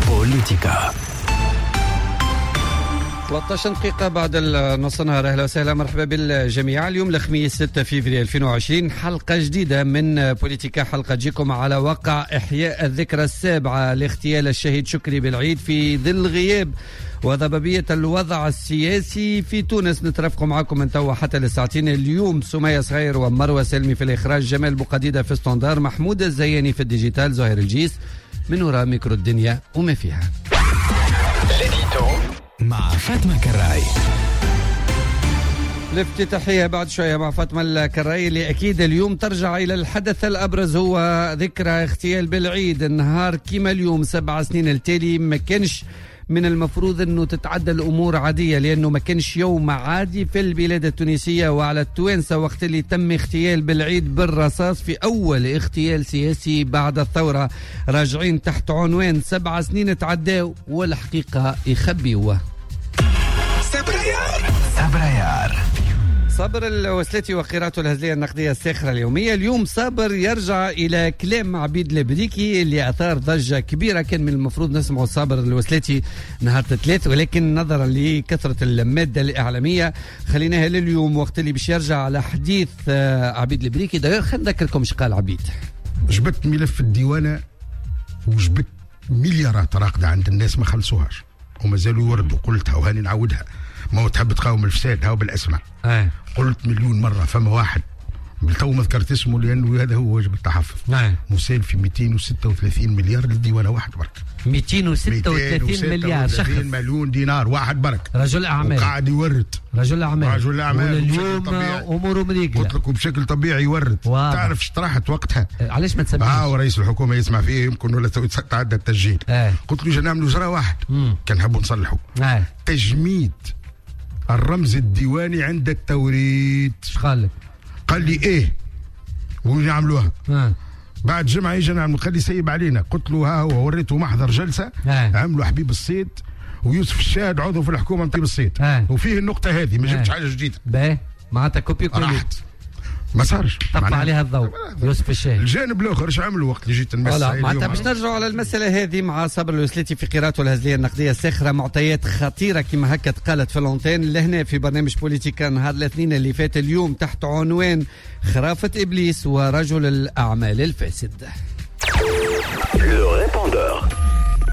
بوليتيكا. 13 دقيقة بعد النص نهار. أهلا وسهلا، مرحبا بالجميع. اليوم الخميس 6 فيفري 2020، حلقة جديدة من بوليتيكا، حلقة تجيكم على وقع إحياء الذكرى السابعة لاغتيال الشهيد شكري بالعيد في ظل غياب وضبابية الوضع السياسي في تونس. نترافق معكم من توا حتى للساعتين. اليوم سمية صغير ومروة سلمي في الإخراج، جمال بوقديدة في standard، محمود الزياني في ال digital، زهير الجيس من وراء ميكرو الدنيا وما فيها. مع فاطمة كراي. الافتتاحية بعد شوية مع فاطمة الكراي اللي أكيد اليوم ترجع إلى الحدث الأبرز، هو ذكرى اغتيال بالعيد. النهار كما اليوم 7 سنين التالي ما كانش من المفروض أنه تتعدى الأمور عادية، لأنه ما كانش يوم عادي في البلاد التونسية وعلى التوانسة وقت اللي تم اغتيال بالعيد بالرصاص في أول اغتيال سياسي بعد الثورة. راجعين تحت عنوان 7 سنين تعداو والحقيقة يخبيوه. صبريار صابر الوسلاتي وقراءته الهزلية النقدية الساخرة اليومية. اليوم صابر يرجع إلى كلام عبيد البريكي اللي أثار ضجة كبيرة. كان من المفروض نسمع صابر الوسلاتي نهار الثلاث، ولكن نظرا لكثرة المادة الإعلامية خليناها لليوم وقت اللي باش يرجع على حديث عبيد البريكي. داير خلينا نذكركم اش قال عبيد. جبت ملف الديوانة وجبت مليارات راقدة عند الناس ما خلصوهاش وما زالوا يوردوا. قلتها وهاني نعاودها، ما هو تحب تقاوم الفساد هاو بالاسماء. قلت مليون مرة فما واحد بالتو ما ذكرت اسمه لأنه هذا هو واجب التحفظ. مسال في 236 مليار للديوانة واحد برك. 236 مليار شخص، مليون دينار واحد برك، رجل أعمال وقاعد يورد. رجل أعمال اليوم أموره مريقلة. قلت لكم بشكل طبيعي يورد. تعرف اشترحت وقتها علاش ما تسميش؟ ورئيس الحكومة يسمع فيه يمكن ولا تعدى التسجيل. قلت له نعملوا جرى واحد كان نحبوا نصلحوا. تجميد الرمز الديواني عند التوريد. اش قال لك؟ قال لي ايه ونعملوها. بعد جمعه يجي نعمل، قال لي سيب علينا. قلت له ها هو، وريته محضر جلسه عملوا حبيب الصيد ويوسف الشاهد عضو في الحكومة نتاع الصيد. وفيه النقطة هذه ما جبتش حاجة جديدة. باهي معناتها copier coller راحت ما صارش. طفى عليها الضوء يوسف الشاهد. الجانب الاخر ايش عملوا وقت اللي جيت نمس؟ معناتها باش نرجعوا على المسالة هذه مع صابر الوسلاتي في قراءته الهزليه النقدية الساخره، معطيات خطيرة كما هكا تقالت في l'antenne لهنا في برنامج بوليتيكا نهار الاثنين اللي فات. اليوم تحت عنوان خرافه ابليس ورجل الاعمال الفاسد.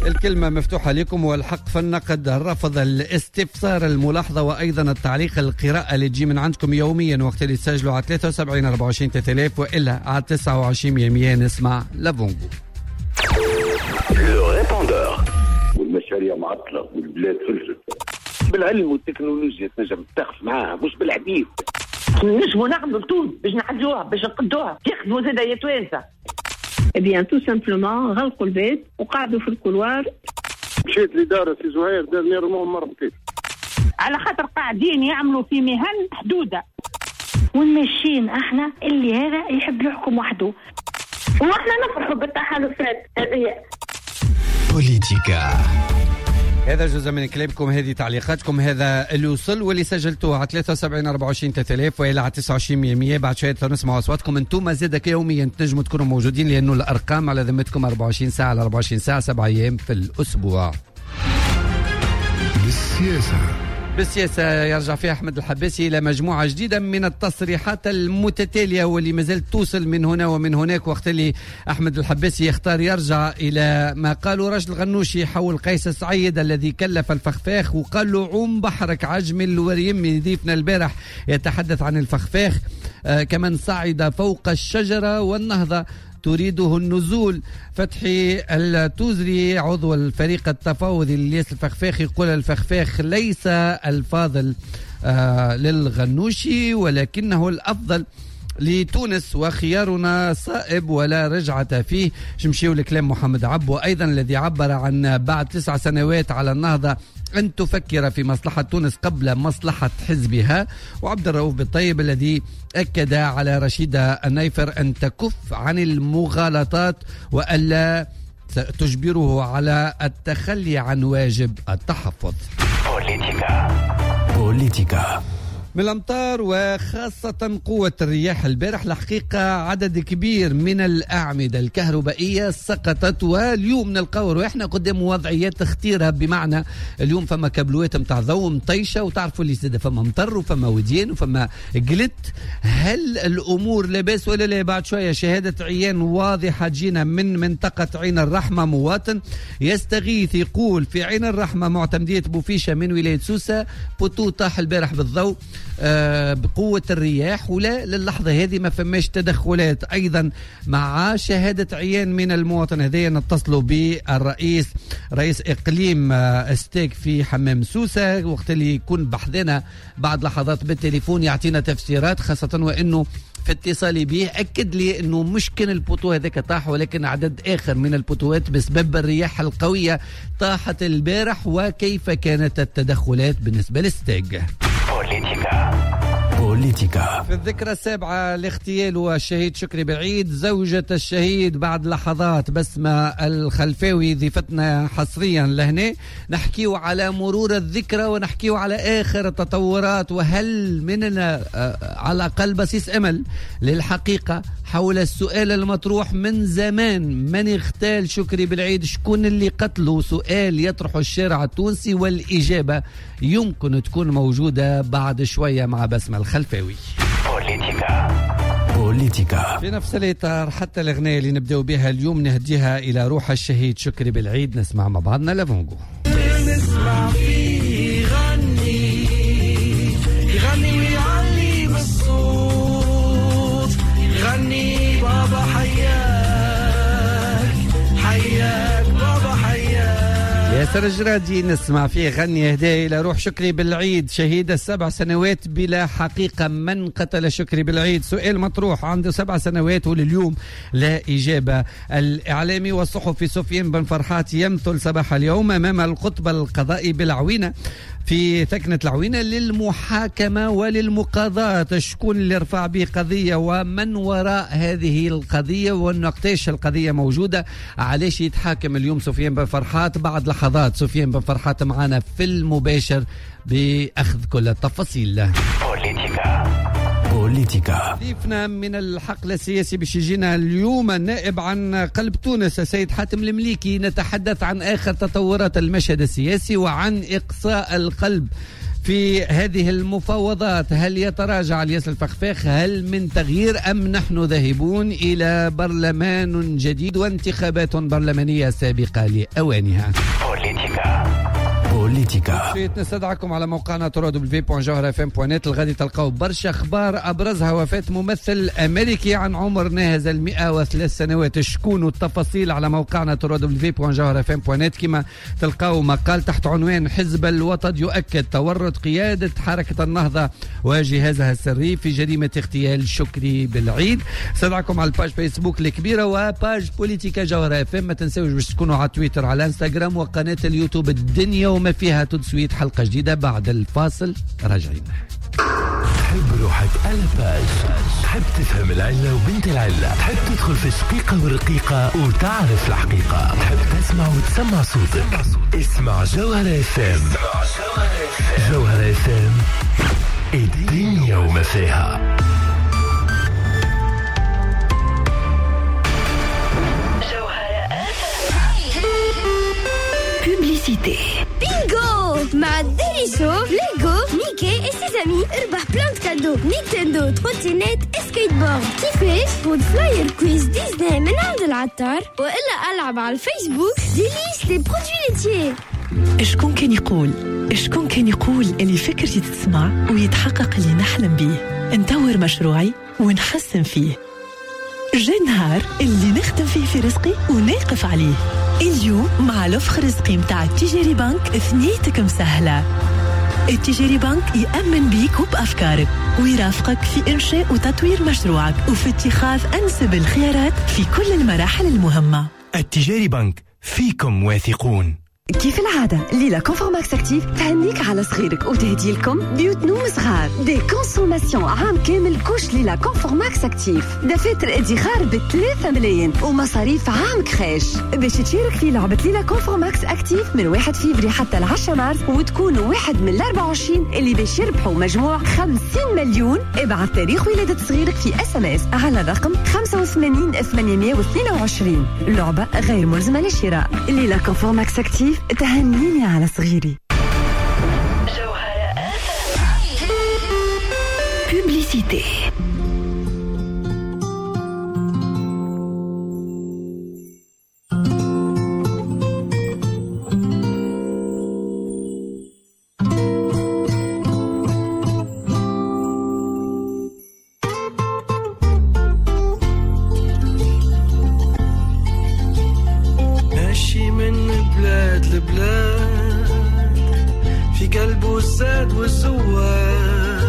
الكلمة مفتوحة لكم والحق في النقد، الرفض، الاستفسار، الملاحظة وأيضا التعليق، القراءة اللي تجي من عندكم يوميا وقت اللي تسجلوا على 73 24 3000 وإلا على 29 100. نسمع لافونغو. والمشاريع معطلة والبلاد فلست. بالعلم والتكنولوجيا تنجم تقف معاها مش بالحديث. نجموا نعملوا تونس باش نعدلوها باش نقدوها يخدموا زادا يا توانسة. Eh bien, tout simplement, غلقوا البيت وقعدوا في ال couloir. مشيت لدار سي زهير dernièrement مرتين. على خاطر قاعدين يعملوا في مهن حدودة. والماشيين احنا اللي هذا يحب يحكم وحده. واحنا نفرحوا بالتحالفات هذه. بوليتيكا. هذا جزء من كلامكم، هذه تعليقاتكم، هذا اللي وصل واللي سجلتوه على 73 24 3000 والى على 29 100. بعد شوية نسمع اصواتكم انتم زادك يوميا تنجموا تكونوا موجودين لانه الارقام على ذمتكم 24 ساعة على 24 ساعة 7 ايام في الاسبوع. بالسياسة بالسياسة يرجع فيها أحمد الحباسي إلى مجموعة جديدة من التصريحات المتتالية واللي مازالت توصل من هنا ومن هناك. وقت اللي أحمد الحباسي يختار يرجع إلى ما قاله راشد الغنوشي حول قيس سعيد الذي كلف الفخفاخ وقال له عوم بحرك عجم الوريم. ضيفنا البارح يتحدث عن الفخفاخ كمن صعد فوق الشجرة والنهضة تريده النزول. فتحي التوزري عضو الفريق التفاوضي للياس الفخفاخ يقول الفخفاخ ليس الفاضل للغنوشي ولكنه الأفضل لتونس وخيارنا صائب ولا رجعة فيه. شمشيو لكلام محمد عبو أيضا الذي عبر عن بعد 9 سنوات على النهضة أن تفكر في مصلحة تونس قبل مصلحة حزبها. وعبد الرؤوف بالطيب الذي أكد على رشيدة النيفر أن تكف عن المغالطات وألا تجبره على التخلي عن واجب التحفظ. بوليتيكا. بوليتيكا. من الأمطار وخاصة قوة الرياح البارح، الحقيقة عدد كبير من الأعمدة الكهربائية سقطت، واليوم نلقاو رواحنا قدام وضعيات خطيرة، بمعنى اليوم فما كابلوات متاع ضوء مطيشة، وتعرفوا اللي زاد فما مطر وفما وديان وفما قلت. هل الأمور لاباس ولا لا؟ بعد شوية شهادة عيان واضحة تجينا من منطقة عين الرحمة، مواطن يستغيث يقول في عين الرحمة معتمدية بوفيشة من ولاية سوسة poteau طاح البارح بالضوء بقوة الرياح، ولا للحظة هذه ما فماش تدخلات. أيضا مع شهادة عيان من المواطن هذا نتصلوا بالرئيس رئيس إقليم استيك في حمام سوسة وقت اللي يكون بحذنا بعد لحظات بالتليفون يعطينا تفسيرات، خاصة وأنه في اتصالي به أكد لي أنه مش كان ال poteau هذاك طاح، ولكن عدد آخر من البوتوات بسبب الرياح القوية طاحت البارح، وكيف كانت التدخلات بالنسبة للستاج. بوليتيكا. في الذكرى السابعة لاغتيال والشهيد شكري بالعيد، زوجة الشهيد بعد لحظات بسمة الخلفاوي ضيفتنا حصريا لهنا، نحكيو على مرور الذكرى ونحكيو على آخر التطورات، وهل مننا على الأقل بصيص أمل للحقيقة حول السؤال المطروح من زمان، من اغتال شكري بالعيد؟ شكون اللي قتله؟ سؤال يطرحه الشارع التونسي، والإجابة يمكن تكون موجودة بعد شوية مع بسمة الخلفاوي. بوليتيكا. في نفس الإطار حتى الأغنية اللي نبدأ بها اليوم نهديها إلى روح الشهيد شكري بالعيد، نسمع مع بعضنا لافونغو. نسمع فيه يغني يغني ويعلي بالصوت، يغني بابا حياك حياك بابا حياك. ياسر الجرادي نسمع فيه غني هدايا إلى روح شكري بالعيد شهيد 7 سنوات بلا حقيقة. من قتل شكري بالعيد؟ سؤال مطروح عنده 7 سنوات ولليوم لا إجابة. الإعلامي والصحفي سفيان بن فرحات يمثل صباح اليوم أمام القطب القضائي بالعوينة في ثكنة العوينة للمحاكمة وللمقاضاة. شكون اللي رفع به قضية ومن وراء هذه القضية ونقتاش القضية موجودة؟ علاش يتحاكم اليوم سفيان بن فرحات؟ بعد لحظات سفيان بن فرحات معنا في المباشر بأخذ كل التفاصيل. بوليتيكا. ضيفنا من الحقل السياسي باش يجينا اليوم النائب عن قلب تونس السيد حاتم المليكي، نتحدث عن آخر تطورات المشهد السياسي وعن إقصاء القلب في هذه المفاوضات. هل يتراجع الياس الفخفاخ؟ هل من تغيير أم نحن ذاهبون إلى برلمان جديد وانتخابات برلمانية سابقة لأوانها؟ بوليتيكا. نستدعكم على موقعنا www.jawharafm.net، الغادي تلقاو برشا اخبار ابرزها وفاة ممثل امريكي عن عمر ناهز 103 سنوات. شكون التفاصيل على موقعنا www.jawharafm.net، كما تلقاو مقال تحت عنوان حزب الوطن يؤكد تورط قيادة حركة النهضة وجهازها السري في جريمة اغتيال شكري بالعيد. استدعكم على ال page فيسبوك الكبيرة و page بوليتيكا جوهرة اف ام. ما تنساوش باش تكونوا على تويتر، على انستغرام وقناة اليوتيوب الدنيا وما فيها. تدسويت حلقة جديدة بعد الفاصل، راجعين. تحب روحك à la page، تحب تفهم العلة وبنت العلة، تحب تدخل في الشقيقة والرقيقة وتعرف الحقيقة، تحب تسمع وتسمع صوتك. اسمع جوهرة اف ام. جوهرة اف ام، الدنيا وما فيها. Publicité. Bingo! مع ديريسو، ليغو، ميكي et ses amis اربح plein de cadeaux. نينتندو، trottinette et skateboard. كيفاش؟ خذ flyer quiz ديزني من عند العطار، والا العب على الفيسبوك ديليس les produits laitiers. شكون كان يقول؟ شكون كان يقول اللي فكرتي تسمع ويتحقق اللي نحلم بيه؟ نطور مشروعي ونحسن فيه. جا نهار اللي نخدم فيه في رزقي وناقف عليه. اليوم مع l'offre رزقي متاع التجاري بنك ثنيتك مسهلة. التجاري بنك يأمن بيك وبأفكارك ويرافقك في إنشاء وتطوير مشروعك وفي اتخاذ أنسب الخيارات في كل المراحل المهمة. التجاري بنك، فيكم واثقون. كيف العادة ليلى Confort Max Active تهنيك على صغيرك وتهدي لكم بيوت نوم صغار، des consommations عام كامل couches ليلى Confort Max Active، دفاتر ادخار ب 3 ملايين ومصاريف عام crèche. باش تشارك في لعبة ليلى Confort Max Active من 1 فيفري حتى 10 مارس وتكون واحد من 24 اللي باش يربحوا مجموع 50 مليون. ابعث تاريخ ولادة صغيرك في SMS على الرقم 85 822. لعبة غير ملزمة للشراء. ليلى Confort Max Active تهنيني على صغيري. جوهرة Publicité. ماشي من بلاد لبلاد في قلبه الزاد والزواد،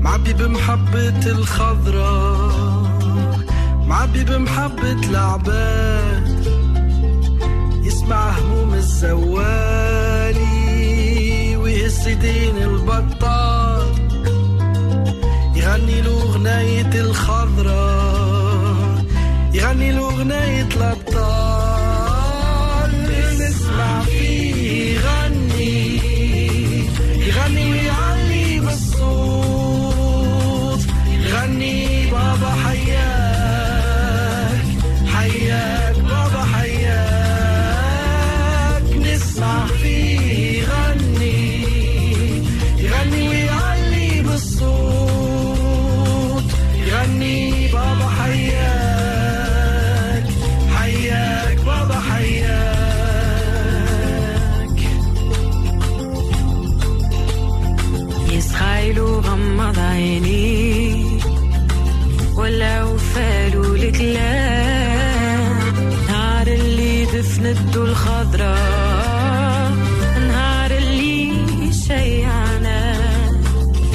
معبي بمحبة الخضراء، معبي بمحبة العباد، يسمع هموم الزوالي ويهز دين البطال، يغني له أغنية الخضراء، يغني له أغنية الأبطال. نسمع فيه يغني، يغني ويعلي بالصوت، يغني بابا حياك، حياك بابا حياك. نسمع فيه يغني، يغني ويعلي بالصوت، يغني بابا حياك، حياك بابا حياك. يسخايلو غمض عيني ولا وفالو الكلام، نهار اللي دفنتو الخضراء، نهار اللي شيعنا،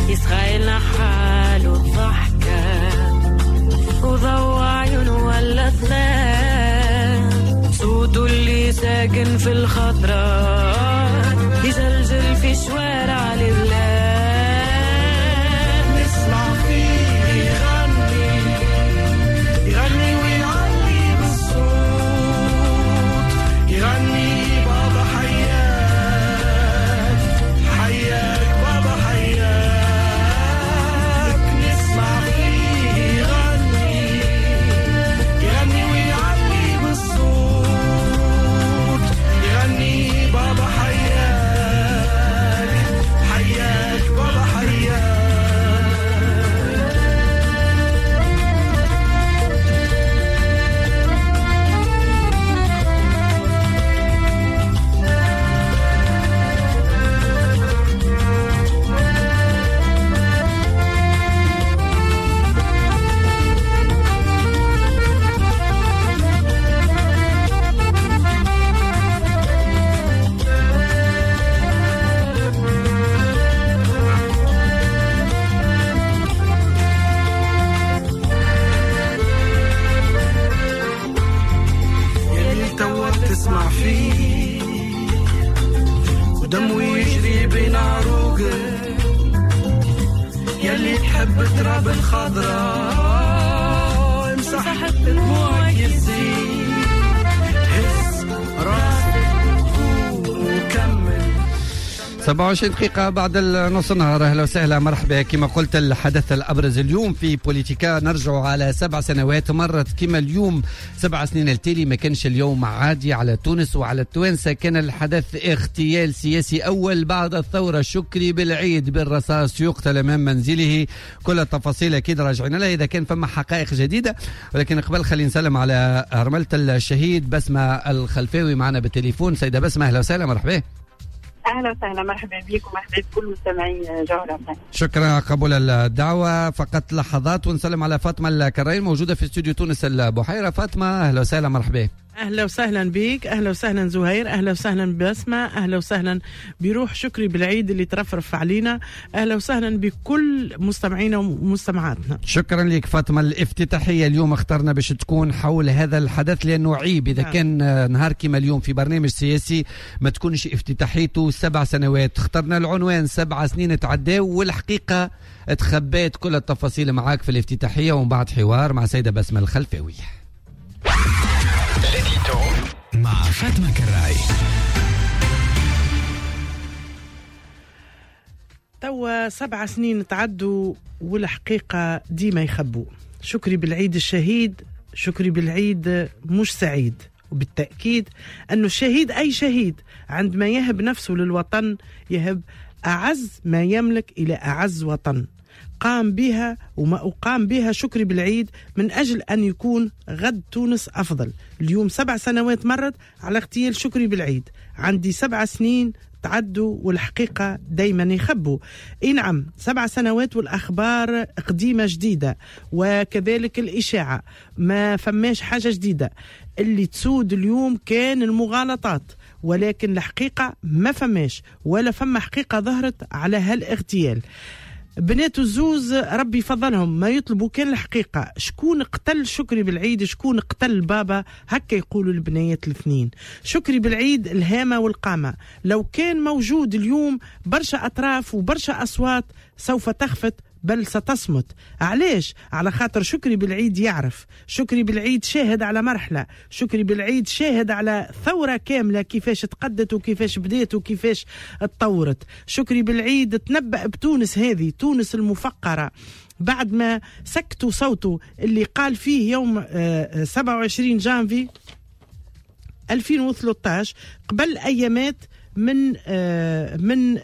يسخايلنا حالو الضحكة وضوى عيونه ولا ظلام، صوته اللي ساكن في الخضراء يزلزل في شوارع البلاد. نسمع فيه يغني، يغني ويعلي بالصوت، يغني بابا حياك، حياك بابا حياك. نسمع فيه يغني، يغني ويعلي بالصوت، يغني بابا حياك، حياك بابا حياك. يلي توا تسمع فيه ودمه يجري بين عروقك، يلي تحب تراب الخضراء، امسح دموعك يزيد، هز راسك وكمل. 27 دقيقة بعد النص النهار. أهلا وسهلا، مرحبا. كما قلت الحدث الأبرز اليوم في بوليتيكا، نرجع على 7 سنوات مرت كما اليوم 7 سنين التالي. ما كانش اليوم عادي على تونس وعلى التوانسة، كان الحدث اغتيال سياسي أول بعد الثورة، شكري بالعيد بالرصاص يقتل أمام منزله. كل التفاصيل أكيد راجعين لها إذا كان فما حقائق جديدة، ولكن قبل خلينا نسلم على أرملة الشهيد بسمة الخلفاوي معنا بالتليفون. سيدة بسمة أهلا وسهلا، مرحبا. اهلا وسهلا، مرحبا بك ومرحبا بكل مستمعي جوهرة. شكرا على قبول الدعوة. فقط لحظات ونسلم على فاطمة الكراين موجودة في استوديو تونس البحيرة. فاطمة أهلا وسهلا، مرحبا. أهلا وسهلا بك، أهلا وسهلا زهير، أهلا وسهلا بسمة، أهلا وسهلا بروح شكري بالعيد اللي ترفرف علينا، أهلا وسهلا بكل مستمعينا ومستمعاتنا. شكرا لك فاطمة. الافتتاحية اليوم اخترنا باش تكون حول هذا الحدث لأنه عيب إذا كان نهار كما اليوم في برنامج سياسي ما تكونش افتتاحيته 7 سنوات. اخترنا العنوان 7 سنين تعداو والحقيقة تخبات كل التفاصيل معاك في الافتتاحية، ومن بعد حوار مع سيدة بسمة الخلفاوي مع فاطمة كراي. توا 7 سنين تعدوا والحقيقة ديما يخبوا. شكري بالعيد الشهيد، شكري بالعيد مش سعيد، وبالتأكيد أنه الشهيد أي شهيد عندما يهب نفسه للوطن يهب أعز ما يملك إلى أعز وطن قام بها، وما أقام بها شكري بالعيد من أجل أن يكون غد تونس أفضل. اليوم 7 سنوات مرت على اغتيال شكري بالعيد، عندي 7 سنين تعدوا والحقيقة دايما يخبوا. إي نعم 7 سنوات والأخبار قديمة جديدة، وكذلك الإشاعة ما فماش حاجة جديدة. اللي تسود اليوم كان المغالطات، ولكن الحقيقة ما فماش ولا فما حقيقة ظهرت على هالاغتيال. بنات الزوز ربي فضلهم ما يطلبوا كان الحقيقة، شكون قتل شكري بالعيد، شكون قتل بابا، هكا يقولوا البنيات الاثنين. شكري بالعيد الهامة والقامة، لو كان موجود اليوم برشا أطراف وبرشا أصوات سوف تخفت بل ستصمت. علاش؟ على خاطر شكري بالعيد يعرف، شكري بالعيد شاهد على مرحلة، شكري بالعيد شاهد على ثورة كاملة كيفاش تقدت وكيفاش بدات وكيفاش تطورت. شكري بالعيد تنبأ بتونس هذه، تونس المفقرة، بعد ما سكتوا صوته اللي قال فيه يوم 27 جانفي 2013 قبل أيامات من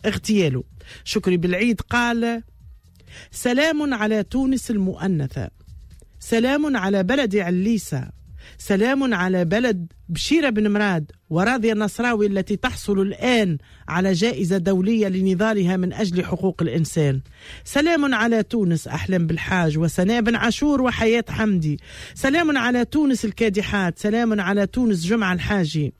اغتياله. شكري بالعيد قال: سلام على تونس المؤنثة، سلام على بلد عليسة، سلام على بلد بشيرة بن مراد وراضية النصراوي التي تحصل الآن على جائزة دولية لنضالها من أجل حقوق الإنسان، سلام على تونس أحلام بالحاج وسناء بن عاشور وحياة حمدي، سلام على تونس الكادحات، سلام على تونس جمعة الحاجي،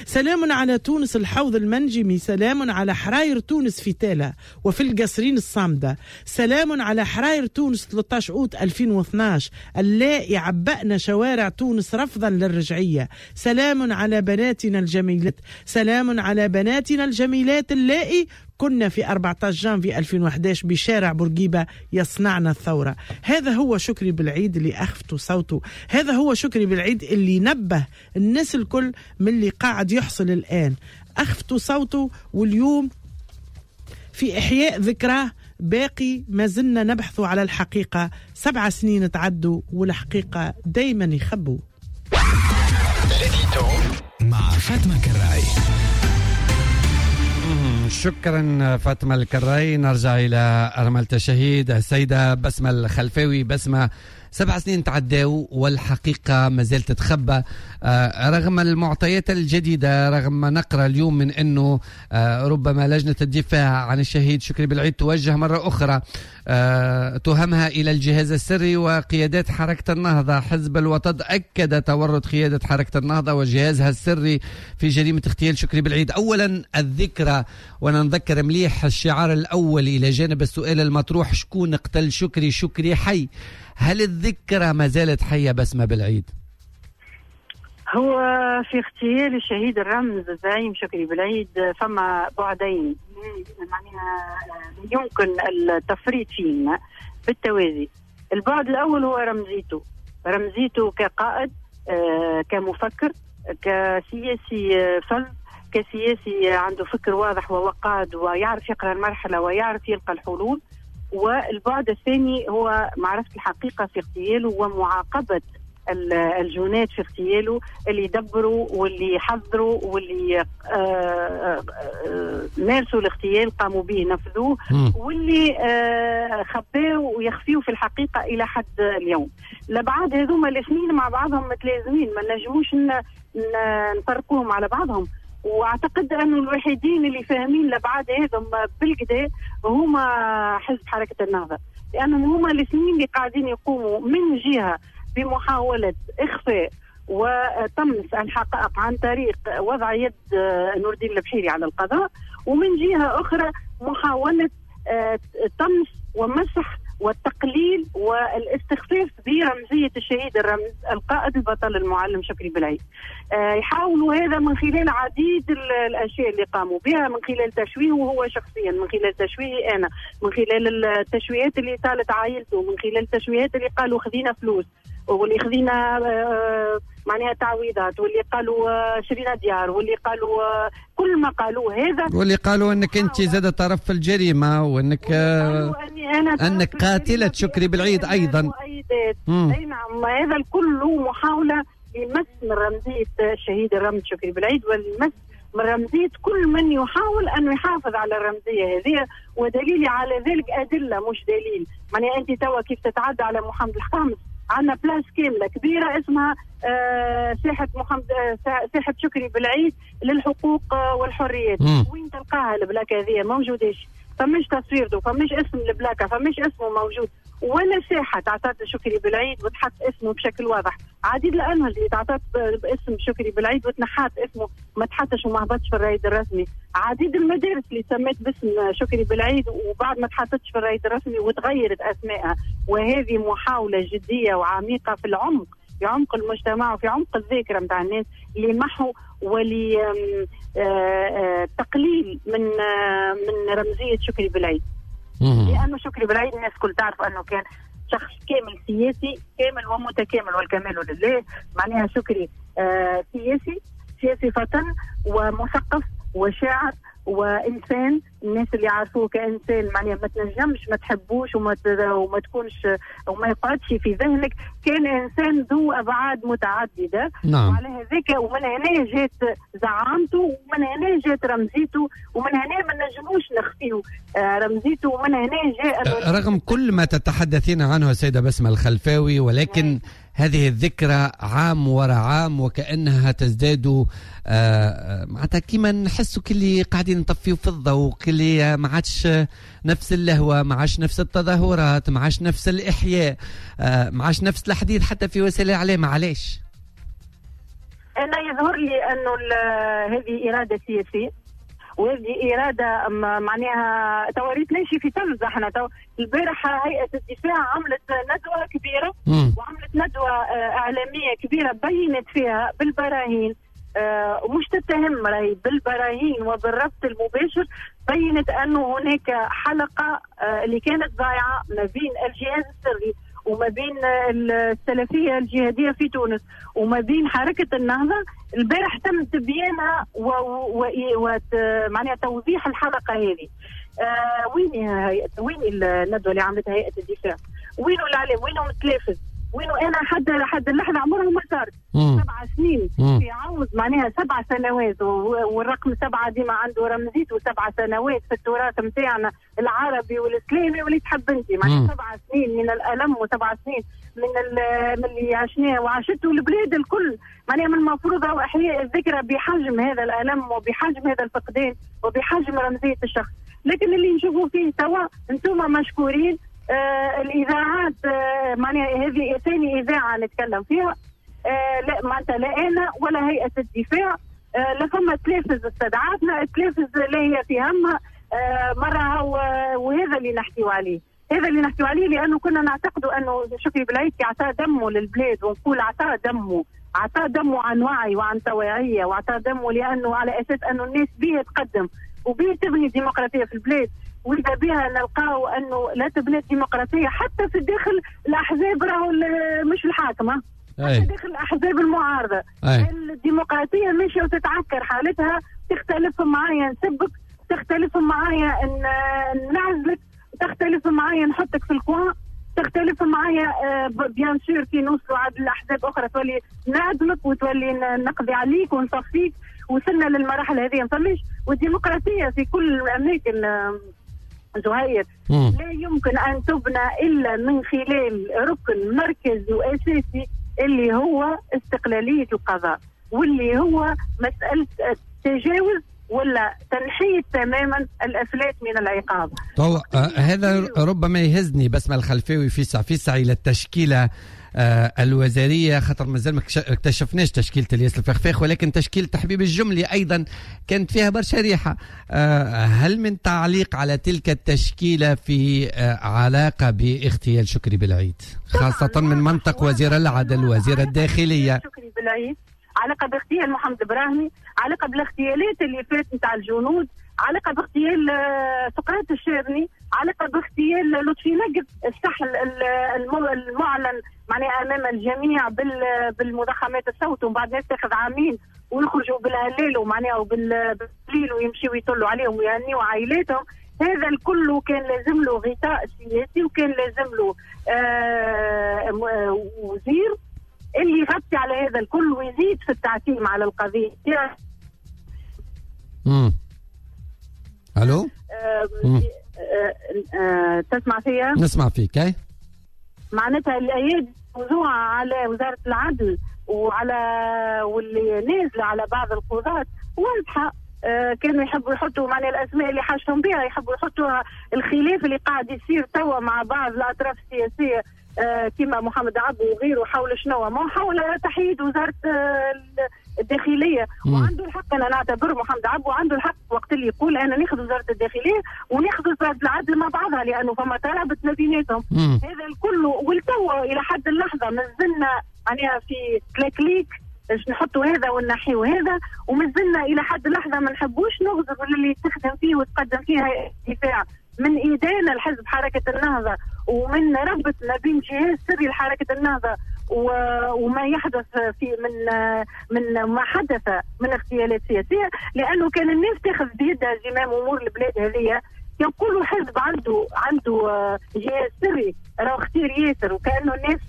سلام على تونس الحوض المنجمي، سلام على حراير تونس في تالا وفي القصرين الصامدة، سلام على حراير تونس 13 أوت 2012 اللائي عبأنا شوارع تونس رفضا للرجعية، سلام على بناتنا الجميلات، سلام على بناتنا الجميلات اللائي كنا في 14 جانفي 2011 بشارع بورقيبة يصنعنا الثورة. هذا هو شكري بالعيد اللي أخفتوا صوته، هذا هو شكري بالعيد اللي نبه الناس الكل من اللي قاعد يحصل الآن. أخفتوا صوته، واليوم في إحياء ذكراه باقي ما زلنا نبحث على الحقيقة. 7 سنين تعدوا والحقيقة دايما يخبوا. مع فاطمة كراي. شكرا فاطمة الكراي. نرجع إلى أرملة الشهيد السيدة بسمة الخلفاوي. بسمة، 7 سنين تعداو والحقيقة ما زالت تتخبى رغم المعطيات الجديدة، رغم ما نقرأ اليوم من أنه ربما لجنة الدفاع عن الشهيد شكري بالعيد توجه مرة أخرى تهمها إلى الجهاز السري وقيادات حركة النهضة. حزب الوطد أكد تورط قيادة حركة النهضة وجهازها السري في جريمة اغتيال شكري بالعيد. أولا الذكرى، ونذكر مليح الشعار الأول إلى جانب السؤال المطروح شكون قتل شكري، شكري حي. هل الذكرى ما زالت حية بسمة بالعيد؟ هو في اغتيال الشهيد الرمز الزعيم شكري بالعيد فما بعدين معناها يمكن التفريط فيهما بالتوازي. البعد الأول هو رمزيته كقائد، كمفكر، كسياسي فذ، كسياسي عنده فكر واضح ووقاد ويعرف يقرأ المرحلة ويعرف يلقى الحلول. والبعد الثاني هو معرفة الحقيقة في اغتياله ومعاقبة الجنات في اغتياله اللي دبروا واللي حذروا واللي مارسوا الاغتيال، قاموا به، نفذوه، واللي خباوا ويخفيوا في الحقيقة إلى حد اليوم. لبعض هذوما الاثنين مع بعضهم متلازمين، ما نجموش نفرقوهم على بعضهم. واعتقد انه الوحيدين اللي فاهمين لبعاد هذم بالكدا هما حزب حركة النهضة، لانهم هما الاثنين اللي قاعدين يقوموا من جهة بمحاولة اخفاء وطمس الحقائق عن طريق وضع يد نور الدين البحيري على القضاء، ومن جهة أخرى محاولة طمس ومسح والتقليل والاستخفاف برمزية الشهيد الرمز القائد البطل المعلم شكري بالعيد. يحاولوا هذا من خلال عديد الأشياء اللي قاموا بها، من خلال تشويهه هو شخصيا، من خلال تشويهي أنا، من خلال التشويهات اللي طالت عائلته، من خلال التشويهات اللي قالوا خذينا فلوس واللي خذينا معناها تعويضات، واللي قالوا شرينا ديار، واللي قالوا كل ما قالوه هذا، واللي قالوا انك انت زاد طرف في الجريمة، وانك انك قاتله شكري بالعيد ايضا. اي نعم، هذا الكل محاولة لمس من رمزية الشهيد الرمز شكري بالعيد، والمس من رمزية كل من يحاول أن يحافظ على الرمزية هذه. ودليلي على ذلك أدلة مش دليل. معناها أنت توا كيف تتعدى على محمد الخامس، عندنا place كاملة كبيرة اسمها ساحة محمد، ساحة شكري بالعيد للحقوق والحريات. وين تلقاها ال plaque هذه؟ موجوداش، فمش تصويرته، فمش اسم ال plaque، فمش اسمه موجود، ولا ساحة تعطات شكري بالعيد وتحط اسمه بشكل واضح. عديد الأنهج اللي تعطات باسم شكري بالعيد وتنحات اسمه، ما تحطش وما هبطش في الرائد الرسمي. عديد المدارس اللي سمت باسم شكري بالعيد وبعد ما تحطتش في الرائد الرسمي وتغيرت أسمائها. وهذه محاولة جدية وعميقة في العمق، في عمق المجتمع وفي عمق الذاكرة متاع الناس، لمحو ولتقليل من رمزية شكري بالعيد. لأنه شكري بالعيد الناس كل تعرف أنه كان شخص كامل سياسي، كامل ومتكامل والكمال لله. معناها شكري سياسي فطن ومثقف وشاعر وإنسان. الناس اللي عارفوه كإنسان معناها ما تنجمش ما تحبوش وما تكونش وما يقعدش في ذهنك. كان إنسان ذو أبعاد متعددة. نعم. وعلى هذاك ومن هنا جات زعامته، ومن هنا جات رمزيته، ومن هنا ما نجموش نخفيه رمزيته، ومن هنا جاء رغم كل ما تتحدثين عنه السيدة بسمة الخلفاوي، ولكن هذه الذكرى عام وراء عام وكأنها تزداد، معناتها كيما نحسوا كلي قاعدين نطفيو في الضوء، كلي ما عادش نفس اللهوة، ما عادش نفس التظاهرات، ما عادش نفس الإحياء، ما عادش نفس الحديث حتى في وسائل الإعلام. علاش؟ أنا يظهر لي أنه هذه إرادة سياسية، وهذه إرادة معناها تواريت ليش في تلز. احنا البارحة هيئة الدفاع عملت ندوة كبيرة، وعملت ندوة إعلامية كبيرة بينت فيها بالبراهين، ومش تتهم راهي، بالبراهين وبالربط المباشر، بينت أنه هناك حلقة اللي كانت ضايعة ما بين الجهاز السري وما بين السلفية الجهادية في تونس وما بين حركة النهضة. البارح تم تبيانها معناها توضيح الحلقة هذه. وين الندوة اللي عملتها هيئة الدفاع؟ وينو الإعلام؟ وينو التلافز؟ وينو أنا حد اللحظة عمرها ما صارت 7 سنين في عوض معناها 7 سنوات، والرقم 7 ديما عنده رمزيته، 7 سنوات في التراث نتاعنا العربي والإسلامي واللي تحب انت، معناها 7 سنين من الألم و7 سنين من اللي عشناه وعاشته البلاد الكل. معناها من المفروض هو إحياء الذكرى بحجم هذا الألم وبحجم هذا الفقدان وبحجم رمزية الشخص. لكن اللي نشوفوا فيه توا انتم مشكورين، الإذاعات، معناها هذه ثاني إذاعة نتكلم فيها، لا معناتها لا أنا ولا هيئة الدفاع، لا فما تلافز استدعاتنا، التلافز لا هي في همها مرة. وهذا اللي نحكيو عليه، هذا اللي نحكيو عليه، لأنه كنا نعتقد أنه شكري بالعيد عطى دمه للبلاد، ونقول عطى دمه، عطى دمه عن وعي وعن توعية، وعطى دمه لأنه على أساس أنه الناس بيه تقدم وبيه تبني ديمقراطية في البلاد. وإذا بها نلقاو أنه لا تبني الديمقراطية حتى في داخل الأحزاب، راهو مش الحاكمة، حتى داخل الأحزاب المعارضة. الديمقراطية ماشية وتتعكر حالتها، تختلف معايا نسبك، تختلف معايا نعزلك، تختلف معايا نحطك في ال coin، تختلف معايا bien sûr كي نوصلوا عاد الأحزاب أخرى تولي نعدمك وتولي نقضي عليك ونصفيك. وصلنا للمراحل هذه ما فماش. والديمقراطية في كل الأماكن زهير لا يمكن أن تبنى إلا من خلال ركن مركزي وأساسي اللي هو استقلالية القضاء، واللي هو مسألة تجاوز ولا تنحية تماما الافلات من العقاب. طو هذا ربما يهزني بسمة الخلفاوي في سعي الى التشكيلة الوزارية، خاطر مازال ما اكتشفناش تشكيله الياس الفخفاخ، ولكن تشكيله حبيب الجملي ايضا كانت فيها برشا ريحه. هل من تعليق على تلك التشكيلة في علاقة باغتيال شكري بالعيد، خاصة من منطق وزير العدل وزير الداخلية؟ شكري بالعيد علاقة باغتيال محمد ابراهيمي، علاقة بالاغتيالات اللي فات نتاع الجنود، علاقة باغتيال سقراط الشارني، علاقة باغتيال لطفي نقد، السحل المعلن معناها امام الجميع بالمضخمات الصوت، ومن بعد ناس تاخذ عامين ويخرجوا بالهلال ومعناها وبالليل ويمشيوا يطلوا عليهم ويهنيوا عائلاتهم. هذا الكل كان لازم له غطاء سياسي، وكان لازم له وزير اللي يغطي على هذا الكل ويزيد في التعتيم على القضية. الو تسمع فيا؟ نسمع فيك. اي معناتها الايادي موضوعة على وزارة العدل وعلى واللي نازلة على بعض القضاة واضحة. كانوا يحبوا يحطوا معناها الاسماء اللي حاجتهم بها، يحبوا يحطوها. الخلاف اللي قاعد يصير توا مع بعض الاطراف السياسية كما محمد عبو وغيره حول شنو؟ ما حول تحييد وزارة الداخلية. وعنده الحق، انا نعتبر محمد عبو عنده الحق وقت اللي يقول انا ناخذ وزارة الداخلية وناخذ وزارة العدل مع بعضها، لانه فما ترابط ما بيناتهم. هذا الكل والتو الى حد اللحظة مازلنا معناها في تلاكليك باش نحطوا هذا ونحيو هذا، ومازلنا الى حد اللحظة ما نحبوش نغزر اللي تخدم فيه وتقدم فيها دفاع من إدانة الحزب حركة النهضة ومن ربط ما بين جهاز سري لحركة النهضة وما يحدث في من ما حدث من اغتيالات سياسية، لأنه كان الناس تاخذ بيدها زمام أمور البلاد هذه. يقولوا حزب عنده جهاز سري راه خطير ياسر، وكأنه الناس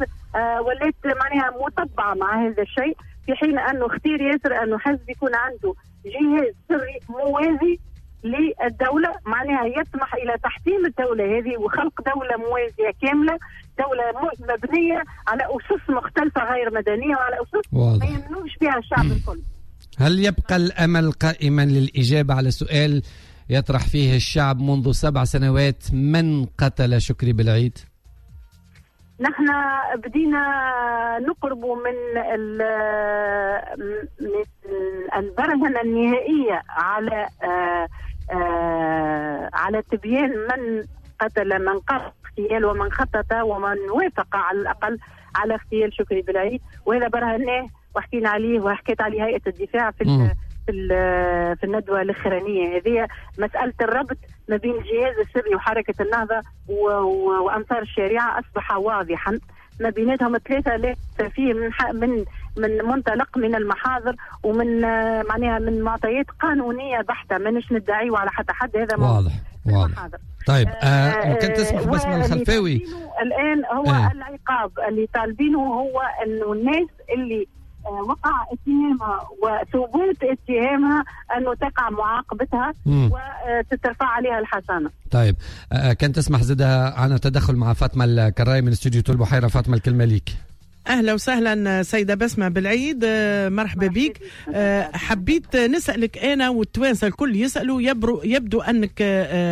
ولات معناها مطبعة مع هذا الشيء، في حين أنه خطير ياسر أنه حزب يكون عنده جهاز سري موازي للدولة، معناها يطمح إلى تحطيم الدولة هذه وخلق دولة موازية كاملة، دولة مبنية على أسس مختلفة غير مدنية وعلى أسس ما يمنوش بها الشعب الكل. هل يبقى الأمل قائما للإجابة على سؤال يطرح فيه الشعب منذ 7 سنوات: من قتل شكري بالعيد؟ نحن بدينا نقرب من البرهنة النهائية على تبيان من قتل، من قام اغتيال ومن خطط ومن وافق على الأقل على اغتيال شكري بالعيد، وهذا برهناه وحكينا عليه وحكيت عليه هيئة الدفاع في في الندوة الأخرانية هذه. مسألة الربط ما بين الجهاز السري وحركة النهضة وأنصار الشريعة أصبح واضحا، ما بيناتهم الثلاثة لا فيه من من منطلق من المحاضر ومن معناها من معطيات قانونية بحتة، مانيش ندعيو على حتى حد، هذا واضح واضح. طيب ممكن تسمح بسمة الخلفاوي الآن هو العقاب اللي طالبينه هو أنه الناس اللي وقع اتهامها وثبوت اتهامها أنه تقع معاقبتها وتترفع عليها الحصانة. طيب كان تسمح زدها عن تدخل مع فاطمة الكراي من استوديو طول بحيرة. فاطمة الكلمة ليك. أهلا وسهلا سيدة بسمة بالعيد، مرحبا بك. حبيت نسألك أنا والتوانسة الكل يسألوا، يبدو أنك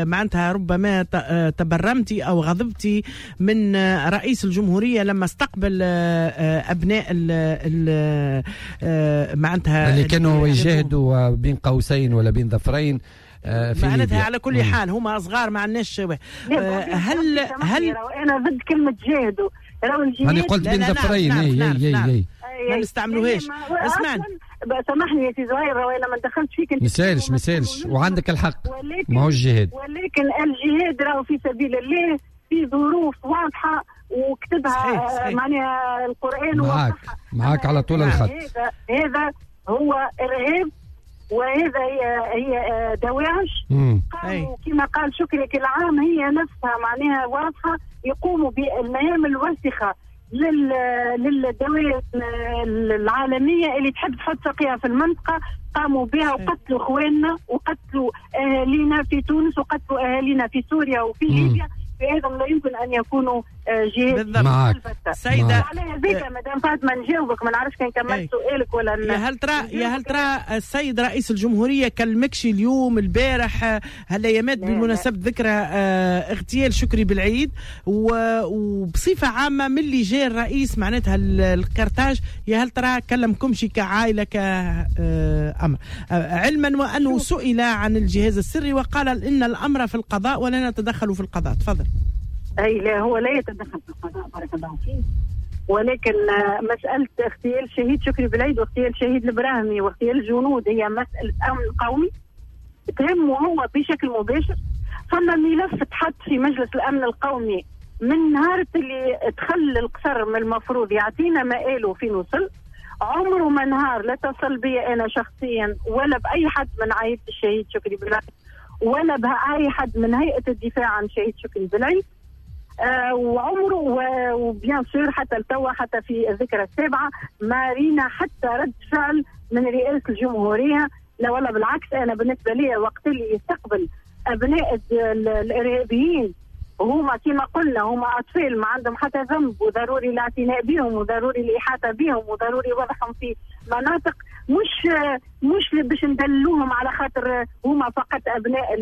معناتها ربما تبرمتي أو غضبتي من رئيس الجمهورية لما استقبل أبناء معناتها اللي كانوا يجاهدوا بين قوسين ولا بين ظفرين معناتها. على كل حال هما صغار ما عندناش. هل أنا ضد كلمة جاهدوا، أنا قلت بين ظفرين. اي ما نستعملوهاش. اسمعني سامحني يا سي زهير، انا ما دخلتش فيك، ما يسالش وعندك الحق، ما هوش جهاد، ولكن الجهاد راهو في سبيل الله في ظروف واضحة وكتبها معناها القران. معاك على طول الخط. هذا هو ارهاب وهذا هي دواعش. قاموا كما قال شكري كل عام هي نفسها معناها واضحة، يقوموا بالمهام الوسخة للدول العالمية اللي تحب تحط ساقيها في المنطقة، قاموا بها وقتلوا اخواننا وقتلوا اهالينا في تونس وقتلوا اهالينا في سوريا وفي ليبيا. فهذا لا يمكن ان يكونوا جهات. معك سيدة على هذيك مدام فاطمة نجاوبك، ما نعرفش كان كملت سؤالك ولا. يا هل ترى السيد رئيس الجمهورية كلمكش اليوم البارح هالايامات بمناسبة ذكرى اغتيال شكري بالعيد، وبصفة عامة من اللي جاء الرئيس معناتها الكرتاج، يا هل ترى كلمكمش كعائلة كأمر؟ علما وأنه سئل عن الجهاز السري وقال إن الأمر في القضاء ولا نتدخل في القضاء. تفضل. أي لا، هو لا يتدخل في القضاء بارك الله فيه، ولكن مسألة اغتيال شهيد شكري بالعيد واغتيال شهيد البراهمي واغتيال الجنود هي مسألة أمن قومي تهمه هو بشكل مباشر. فما ملف تحط في مجلس الأمن القومي من نهار اللي دخل القصر، من المفروض يعطينا مآله فين وصل. عمره ما نهار لا تصل بي أنا شخصيا ولا بأي حد من عائلة الشهيد شكري بالعيد ولا بأي حد من هيئة الدفاع عن شهيد شكري بالعيد، وعمره و bien sûr حتى التوا حتى في الذكرى السابعة ما رينا حتى رد فعل من رئاسة الجمهورية. لا والله بالعكس، أنا بالنسبة لي وقت اللي يستقبل أبناء الإرهابيين وهما كما قلنا هما أطفال ما عندهم حتى ذنب، وضروري الاعتناء بهم وضروري الإحاطة بهم وضروري وضعهم في مناطق مش باش ندلوهم على خاطر هما فقط أبناء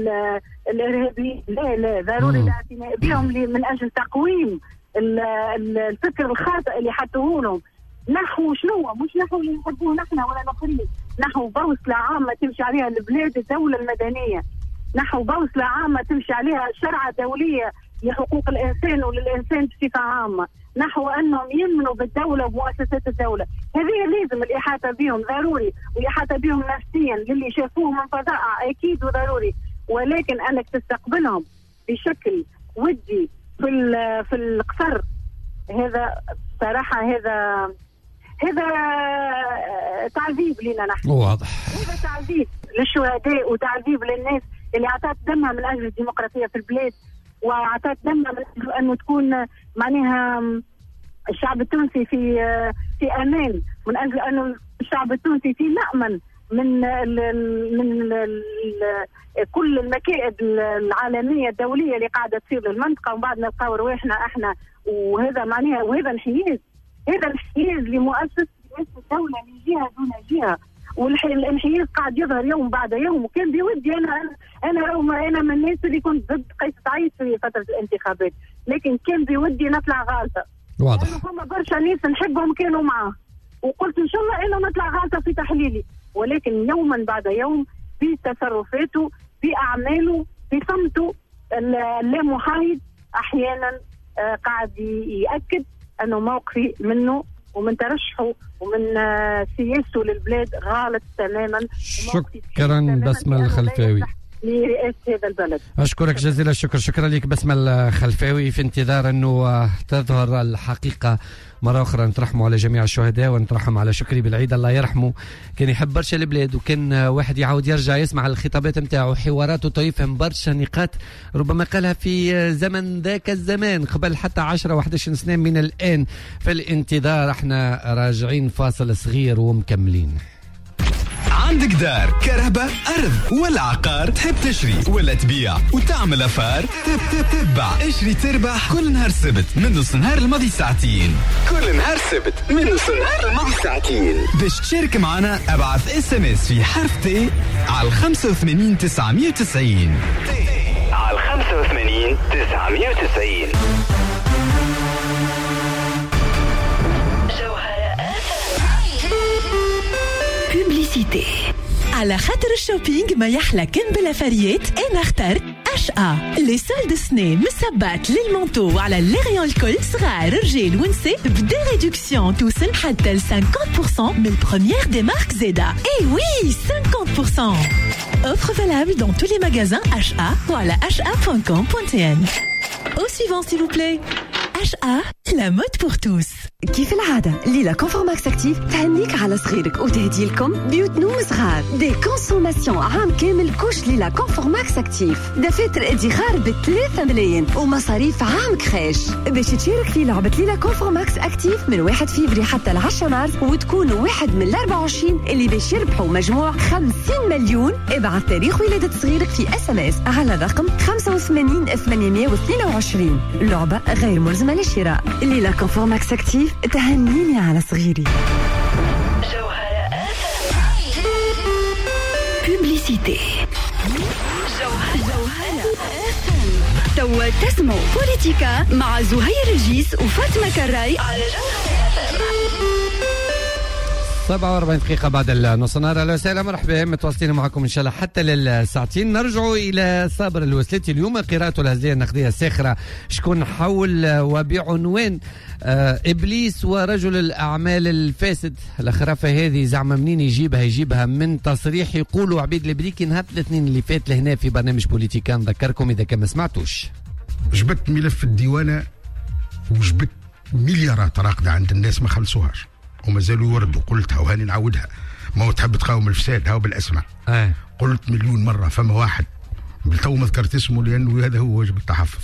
الإرهابيين، لا لا، ضروري الاعتناء بهم من أجل تقويم الفكر الخاطئ اللي حطوه لهم نحو شنو، مش نحو اللي نحبوه نحن ولا الآخرين، نحو بوصلة عامة تمشي عليها البلاد الدولة المدنية، نحو بوصلة عامة تمشي عليها شرعة دولية لحقوق الإنسان وللإنسان بصفة عامة، نحو أنهم يمنوا بالدولة ومؤسسات الدولة. هذه لازم الإحاطة بهم ضروري، والإحاطة بهم نفسيا للي شافوه من فظائع أكيد وضروري، ولكن أنك تستقبلهم بشكل ودي في القصر، هذا صراحة هذا تعذيب لنا نحن. واضح. هذا تعذيب للشهداء وتعذيب للناس اللي عطات دمها من أجل الديمقراطية في البلاد، وعطات دمها من أجل أنه تكون معناها الشعب التونسي في أمان، من أجل أنه الشعب التونسي في مأمن من كل المكائد العالمية الدولية اللي قاعدة تصير للمنطقة، ومن بعد نلقاو رواحنا احنا. وهذا معناها وهذا انحياز، هذا انحياز لمؤسسة الدولة لجهة دون جهة، والانحياز قاعد يظهر يوم بعد يوم. وكان بودي انا من الناس اللي كنت ضد قيس سعيد في فترة الانتخابات، لكن كان بودي نطلع غالطة. واضح. فما برشا ناس نحبهم كانوا معاه، وقلت ان شاء الله انه نطلع غالطة في تحليلي، ولكن يوما بعد يوم بتصرفاته بأعماله بصمته اللامحايد أحيانا قاعد يأكد أنه موقفي منه ومن ترشحه ومن سياسته للبلاد غلط تماما. شكرا بسمة الخلفاوي لرئاسة هذا البلد. أشكرك جزيل الشكر. شكرا لك بسمة الخلفاوي. في انتظار أنه تظهر الحقيقة مرة أخرى. نترحموا على جميع الشهداء ونترحم على شكري بالعيد الله يرحمه، كان يحب برشا البلاد، وكان واحد يعاود يرجع يسمع الخطابات نتاعو حواراته يفهم برشا نقاط ربما قالها في زمن ذاك الزمان قبل حتى 10 و11 سنة من الآن. في الانتظار احنا راجعين فاصل صغير ومكملين. عندك دار، كرهبة، أرض ولا عقار، تحب تشري ولا تبيع وتعمل affaire، تبع اشري تربح كل نهار سبت من نص نهار الماضي ساعتين. كل نهار سبت من نص نهار الماضي ساعتين. باش تشارك معنا ابعث SMS في حرف T على 85 990. T على 85 990. Publicité. على خاطر ال shopping ما يحلى كان بالافاريات، انا اخترت HA. Les soldes سنة من السبات لل manteau وعلى les rayons الكل، صغار رجال ونساء ب des réductions توصل حتى ل 50% من ال première des marques زادا. Eh oui 50%. Offre valable dans tous les magasins HA ou à la ha.com.tn. Au suivant s'il vous plaît. HA, la mode pour tous. كيف العادة ليلى Confort Max Active تهنيك على صغيرك وتهدي لكم بيوت نوم صغار، des consommations عام كامل couches ليلى Confort Max Active، دفاتر ادخار ب 3 ملايين ومصاريف عام crèche. باش تشارك في لعبة ليلى Confort Max Active من 1 فيفري حتى 10 مارس وتكون واحد من 24 اللي باش يربحوا مجموع 50 مليون. ابعث تاريخ ولادة صغيرك في SMS على الرقم 85 822. لعبة غير ملزمة للشراء. ليلى Confort Max Active تهنيني على صغيري. جوهرة publicité. جوهرة توا تسمعوا بوليتيكا مع زهير الجيس وفاطمة كراي على جوهرة. 47 دقيقة بعد النص نهار. أهلا وسهلا، مرحبا، متواصلين معكم إن شاء الله حتى للساعتين. نرجع إلى صابر الوسلاتي اليوم قراءته الهزلية النقدية الساخرة شكون حول وبعنوان إبليس ورجل الأعمال الفاسد. الخرافة هذه زعما منين يجيبها؟ يجيبها من تصريح يقولوا عبيد البريكي نهار الاثنين اللي فات لهنا في برنامج بوليتيكا. نذكركم إذا كان ما سمعتوش. جبت ملف الديوانة وجبت مليارات راقدة عند الناس ما خلصوهاش ومازالوا يوردوا. قلتها وهاني نعاودها، ما هو تحب تقاوم الفساد هاو بالاسماء. قلت مليون مرة فما واحد بالتو ما ذكرت اسمه لانه هذا هو واجب التحفظ.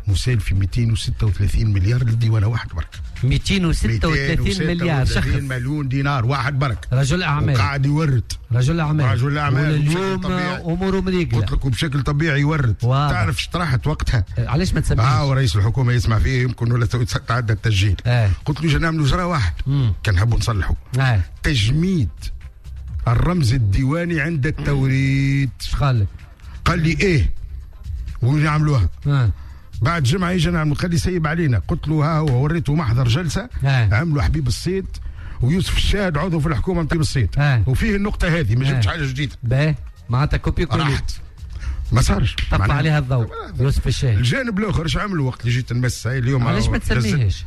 مسال في 236 مليار للديوانه واحد برك. 236 مليار شخص، مليون دينار واحد برك، رجل اعمال وقاعد يورد. رجل اعمال اليوم اموره مريقله. قلت لكم بشكل طبيعي يورد. تعرف اش طرحت وقتها؟ علاش ما تسميش؟ ورئيس الحكومة يسمع فيه يمكن ولا تعدى التسجيل. قلت له نعملوا جرا واحد كان نحبوا نصلحوا. تجميد الرمز الديواني عند التوريد. اش قال لك؟ قال لي ايه ونعملوها. بعد جمعه يجي نعمل، قال لي سيب علينا. قلت له ها هو، وريته محضر جلسه عملوا حبيب الصيد ويوسف الشاهد عضو في الحكومة نتاع الصيد. وفيه النقطة هذه ما جبتش حاجة جديدة. باهي معناتها copier coller راحت ما صارش. طفى عليها الضوء يوسف الشاهد. الجانب الاخر اش عملوا وقت اللي جيت نمس اليوم؟ علاش ما تسميهاش؟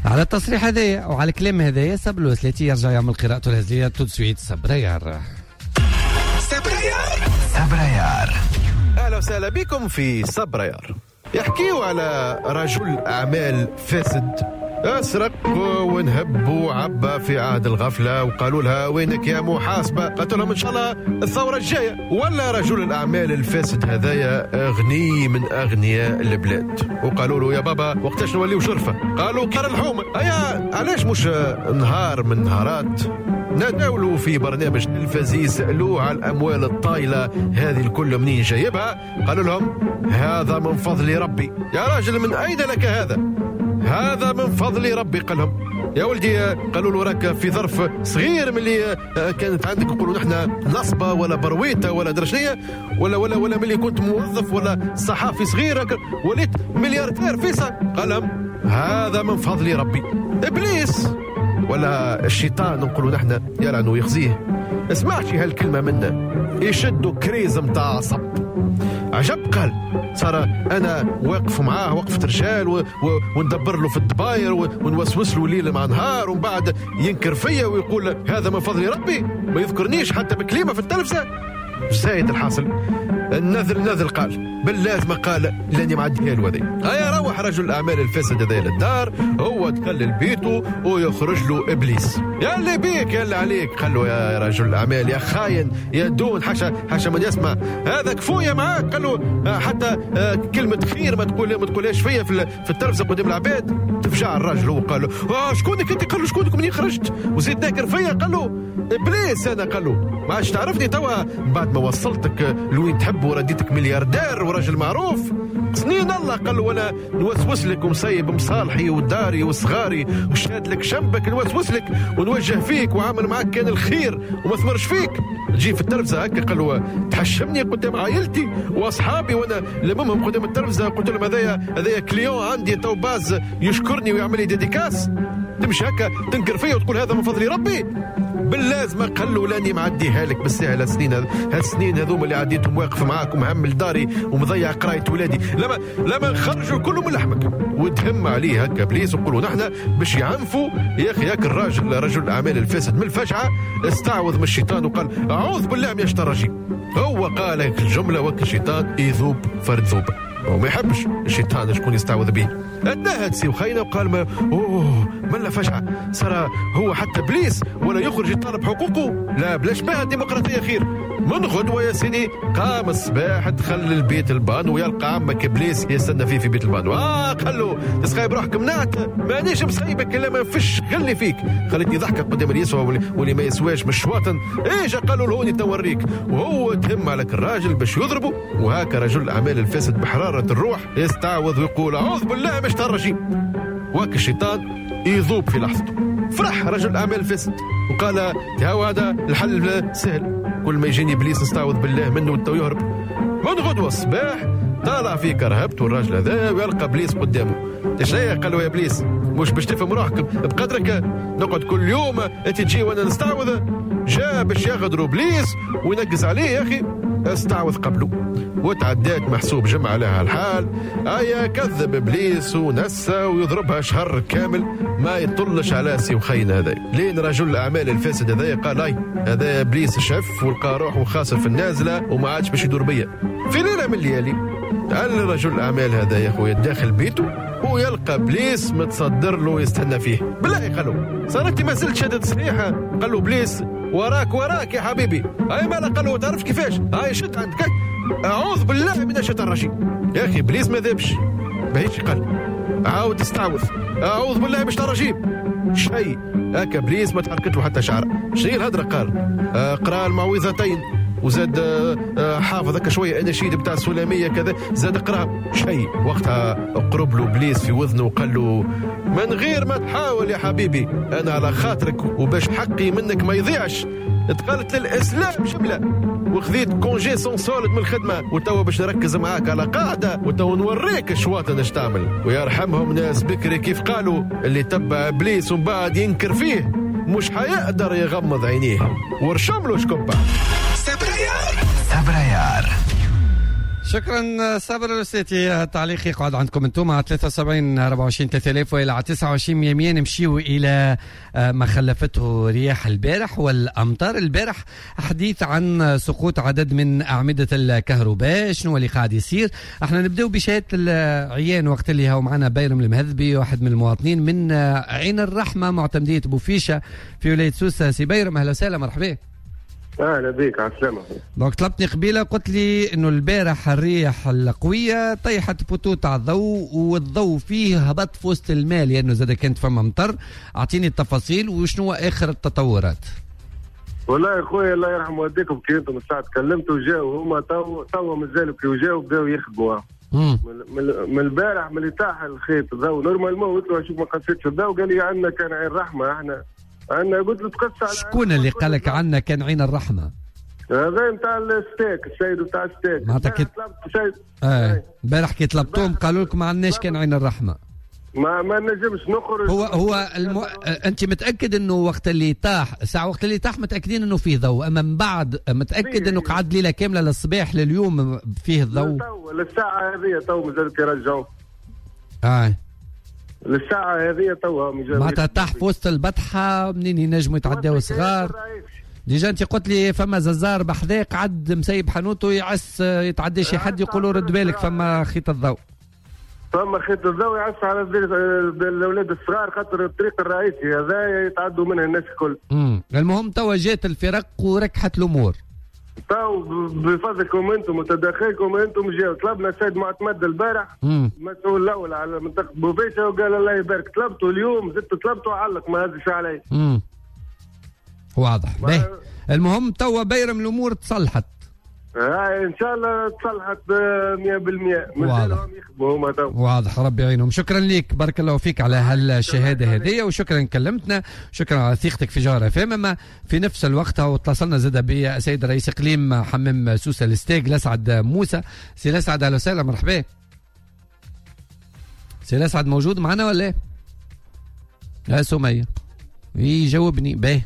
على التصريح هذايا وعلى الكلام هذايا صابر الوسلاتي يرجع يعمل قراءته الهزليه tout de suite. صبريار صبريار. اهلا وسهلا بكم في صبريار. يحكيوا على رجل اعمال فاسد اسرق ونهب وعبى في عهد الغفلة، وقالوا لها وينك يا محاسبه؟ قالت لهم ان شاء الله الثورة الجاية. ولا رجل الاعمال الفاسد هذايا غني من اغنياء البلاد، وقالوا له يا بابا وقتاش نوليو شرفه؟ قالوا كار الحومه. هيا علاش مش نهار من نهارات نداولوا في برنامج تلفزي سألوه على الأموال الطايلة هذه الكل منين جايبها؟ قالوا لهم هذا من فضل ربي. يا راجل من أين لك هذا؟ هذا من فضل ربي. قال لهم يا ولدي، قالوا له راك في ظرف صغير من اللي كانت عندك نقولوا نحن نصبة ولا برويته ولا درشنية ولا ولا ولا من اللي كنت موظف ولا صحافي صغير وليت ملياردير فيسا. قال لهم هذا من فضل ربي. إبليس ولا الشيطان نقولوا نحن يلعن ويخزيه، اسمعش هالكلمة منا يشدوا crise متاع عصب. عجب. قال صار أنا واقف معاه وقفة رجال وندبر له في الدباير ونوسوس له ليل مع نهار، ومن بعد ينكر فيا ويقول هذا من فضل ربي، ما يذكرنيش حتى بكلمة في التلفزة. زايد الحاصل النذر نذر. قال باللازمة قال لاني معديها له هذه. هيا روح رجل الأعمال الفاسد هذا للدار، هو دخل لبيته ويخرج له إبليس. يا اللي بيك يا اللي عليك. قال له يا رجل الأعمال يا خاين يا دون، حاشا من يسمع هذا كفوية معاك. قال له حتى كلمة خير ما تقولهاش فيا في التلفزة قدام العباد. تفجع الراجل هو قال له شكونك انت؟ قال له شكونك منين خرجت وزيد ناكر فيا؟ قال له ابليس انا. قال له ما عادش تعرفني توا بعد ما وصلتك لوين تحب ورديتك ملياردير وراجل معروف سنين الله. قال له وانا نوسوس لك ومصيب مصالحي وداري وصغاري وشاد لك شنبك، نوسوس لك ونوجه فيك وعامل معاك كان الخير وما ثمرش فيك. تجي في التلفزة هكا. قال له تحشمني قدام عائلتي واصحابي وانا لممهم قدام التلفزة. قلت لهم هذايا client عندي تو باز يشكرني ويعمل لي dédicace. تمشي هكا تنكر فيا وتقول هذا من فضل ربي؟ باللازمه. قال له لاني معديها لك بالسهل. هالسنين هذوما اللي عديتهم واقف معاك ومهمل داري ومضيع قرايه ولادي، لما نخرجوا كله من لحمك. وتهم عليه هكا ابليس وقولوا نحن باش يعنفوا يا اخي. ياك الراجل رجل الاعمال الفاسد من الفجعه استعوذ من الشيطان وقال اعوذ بالله من الشيطان الرجيم. هو قال هيك الجملة وك الشيطان يذوب فرد ذوب. وما يحبش الشيطان شكون يستعوذ به. اتنهد سي وخينا وقال ما اوه ملا فجعه، صار هو حتى ابليس ولا يخرج يطالب حقوقه، لا بلاش بها الديمقراطية خير. من غدوه يا سيدي قام الصباح دخل للبيت البان ويلقى عمك ابليس يستنى فيه في بيت البان. قال له تسخيب روحك منعت، مانيش مصيبك الا ما فيش غلي فيك، خلتني ضحكه قدام اللي يسوى واللي ما يسواش مش شواطن. ايش قالوا لهوني توريك، وهو تهم عليك الراجل باش يضربه. وهكا رجل الاعمال الفاسد بحرارة الروح يستعوذ ويقول اعوذ بالله مش الرجيم، وهكا الشيطان يذوب في لحظته. فرح رجل الاعمال الفاسد وقال هو هذا الحل سهل، كل ما يجيني ابليس نستعوذ بالله منه وتو يهرب. من غدوه الصباح طالع في كرهبته الراجل هذا ويلقى ابليس قدامه. ايش قال له يا ابليس مش باش تفهم روحك بقدرك، نقعد كل يوم انت تجي وانا نستعوذ. جاء باش يغدروا ابليس وينقز عليه يا اخي، استعوذ قبله وتعدات محسوب جمع لها الحال. ايا كذب ابليس ونسى ويضربها شهر كامل ما يطلش على سي وخينا هذا. لين رجل الاعمال الفاسد هذا قال اي هذا ابليس شف ولقى روحه خاسر في النازلة وما عادش باش يدور بيا. في ليلة من الليالي قال رجل الاعمال هذا يا خويا داخل بيته ويلقى ابليس متصدر له يستنى فيه. بالله قالوا صارت ما زلت شدد صحيحه. قال له ابليس وراك وراك يا حبيبي. اي ما قال له تعرفش كيفاش، هاي شد عندك، اعوذ بالله من الشيطان الرجيم. يا اخي ابليس ما ذابش باهيش، قال عاود استعوذ، اعوذ بالله من الشيطان الرجيم. شيء هكا ابليس ما تحركت له حتى شعره. شنو الهدرة؟ قال قرا المعوذتين وزاد حافظ هكا شوية اناشيد بتاع السلاميه كذا، زاد قرا شيء. وقتها قرب له ابليس في وذنه وقال له من غير ما تحاول يا حبيبي، انا على خاطرك وباش حقي منك ما يضيعش دخلت للاسلام جملة وخذيت congé sans solde من الخدمة، وتوا باش نركز معاك على قاعدة وتوا نوريك الشواطن اش تعمل. ويرحمهم ناس بكري كيف قالوا اللي تبع ابليس ومن بعد ينكر فيه مش حيقدر يغمض عينيه. ورشم له شكوبه. صبريار. شكرا صابر الوسيتي، التعليق يقعد عندكم انتم على 73 24 3000 والى 29 100. نمشيو الى ما خلفته رياح البارح والامطار البارح. حديث عن سقوط عدد من اعمدة الكهرباء، شنو اللي قاعد يصير؟ احنا نبداو بشهادة العيان وقت اللي هو معنا بيرم المهذبي، واحد من المواطنين من عين الرحمة معتمديه بوفيشه في ولاية سوسة. سي بيرم اهلا وسهلا، مرحبا. اهلا بك، على السلامة. donc طلبتني قبيلة قلت لي انه البارح الريح القوية طيحت poteau تاع الضوء والضوء فيه هبط في وسط الماء لانه زاد كانت فما مطر. اعطيني التفاصيل وشنو اخر التطورات. والله يا خويا الله يرحم والديكم كي انتم الساعة تكلمتوا وجاوا هما تو مازالوا كي وجاوا بداوا يخدموا من البارح من اللي طاح الخيط الضوء normalement. قلت له شوف ما قصيتش الضوء، قال لي عندنا كان عين رحمه احنا عندنا. قلت له تقص على شكون اللي قال لك عندنا كان عين الرحمة؟ هذا نتاع الستاغ، السيد نتاع الستاغ. معناتها كي البارح كي طلبتهم قالوا لكم ما عندناش كان عين الرحمة. ما نجمش نخرج. هو انت متاكد انه وقت اللي طاح ساعة وقت اللي طاح متاكدين انه فيه ضوء، اما من بعد متاكد انه قعد ليلة كاملة للصباح لليوم فيه الضوء؟ للساعة هذه تو مازالوا كيرجعوا. للساعة هذه تو معناتها طاح في وسط البطحه منين ينجموا يتعداو صغار. déjà انت قلت لي فما ززار بحذاه قعد مسيب حانوته يعس يتعدى شي حد يقولوا رد بالك فما خيط الضوء. فما خيط الضوء يعس على الاولاد الصغار خاطر الطريق الرئيسي هذا يتعدوا منه الناس الكل. المهم توا جات الفرق وركحت الامور. تو بفضلكم انتم وتدخلكم انتم جاوا. طلبنا السيد معتمد البارح المسؤول الاول على منطقة بوفيشه وقال الله يبارك. طلبته اليوم زدت طلبته علق ما هزش علي. واضح. باهي المهم توا بيرم الامور تصلحت. ان شاء الله تصلحت 100%. واضح. واضح، ربي يعينهم. شكرا لك، بارك الله فيك على هالشهاده هذه، وشكرا كلمتنا، شكرا على ثقتك في جوهرة اف ام. اما في نفس الوقت واتصلنا زاد بالسيد رئيس اقليم حمام سوسة الستاغ لسعد موسى. سي لسعد اهلا وسهلا، مرحبا. سي لسعد موجود معنا ولا لا؟ سميه يجاوبني. باهي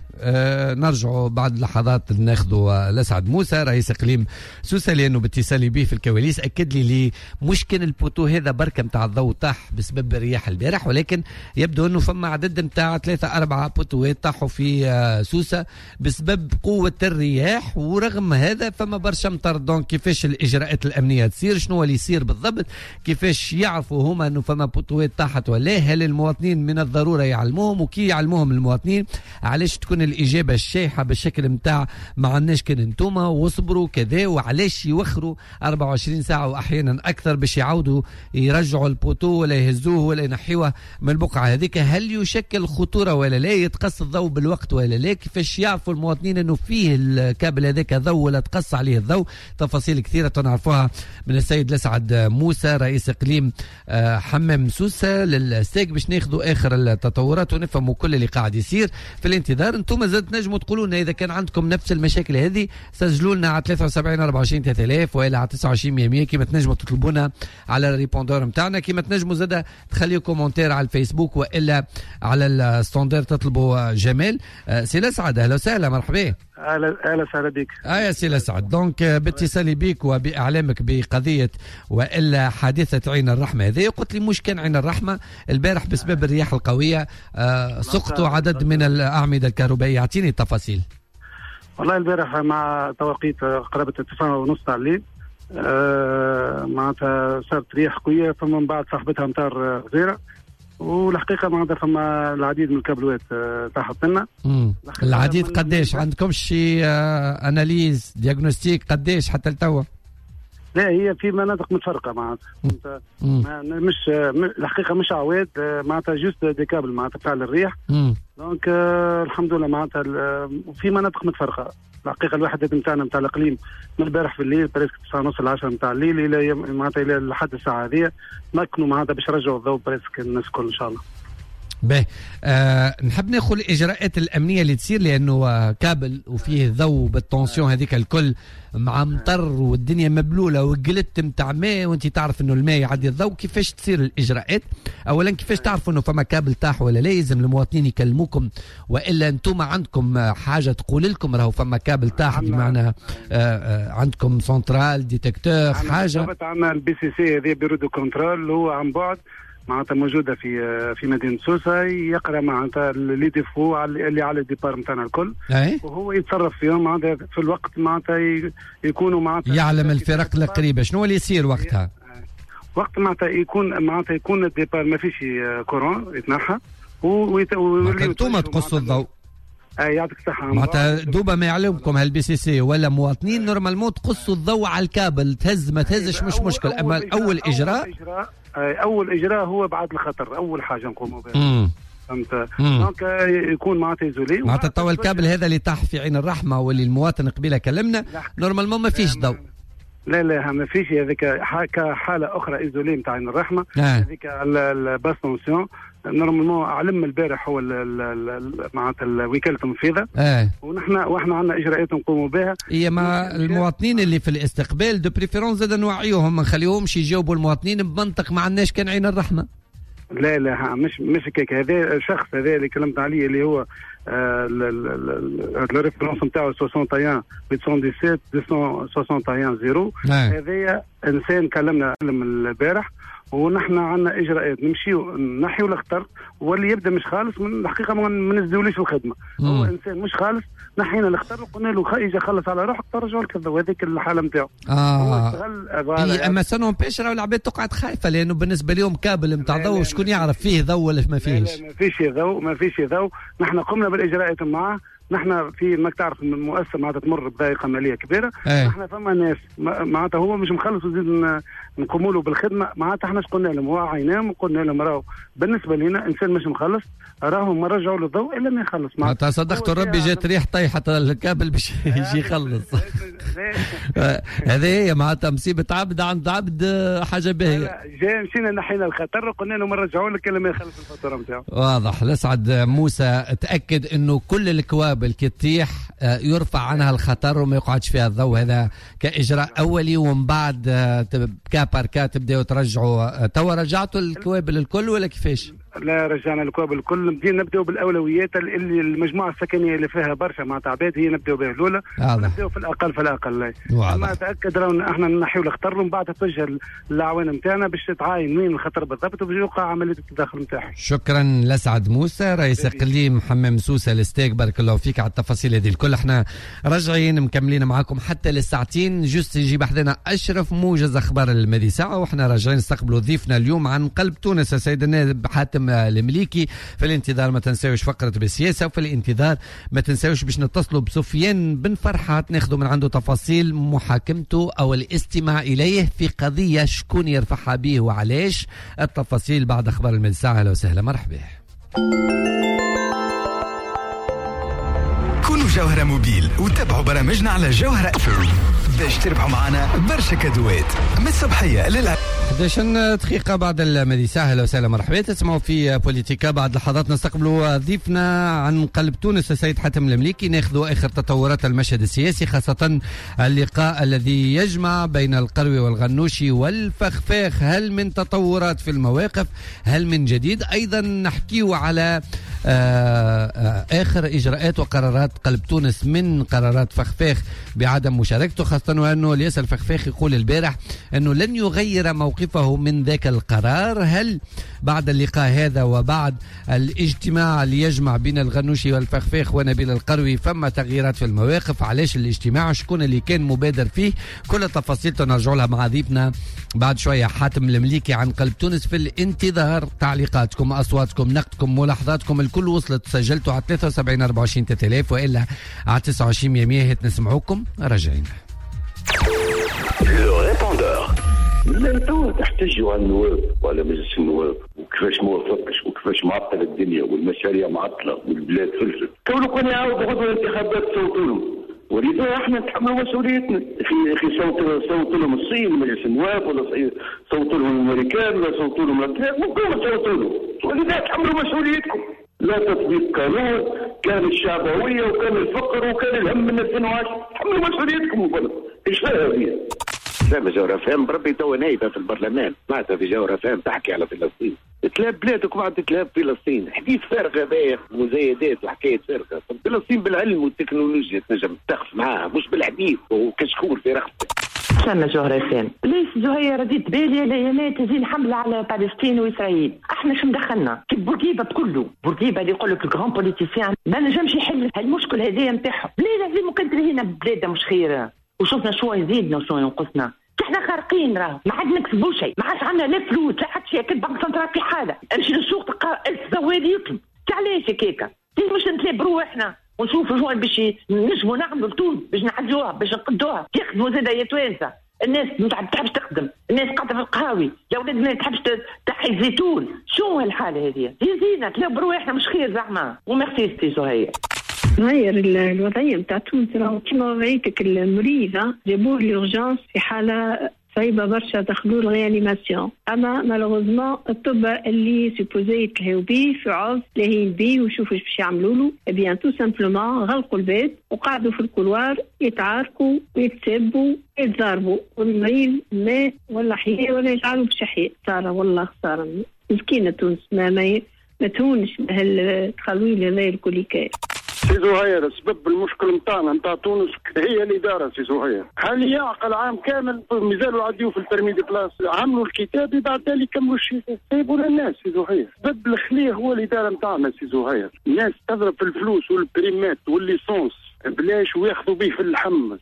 نرجعوا بعد لحظات ناخذوا لسعد موسى رئيس اقليم سوسة، لانه باتصالي به في الكواليس اكد لي مش كان ال poteau هذا بركة نتاع الضوء طاح بسبب الرياح البارح، ولكن يبدو انه فما عدد نتاع 3-4 بوتوات طاحوا في سوسة بسبب قوة الرياح، ورغم هذا فما برشا مطر. donc كيفاش الاجراءات الامنية تصير، شنو اللي يصير بالضبط، كيفاش يعرفوا هما انه فما بوتوات طاحت ولا، هل المواطنين من الضرورة يعلموهم، وكي يعلموهم المواطنين علاش تكون الإجابة الشايحة بالشكل متاع ما عندناش كان انتوما واصبروا كذا، وعلاش يوخروا 24 ساعة وأحيانا أكثر باش يعودوا يرجعوا ال poteau ولا يهزوه ولا ينحيوه من البقعة هذيك؟ هل يشكل خطورة ولا لا؟ يتقص الضوء بالوقت ولا لا؟ كيفاش يعرفوا المواطنين أنه فيه الكابل هذاك ضوء ولا تقص عليه الضوء؟ تفاصيل كثيرة نعرفوها من السيد لسعد موسى رئيس إقليم حمام سوسة لل STEG باش ناخذوا آخر التطورات ونفهموا كل اللي قاعد يصير. في الانتظار انتم زاد نجموا تقولوا لنا اذا كان عندكم نفس المشاكل هذه، سجلوا لنا على 73 24 3000 والا على 29 100 كيما تنجموا تطلبونا على ال répondeur نتاعنا، كيما تنجموا زاد تخليوا commentaire على الفيسبوك والا على ال standard تطلبوا جمال. سي لسعد اهلا وسهلا، مرحبا. اهلا وسهلا بك. يا سي لسعد، donc باتصالي بك وباعلامك بقضيه والا حادثه عين الرحمة هذه، قلت لي مش كان عين الرحمة البارح بسبب الرياح القوية سقطوا عدد من الاعمدة الكهربائية، اعطيني التفاصيل. والله البارح مع توقيت قرابة 9:30 تاع الليل معناتها صارت رياح قوية، ثم من بعد صاحبتها امطار غزيرة، والحقيقة معناتها فما العديد من الكابلوات طاحت لنا. العديد قداش؟ عندكم شي analyse diagnostic قداش حتى لتوا؟ لا هي في مناطق متفرقة معناتها، مش الحقيقة مش عواد معناتها، juste des câbles معناتها تاع الريح. donc الحمد لله معناتها في مناطق متفرقة. الحقيقة الوحدات نتاعنا نتاع الاقليم من البارح في الليل presque 9:30 10 نتاع الليل الى معناتها الى لحد الساعة هذه مكنوا معناتها باش يرجعوا الضوء presque الناس الكل ان شاء الله. باهي، نحب ناخذ الاجراءات الامنية اللي تصير، لانه كابل وفيه ضوء بال tension هذيك الكل مع مطر والدنيا مبلوله وقلت نتاع ماء، وانت تعرف انه الماء يعدي الضوء، كيفاش تصير الاجراءات؟ اولا كيفاش تعرفوا انه فما كابل طاح ولا لا؟ لازم المواطنين يكلموكم والا انتم عندكم حاجة تقول لكم راهو فما كابل طاح، بمعنى عندكم centrale détecteur حاجة؟ عندنا ال BCC هذه bureau de contrôle، هو عن بعد معناتها موجودة في مدينة سوسة، يقرا معناتها les défauts اللي على ال départs نتاعنا الكل، وهو يتصرف فيهم معناتها في الوقت معناتها يكونوا معناتها يعلم الفرق القريبة شنو اللي يصير وقتها. وقت معناتها يكون ال départ ما فيش courant يتنحى انتم تقصوا الضوء. يعطيك الصحة. معناتها دوبا ما يعلمكم هال BCC ولا مواطنين normalement تقصوا الضوء على الكابل، تهز ما تهزش مش مشكل، اما اول اجراء اول اجراء هو بعد الخطر، اول حاجة نقوموا بها. فهمت؟ donc يكون معناتها isolé معناتها توا الكابل هذا اللي طاح في عين الرحمة واللي المواطن قبيلة كلمنا normalement ما فيش ضوء. لا لا ما فيش، هذيك كحاله اخرى isolée نتاع عين الرحمة، هذيك ال basse tension normalement علم البارح هو معناتها الوكالة التنفيذه. واحنا عندنا اجراءات نقوموا بها. هي مع المواطنين اللي في الاستقبال de préférence زاد نوعيوهم، ما نخليهمش يجاوبوا المواطنين بمنطق ما عندناش كان عين الرحمة. لا لا مش هكاك. هذا الشخص هذا اللي كلمت عليه اللي هو ال référence نتاعو 61 817 261 0، هذايا انسان كلمنا البارح، ونحن عندنا اجراءات نمشيو نحيو الخطر، واللي يبدا مش خالص من الحقيقة ما نزدوليش الخدمة. هو انسان مش خالص، نحينا الخطر وقلنا له اجا خلص على روحك ترجع لك، وهذيك الحالة نتاعو. اما ça n'empêche راهو العباد تقعد خايفة، لانه بالنسبة لهم كابل نتاع ضوء شكون يعرف فيه ضوء ولا ما فيهش؟ لا ما فيش ضوء، ما فيش ضوء. نحن قمنا بالاجراءات معاه. نحن في ماك تعرف المؤسسة معناتها تمر بضائقه ماليه كبيرة. نحن فما ناس معناتها هو مش مخلص وزيد نقوموا له بالخدمة، معناتها احنا قلنا لهم وعيناهم وقلنا لهم راهو بالنسبة لنا انسان مش مخلص راهو ما رجعوا له الضوء الا ما يخلص. معناتها صدقت ربي جات ريح طيحت الكابل باش يجي يخلص. هذه هي معناتها مصيبة عبد عند عبد حاجة باهيه. جا مشينا نحينا الخطر وقلنا لهم ما رجعوا لك الا ما يخلص الفاتورة نتاعو. واضح. لسعد موسى تاكد انه كل الكوابل كي تطيح يرفع عنها الخطر وما يقعدش فيها الضوء، هذا كاجراء اولي، ومن بعد cas par cas تبداو ترجعوا. توا رجعتوا الكوابل الكل ولا كيفاش؟ لا رجعنا الكوابل الكل، نبداو بالاولويات اللي المجموعة السكنية اللي فيها برشا معناتها عباد هي نبداو بها الاولى، نبداو في الاقل فالاقل. ما تاكد راهو احنا نحيو الخطر ومن بعد تتوجه الاعوان نتاعنا باش تعاين وين الخطر بالضبط وباش يوقع عملية التدخل نتاعهم. شكرا لسعد موسى رئيس اقليم حمام سوسة لستاك، بارك الله فيك على التفاصيل هذه الكل. احنا راجعين مكملين معاكم حتى للساعتين، juste يجي بحذنا اشرف موجز اخبار الماضي ساعة، واحنا راجعين نستقبلوا ضيفنا اليوم عن قلب تونس السيد النائب حاتم المليكي. في الانتظار ما تنساوش فقرة بالسياسة، وفي الانتظار ما تنساوش باش نتصلوا بسفيان بن فرحات ناخذوا من عنده تفاصيل محاكمته او الاستماع اليه في قضية شكون يرفعها به وعلاش. التفاصيل بعد اخبار الماضي ساعة. اهلا وسهلا، مرحبا. كونوا جوهرة موبيل وتابعوا برامجنا على جوهرة باش تربحوا معنا برشا كادوات من الصبحية لل 11 دقيقة بعد الماضي ساعة. أهلا وسهلا، مرحبا. تسمعوا في بوليتيكا. بعد لحظات نستقبلوا ضيفنا عن قلب تونس السيد حاتم المليكي، ناخذ آخر تطورات المشهد السياسي، خاصة اللقاء الذي يجمع بين القروي والغنوشي والفخفاخ. هل من تطورات في المواقف؟ هل من جديد؟ أيضا نحكيه على آخر إجراءات وقرارات قلب تونس من قرارات فخفاخ بعدم مشاركته، خاصة وأنه الياس الفخفاخ يقول البارح أنه لن يغير موقفه من ذاك القرار. هل بعد اللقاء هذا وبعد الاجتماع اللي يجمع بين الغنوشي والفخفاخ ونبيل القروي فما تغييرات في المواقف؟ علاش الاجتماع؟ شكون اللي كان مبادر فيه؟ كل التفاصيل تنرجع لها مع ضيفنا بعد شوية حاتم المليكي عن قلب تونس. في الانتظار تعليقاتكم، أصواتكم، نقدكم، ملاحظاتكم، الكل وصلت سجلتوا على 73 24 3000 وإلا على 29 100. نسمعوكم راجعين. لا توا تحتجوا على النواب وعلى مجلس النواب وكيفاش ما وافقش وكيفاش معطل الدنيا والمشاريع معطلة والبلاد فلست. كونوا كون يعاودوا غدوه الانتخابات صوتوا لهم، ولذا احنا نتحملوا مسؤوليتنا. اخي صوتوا لهم الصين مجلس النواب، ولا صوتوا لهم الامريكان، ولا صوتوا لهم الاتراك، ممكن صوتوا لهم، ولذا تحملوا مسؤوليتكم. لا تطبيق قانون، كان الشعبوية وكان الفقر وكان الهم من 2010، تحملوا مسؤوليتكم. وبلد ايش فيها هذه؟ سامة جوهرة فهم بربي توا نايبة في البرلمان، سمعتها في جوهرة فهم تحكي على فلسطين، تلاب بلادك وبعد تلاب فلسطين، حديث فارغ هذايا، مزايدات وحكاية فارغة. فلسطين بالعلم والتكنولوجيا تنجم تقف معاها، مش بالحديث وكشكول في رقبتك. سامة جوهرة فهم ليش زهير رديت بالي الايامات تزين حملة على فلسطين واسرائيل، احنا شو مدخلنا؟ كي بورقيبة كله، بورقيبة اللي يقول لك ال grand politicien ما نجمش يحل هالمشكل هذايا نتاعهم، ليه لازم كنت لهنا بلادنا مش خير؟ وشوفنا شو يزيدنا وشو ينقصنا. احنا خارقين راه، ما عاد نكسبوا شيء، ما عادش عندنا لا فلوس لا حتى شيء، كل banque centrale في حاله، امشي للسوق تلقى 1000 زوالي يطلب، علاش هكاكا؟ مش نتلاب روحنا ونشوفوا شو باش نجموا نعملوا لتونس باش نعدلوها باش نقدوها، يخدموا زاده يا توانسة، الناس ما تحبش تخدم، الناس قاعدة في القهاوي، الاولاد ما تحبش تحي الزيتون، شو هالحالة هذه؟ يزينا تلاب روحنا مش خير زعما، وميرسي سي زهير. غير الوضعية نتاع تونس راهو كيما وضعيتك المريضة، جابوه l'urgence في حالة صعيبة برشا، دخلوه ال réanimation، أما malheureusement الطب اللي supposé يتلهيو بيه في عوض لاهين بيه ويشوفوا باش يعملوا له، bien tout simplement غلقوا الباب وقعدوا في ال couloir يتعاركوا ويتسبوا ويتضاربوا، والمريض مات ولا حياة ولا يجعلوا باش يحيا. خسارة والله خسارة، مسكينة تونس ما تهونش بهالتخلويل هذا الكل. سي زهير سبب المشكل نتاعنا نتاع تونس هي الادارة. سي زهير هل يعقل عام كامل مازالوا يعديوا في ال permis de place، عملوا الكتابي بعد ذلك كملوا الشيء، سيبوا للناس. سي زهير سبب الخلية هو الادارة نتاعنا. سي زهير الناس تضرب في الفلوس والبريمات وال l'essence بلاش وياخذوا به في اللحم،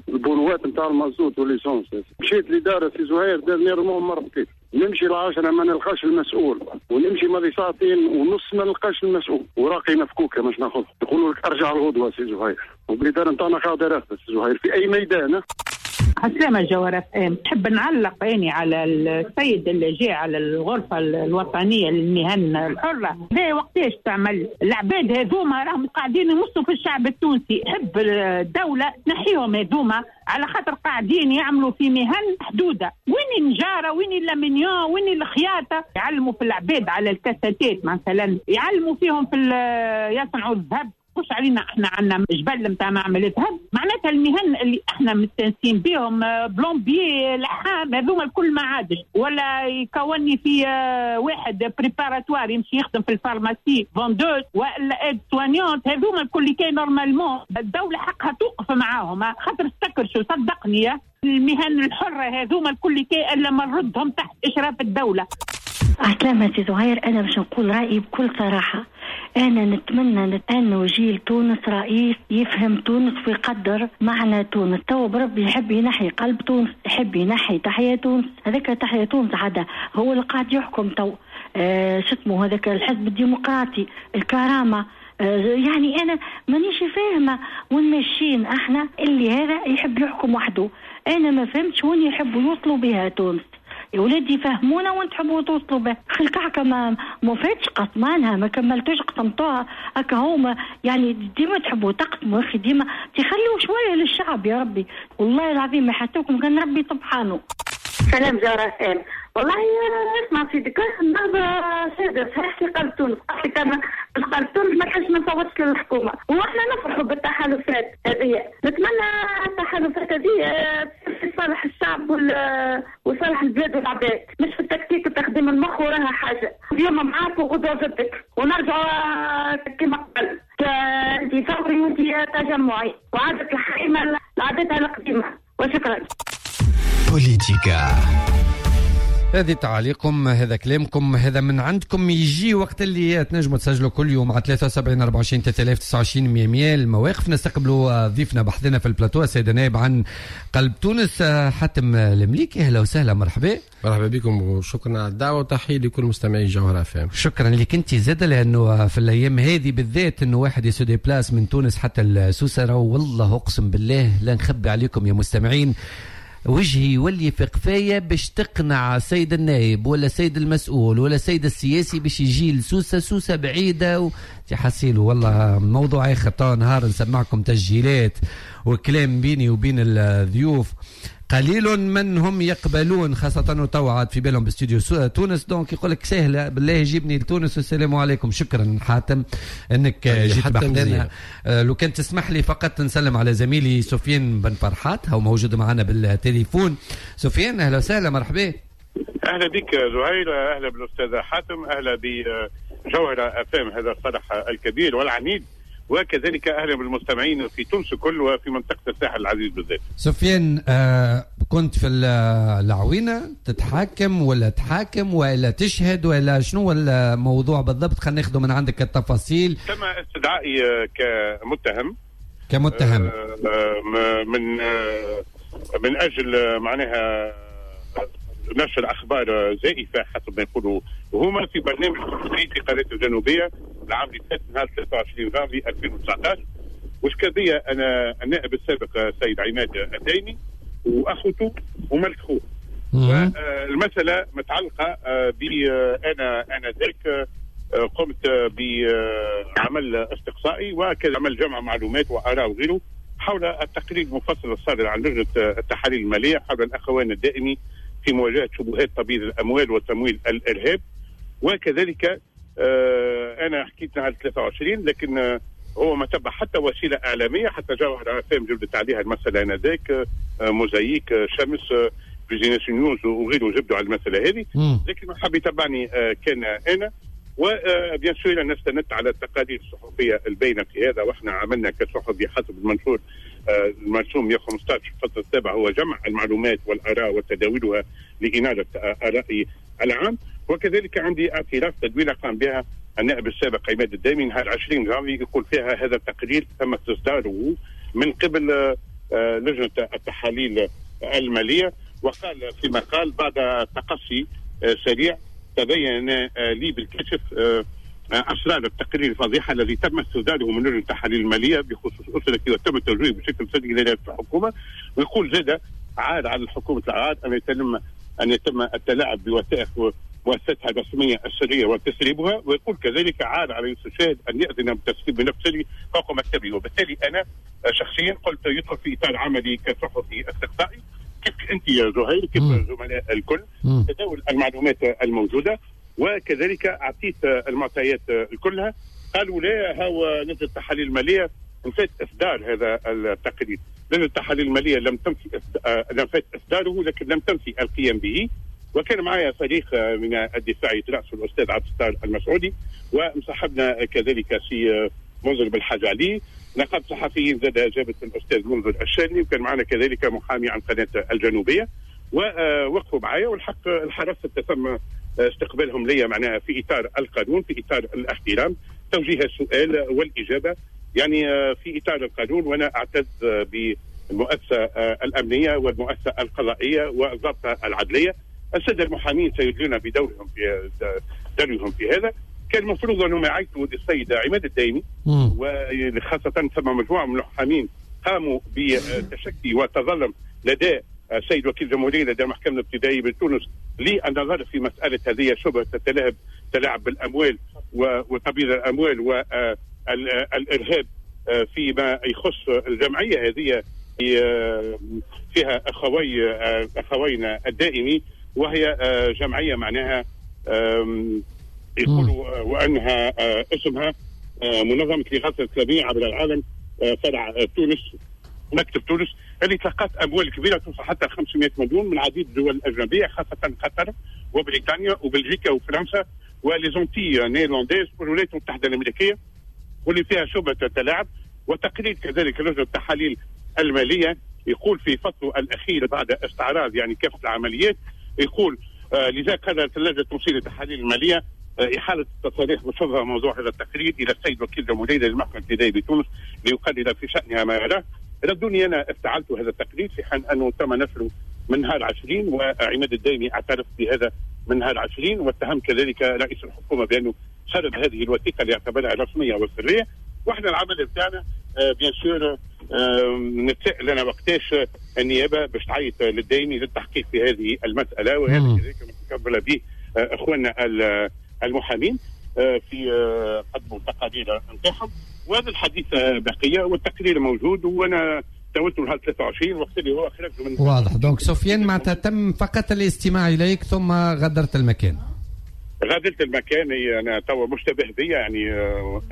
البونوات نتاع المازوت وال l'essence. مشيت الادارة سي زهير dernièrement مرتين، نمشي العاشرة ما نلقاش المسؤول، ونمشي ماضي ساعتين ونص ما نلقاش المسؤول، وراقي مفكوكه مش ناخذ، يقولوا لك ارجع الغدوه سي زهير. وبالاداره نتاعنا قاعدة راقده سي زهير في اي ميدان. عسلامة جوهرة FM، نحب نعلق عيني على السيد اللي جاء على الغرفة الوطنية للمهن الحرة، لا وقتاش تعمل العباد هذوما راهم قاعدين يمصوا في الشعب التونسي، حب الدولة تنحيهم هذوما على خاطر قاعدين يعملوا في مهن محدودة، وين النجارة وين الألمنيوم وين الخياطة، يعلموا في العباد على الكاساتات مثلا، يعلموا فيهم في يصنعوا الذهب. مش علينا احنا عندنا جبل نتاع معمل ذهب، معناتها المهن اللي احنا مستانسين بهم plombier، لحام، هذوما الكل ما عادش، ولا يكوني في واحد préparatoire يمشي يخدم في ال pharmacie vendeuse ولا aide-soignante، هذوما الكل كي normalement الدولة حقها توقف معاهم، خاطر استكرشوا صدقني المهن الحرة هذوما الكل كي الا ما نردهم تحت اشراف الدولة. عسلامة سي زهير، أنا باش نقول رأيي بكل صراحة، أنا نتمنى أنه جيل تونس رئيس يفهم تونس ويقدر معنى تونس. تو بربي يحب ينحي قلب تونس، يحب ينحي تحيا تونس، هذاك تحيا تونس عادة هو اللي قاعد يحكم تو، شتمه هذاك الحزب الديمقراطي، الكرامة، يعني أنا مانيش فاهمة وين ماشيين احنا، اللي هذا يحب يحكم وحده، أنا ما فهمتش وين يحبوا يوصلوا بها تونس. يا ولادي فهمونا وين تحبوا توصلوا به، الكعكه ما فاتش قسمانها، ما كملتوش قسمتوها هكا هما، يعني ديما تحبوا تقسموا يا اخي، ديما تخلوا شوية للشعب يا ربي، والله العظيم ما حسوكم كان ربي سبحانه. سلام جوهرة FM، والله اسمع سيدك النهضة سادة صحيح في قلب تونس، قالت لك أنا في قلب تونس ما كانش ما نصوتش للحكومة، وإحنا نفرحوا بالتحالفات هذه، نتمنى التحالفات هذه في صالح الشعب وصالح البلاد والعباد، مش في التكتيك وتخديم المخ وراها حاجة، اليوم معاك وغدوة ضدك، ونرجعوا كما قبل، أنت ثوري وأنت تجمعي، وعادة الحكيمة لعادتها القديمة، وشكرا. بوليتيكا. هذه تعاليقكم، هذا كلامكم، هذا من عندكم. يجي وقت اللي تنجموا تسجلوا كل يوم على 73 24 3029 100 المواقف. نستقبلوا ضيفنا بحثنا في البلاتو السيد النائب عن قلب تونس حاتم المليكي. اهلا وسهلا، مرحبا. مرحبا بكم وشكرا على الدعوة وتحية لكل مستمعي جوهرة FM. شكرا لك انت زاد، لانه في الايام هذه بالذات انه واحد ي se déplace من تونس حتى السوسه، والله اقسم بالله لا نخبي عليكم يا مستمعين، وجهي يولي في قفاية باش تقنع سيد النائب ولا سيد المسؤول ولا سيد السياسي باش يجي لسوسة، سوسة بعيدة تحسيله. والله موضوع آخر، طبعا نهار نسمعكم تسجيلات وكلام بيني وبين الضيوف، قليل من هم يقبلون، خاصة وتوعد في بالهم باستوديو تونس، donc يقول لك سهلة بالله جيبني لتونس والسلام عليكم. شكرا حاتم انك جيت بحذانا. لو كان تسمح لي فقط نسلم على زميلي سفيان بن فرحات، هو موجود معنا بالتليفون. سفيان اهلا وسهلا، مرحبا. اهلا بك زهير، اهلا بالاستاذ حاتم، اهلا بجوهرة FM هذا الصرح الكبير والعنيد، وكذلك اهلا بالمستمعين في تونس كل وفي منطقة الساحل العزيز بالذات. سفيان، كنت في العوينة تتحاكم ولا تحاكم ولا تشهد ولا شنو الموضوع بالضبط؟ خلينا ناخذ من عندك التفاصيل. تم استدعائي كمتهم من اجل معناها نشر اخبار زائفة حسب ما يقولوا هما في برنامج في قناة الجنوبية العام اللي فات نهار 23 جانفي 2019. وشكا انا النائب السابق سيد عماد الدايمي واخوته وملك خوه. المسالة متعلقه ب انا ذاك قمت بعمل استقصائي وكذا عمل جمع معلومات واراء وغيره حول التقرير المفصل الصادر عن لجنة التحاليل المالية حول الاخوان الدائمي في مواجهة شبهات تبييض الاموال وتمويل الارهاب. وكذلك انا حكيت نهار 23، لكن هو ما تبع حتى وسيلة اعلامية، حتى جوهرة FM جبدت عليها المسالة انذاك، موزايك، شمس، بيزنس نيوز وغيره جبدوا على المسالة هذه، لكن ما حب يتبعني كان انا. و bien sûr انا استندت على التقارير الصحفية البينة في هذا، واحنا عملنا كصحفي حسب المنشور المرسوم 115 الفصل السابع هو جمع المعلومات والاراء وتداولها لاناله الراي العام. وكذلك عندي اعتراف تدوينه قام بها النائب السابق عماد الدايمي نهار 20 جانفي يقول فيها هذا التقرير تم استصداره من قبل لجنة التحاليل المالية، وقال في مقال بعد تقصي سريع تبين لي بالكشف اسرار التقرير الفضيحة الذي تم استصداره من لجنة التحاليل المالية بخصوص اسرتي وتم توجيهه بشكل سري الى الحكومة. ويقول زاد عاد على الحكومة العاد ان يتم التلاعب بوثائق مؤسستها الرسمية السرية وتسريبها، ويقول كذلك عاد على يوسف شاهد ان ياذن بتسريب ملف سري فوق مكتبه. وبالتالي انا شخصيا قلت يدخل في اطار عملي كصحفي استقصائي كيف انت يا زهير كيف الزملاء الكل تداول المعلومات الموجودة، وكذلك اعطيت المعطيات كلها. قالوا لا، هو لجنة التحاليل المالية نفات اصدار هذا التقرير. لجنة التحاليل المالية لم تنفي نفات اصداره، لكن لم تنفي القيام به. وكان معايا فريق من الدفاع يترأسه الاستاذ عبد الستار المسعودي، ومصاحبنا كذلك سي منذر بالحاج علي، نقابة صحفيين زاد جابت الاستاذ منذر الشاني، وكان معنا كذلك محامي عن قناة الجنوبية، ووقفوا معايا. والحق الحرس تم استقبالهم لي معناها في اطار القانون، في اطار الاحترام، توجيه السؤال والاجابة يعني في اطار القانون. وانا اعتز بالمؤسسه الامنية والمؤسسة القضائية والضابطه العدليه. السادة المحامين سيدلون بدورهم في دورهم في هذا. كان المفروض انهم يعيطوا للسيد عماد الدايمي، وخاصة ثم مجموعة من المحامين قاموا بتشكي وتظلم لدى السيد وكيل الجمهورية لدى المحكمة الابتدائية بتونس للنظر في مسالة هذه شبهه التلاعب بالاموال وتبييض الاموال والارهاب فيما يخص الجمعية هذه فيها اخوينا الدائمي، وهي جمعية معناها يقولوا وانها اسمها منظمة الاغاثة الاسلامية عبر العالم فرع تونس، مكتب تونس، اللي تلقت اموال كبيرة توصل حتى 500 مليون من عديد الدول الاجنبية، خاصة قطر وبريطانيا وبلجيكا وفرنسا و les Antilles néerlandaises والولايات المتحدة الامريكية، واللي فيها شبهه تلاعب. وتقرير كذلك لجنة التحاليل المالية يقول في فصله الاخير بعد استعراض يعني كافة العمليات، يقول لذا قررت اللجنة التونسية للتحاليل المالية إحالة التصاريح وشبه موضوع هذا التقرير إلى السيد وكيل الجمهورية للمحكمة الابتدائية بتونس ليقرر في شأنها ما يراه. ردوني أنا افتعلت هذا التقرير في حين أنه تم نشره من نهار 20، وعماد الدايمي اعترف بهذا من نهار 20، واتهم كذلك رئيس الحكومة بأنه سرب هذه الوثيقة اللي اعتبرها رسمية وسرية. واحنا العمل بتاعنا bien sûr نتساءل انا وقتاش النيابة باش تعيط للدايمي للتحقيق في هذه المسالة، وهذا كذلك متقبل به اخواننا المحامين في قدموا التقارير نتاعهم. وهذا الحديث بقية والتقرير موجود، وانا تولت نهار 23 وقت اللي هو خرج من واضح. donc سفيان معناتها تم فقط الاستماع اليك ثم غادرت المكان. غادرت المكان، انا توا مشتبه بيا يعني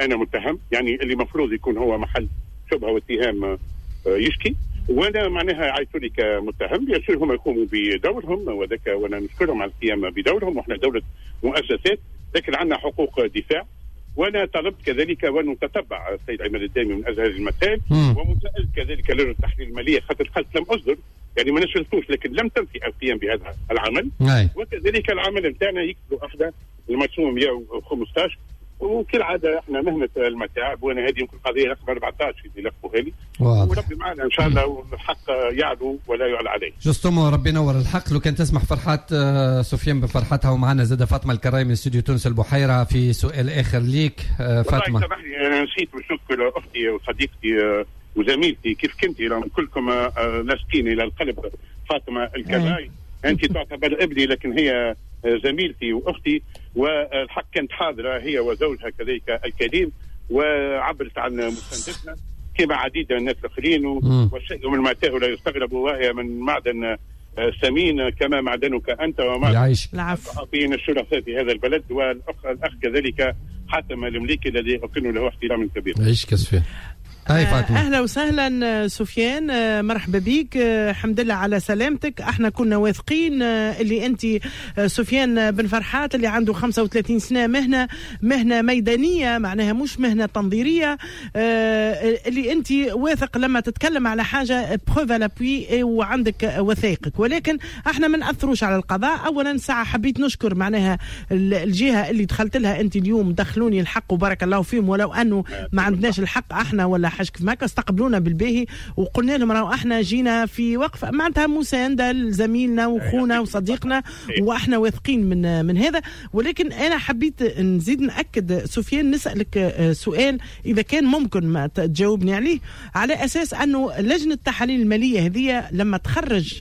انا متهم، يعني اللي مفروض يكون هو محل شبهه واتهام يشكي، وانا معناها عيطوا لي كمتهم. bien sûr هم يقوموا بدورهم وذاك، وانا نشكرهم على القيام بدورهم، واحنا دولة مؤسسات لكن عندنا حقوق دفاع. وانا طلبت كذلك وان نتتبع السيد عماد الدايمي من اجل هذه المسائل، ومسألة كذلك لجنة التحليل المالية خاطر قالت لم اصدر، يعني ما نشرتوش لكن لم تنفي القيام بهذا العمل. وكذلك العمل نتاعنا يكتبوا احدى المرسوم 115، وكالعادة احنا مهنة المتاعب، وانا هذه يمكن قضية رقم 14 اللي لقوها لي، وربي معنا ان شاء الله والحق يعلو ولا يعلى عليه. justement ربي ينور الحق. لو كان تسمح فرحات سفيان بفرحتها، ومعنا زاد فاطمة الكراي من استوديو تونس البحيرة في سؤال اخر ليك. فاطمة والله سامحني انا نسيت باش نذكر اختي وصديقتي وزميلتي كيف كنتي، كلكم لاصقين الى القلب. فاطمة الكراي انت تعتبر ابني لكن هي زميلتي واختي، والحق كانت حاضره هي وزوجها كذلك الكريم، وعبرت عن مساندتنا كما عديد من الناس الاخرين، والشيء من ماتاه لا يستغرب، وهي من معدن ثمين كما معدنك انت ومعدن الصحفيين الشرفاء في هذا البلد، والاخ كذلك حاتم المليكي الذي اكن له احترام كبير. عيشك سفيان. هاي فاطمة. أهلا وسهلا سفيان، مرحبا بك، الحمد لله على سلامتك. احنا كنا واثقين اللي أنت سفيان بن فرحات اللي عنده 35 سنة مهنة ميدانية، معناها مش مهنة تنظيرية، اللي أنت واثق لما تتكلم على حاجة preuves à l'appui وعندك وثائقك، ولكن احنا ما نأثروش على القضاء. أولا ساعة حبيت نشكر معناها الجهة اللي دخلت لها أنت اليوم، دخلوني الحق وبارك الله فيهم، ولو أنه ما عندناش الحق احنا ولا حاجة كيف ما استقبلونا بالباهي، وقلنا لهم راهو احنا جينا في وقف معناتها مساندة لزميلنا وخونا وصديقنا، واحنا واثقين من هذا. ولكن انا حبيت نزيد ناكد سفيان، نسالك سؤال اذا كان ممكن ما تجاوبني عليه، على اساس انه لجنة التحاليل المالية هذه لما تخرج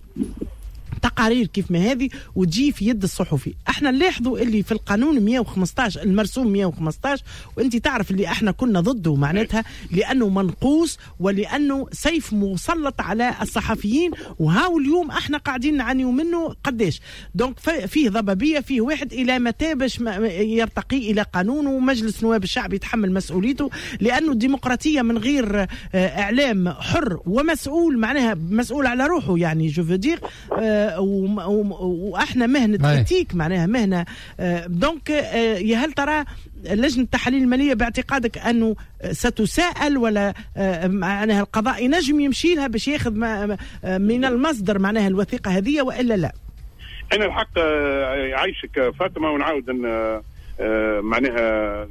تقرير تقارير كيف ما هذه وتجي في يد الصحفي. احنا نلاحظوا اللي في القانون 115 المرسوم 115، وانت تعرف اللي احنا كنا ضده معناتها لانه منقوص ولانه سيف مسلط على الصحفيين، وهاو اليوم احنا قاعدين نعانيو منه قداش. donc فيه ضبابية، فيه واحد الى متى باش يرتقي الى قانون، ومجلس نواب الشعب يتحمل مسؤوليته، لانه الديمقراطية من غير اعلام حر ومسؤول، معناها مسؤول على روحه يعني je veux dire، واحنا مهنة éthique معناها مهنة. donc يا هل ترى لجنة التحاليل المالية باعتقادك انه ستساءل، ولا معناها القضاء ينجم يمشي لها باش ياخذ من المصدر معناها الوثيقة هذه والا لا؟ انا الحق عايشك فاطمة، ونعاود معناها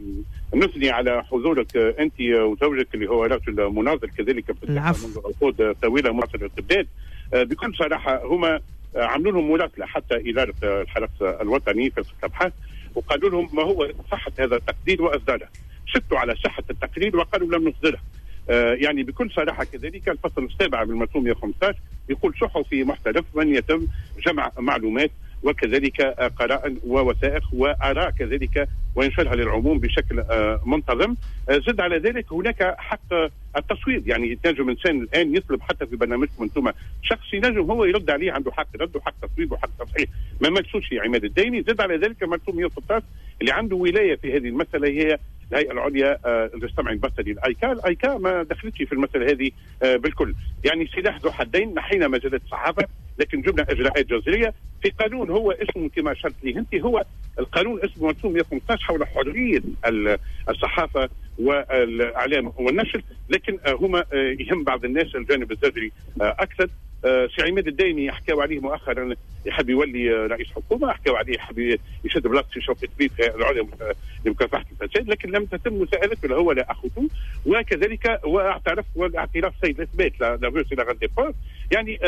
نثني على حضورك انت وزوجك اللي هو رجل مناضل كذلك في منذ عقود طويلة، مناضل الاستبداد. بكل صراحة هما عملوا لهم مراسله حتى ادارة الحرس الوطني في الابحاث، وقالوا لهم ما هو صحة هذا التقرير واصداره، شكوا على صحة التقرير وقالوا لم نصدره. يعني بكل صراحة كذلك الفصل السابع من المرسوم 115 يقول صحفي محترف من يتم جمع معلومات وكذلك قرائن ووثائق وآراء كذلك وينشرها للعموم بشكل منتظم. زد على ذلك هناك حق التصويت، يعني تنجم انسان الان يطلب حتى في برنامجكم انتم شخص ينجم هو يرد عليه، عنده حق رد وحق تصويب وحق تصحيح، ما ملسوش عماد الديني. زد على ذلك مرسوم 116 اللي عنده ولاية في هذه المسالة هي الهيئة العليا للسمع البصري الايكا، الايكا ما دخلتش في المسالة هذه بالكل. يعني سلاح ذو حدين، نحينا مجلة الصحافة لكن جبنا اجراءات جزريه في قانون هو اسمه كما اشرت لي انت، هو القانون اسمه مرسوم 115 حول حرية الصحافة والاعلام والنشر، لكن هما يهم بعض الناس الجانب الزجري اكثر. سي عماد الدايمي حكاو عليه مؤخرا يحب يولي رئيس حكومة، حكاو عليه يحب يشد بلاصة شوقي طبيب في العليا لمكافحة الفساد، لكن لم تتم مساءلته لا هو لا اخوته، وكذلك واعترف والاعتراف سيد الاثبات لا فيرس لا غاندي. يعني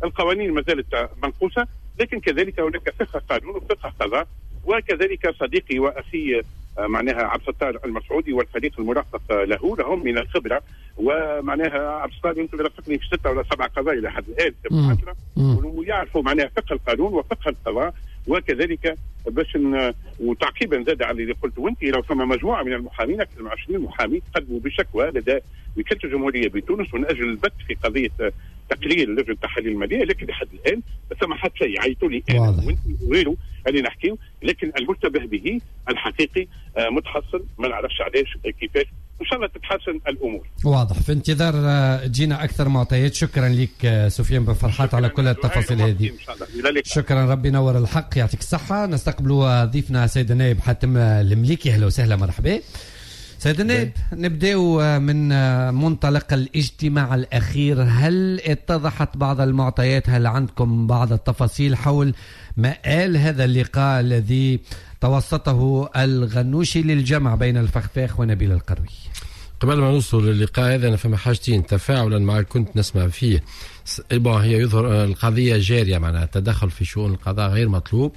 القوانين ما زالت منقوصه، لكن كذلك هناك فقه قانون وفقه قضاء، وكذلك صديقي واخي معناها عبد الستار المسعودي والفريق المرافق له لهم من الخبرة، ومعناها عبد الستار يمكن رافقني في 6 ولا 7 قضايا لحد الان، ويعرفوا معناها فقه القانون وفقه القضاء. وكذلك باش وتعقيبا زاد على اللي قلته انت، لو ثم مجموعة من المحامين اكثر من 20 محامي قدموا بشكوى لدى وكالة الجمهورية بتونس من اجل البت في قضية تقرير لجنة التحاليل المالية، لكن لحد الان ما ثم حتى شيء. عيطوا لي انا وانت وغيره اللي نحكيو، لكن المشتبه به الحقيقي متحصل، ما نعرفش علاش كيفاش. ان شاء الله تتحسن الامور. واضح، في انتظار تجينا اكثر معطيات. شكرا لك سفيان بن فرحات على كل التفاصيل هذه. شكرا، ربي ينور الحق، يعطيك الصحة. نستقبل ضيفنا سيد النائب حاتم المليكي، اهلا وسهلا، مرحبا سيد النائب. نبداو من منطلق الاجتماع الأخير، هل اتضحت بعض المعطيات؟ هل عندكم بعض التفاصيل حول مآل هذا اللقاء الذي توسطه الغنوشي للجمع بين الفخفاخ ونبيل القروي؟ قبل ما نوصل للقاء هذا أنا فما حاجتين تفاعلا مع كنت نسمع فيه. هي يظهر القضية جارية، معناها التدخل في شؤون القضاء غير مطلوب.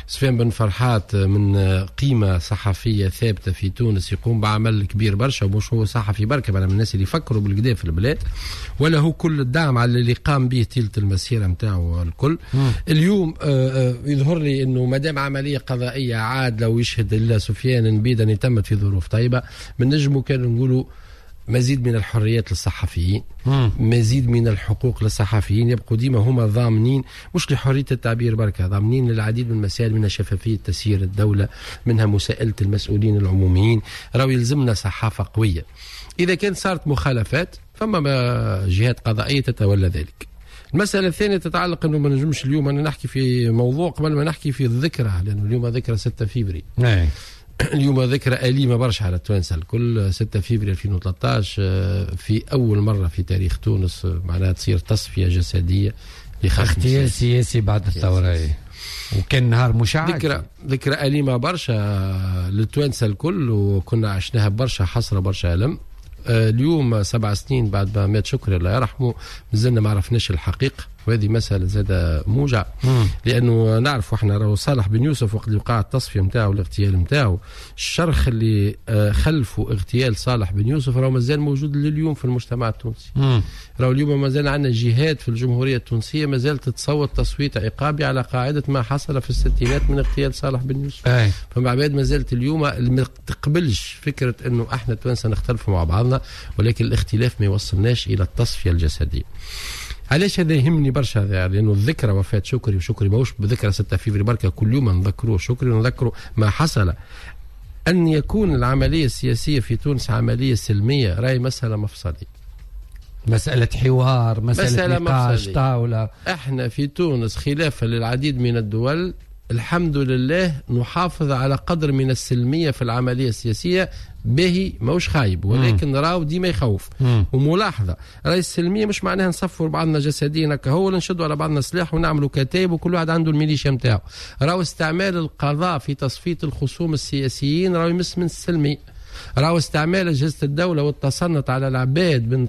سفيان بن فرحات من قيمة صحفية ثابتة في تونس، يقوم بعمل كبير برشا، ومش هو صحفي بركة، من الناس اللي يفكروا بالكدا في البلاد، وله كل الدعم على اللي قام به تلة المسيرة نتاعو الكل. اليوم يظهر لي انه ما دام عملية قضائية عادلة ويشهد الا سفيان نبيدا تمت في ظروف طيبة، من نجمو كانوا نقولوا مزيد من الحريات للصحفيين، مزيد من الحقوق للصحفيين، يبقوا ديما هما ضامنين مش لحرية التعبير بركة، ضامنين للعديد من المسائل، منها شفافية تسيير الدولة، منها مساءلة المسؤولين العموميين. راهو يلزمنا صحافة قوية. إذا كان صارت مخالفات فما جهات قضائية تتولى ذلك. المسألة الثانية تتعلق أنه ما نجمش اليوم أنا نحكي في موضوع قبل ما نحكي في الذكرى، لأنه اليوم ذكرى 6 فبراير. اليوم ذكرى أليمة برشا على التوانسة الكل. 6 فبراير 2013 في أول مرة في تاريخ تونس معناها تصير تصفية جسدية اغتيال سياسي بعد الثورة، وكان نهار مشع. ذكرى أليمة برشا للتوانسة الكل، وكنا عشناها برشا حسرة برشا ألم. اليوم 7 سنين بعد ما مات شكري الله يرحمه مازلنا ما عرفناش الحقيقة، وهذه مسألة زادة موجع. لأنه نعرف احنا راهو صالح بن يوسف وقت اللي وقع التصفية نتاعو والاغتيال نتاعو، الشرخ اللي خلفه اغتيال صالح بن يوسف راهو مازال موجود لليوم في المجتمع التونسي. راهو اليوم مازال عندنا جهات في الجمهورية التونسية مازالت تتصوت تصويت عقابي على قاعدة ما حصل في الستينات من اغتيال صالح بن يوسف. فما عباد مازالت اليوم ما تقبلش فكرة انه احنا التوانسة نختلفوا مع بعضنا، ولكن الاختلاف ما يوصلناش إلى التصفية الجسدية. علاش هذا يهمني برشا؟ هذا لانه الذكرى وفاة شكري، وشكري ماهوش بذكرى 6 فيفري بركة، كل يوم نذكروه شكري ونذكروا ما حصل. ان يكون العملية السياسية في تونس عملية سلمية راهي مسالة مفصلية، مسالة حوار، مسالة نقاش، طاولة. احنا في تونس خلافا للعديد من الدول الحمد لله نحافظ على قدر من السلمية في العملية السياسية، باهي ماهوش خايب، ولكن راهو ديما يخوف. وملاحظة، راهي السلمية مش معناها نصفوا بعضنا جسديا كهو ولا نشدوا على بعضنا سلاح ونعملوا كتاب وكل واحد عنده الميليشيا نتاعو. راهو استعمال القضاء في تصفية الخصوم السياسيين راهو يمس من السلمية. راهو استعمال أجهزة الدولة والتصنت على العباد من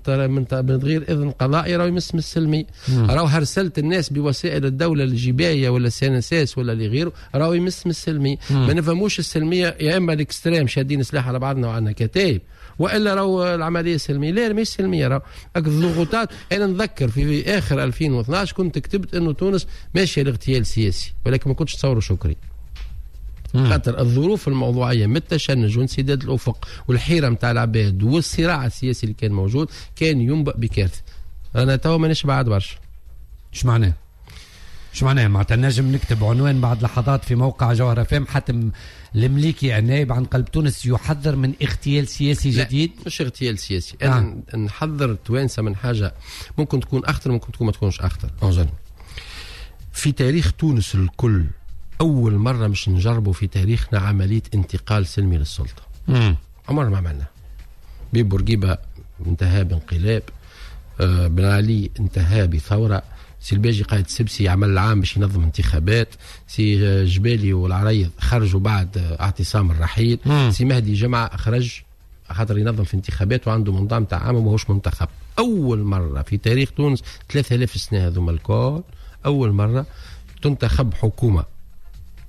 غير إذن قضائي راهو يمس من السلمية. راهو هرسلة الناس بوسائل الدولة الجباية ولا CNSS ولا لغيره راهو يمس من السلمية. ما نفهموش السلمية يا إما ال extrême شادين سلاح على بعضنا وعندنا كتايب، والا راهو العملية سلمية. لا، مش سلمية، راهو الضغوطات. انا نذكر في اخر 2012 كنت كتبت انه تونس ماشية لاغتيال سياسي، ولكن ما كنتش تصوروا شكري. خاطر الظروف الموضوعية من التشنج وانسداد الافق والحيرة نتاع العباد والصراع السياسي اللي كان موجود كان ينبأ بكارثه. انا توا مانيش بعد برشا. اش معناه؟ اش معناه؟ معناتها نجم نكتب عنوان بعد لحظات في موقع جوهرة فام: حاتم المليكي النائب عن قلب تونس يحذر من اغتيال سياسي جديد. لا، مش اغتيال سياسي. انا نحذر التوانسة من حاجة ممكن تكون اخطر، ممكن تكون ما تكونش اخطر. في تاريخ تونس الكل أول مرة مش نجربوا في تاريخنا عملية انتقال سلمي للسلطة. عمرنا ما عملنا. بورقيبة انتهى بانقلاب، بن علي انتهى بثورة، سي الباجي قائد سبسي عمل العام باش ينظم انتخابات، سي جبالي والعريض خرجوا بعد اعتصام الرحيل، سي مهدي جمعة خرج خاطر ينظم في انتخابات وعنده منظام تاع عام وماهوش منتخب. أول مرة في تاريخ تونس 3000 سنة هذوما الكل أول مرة تنتخب حكومة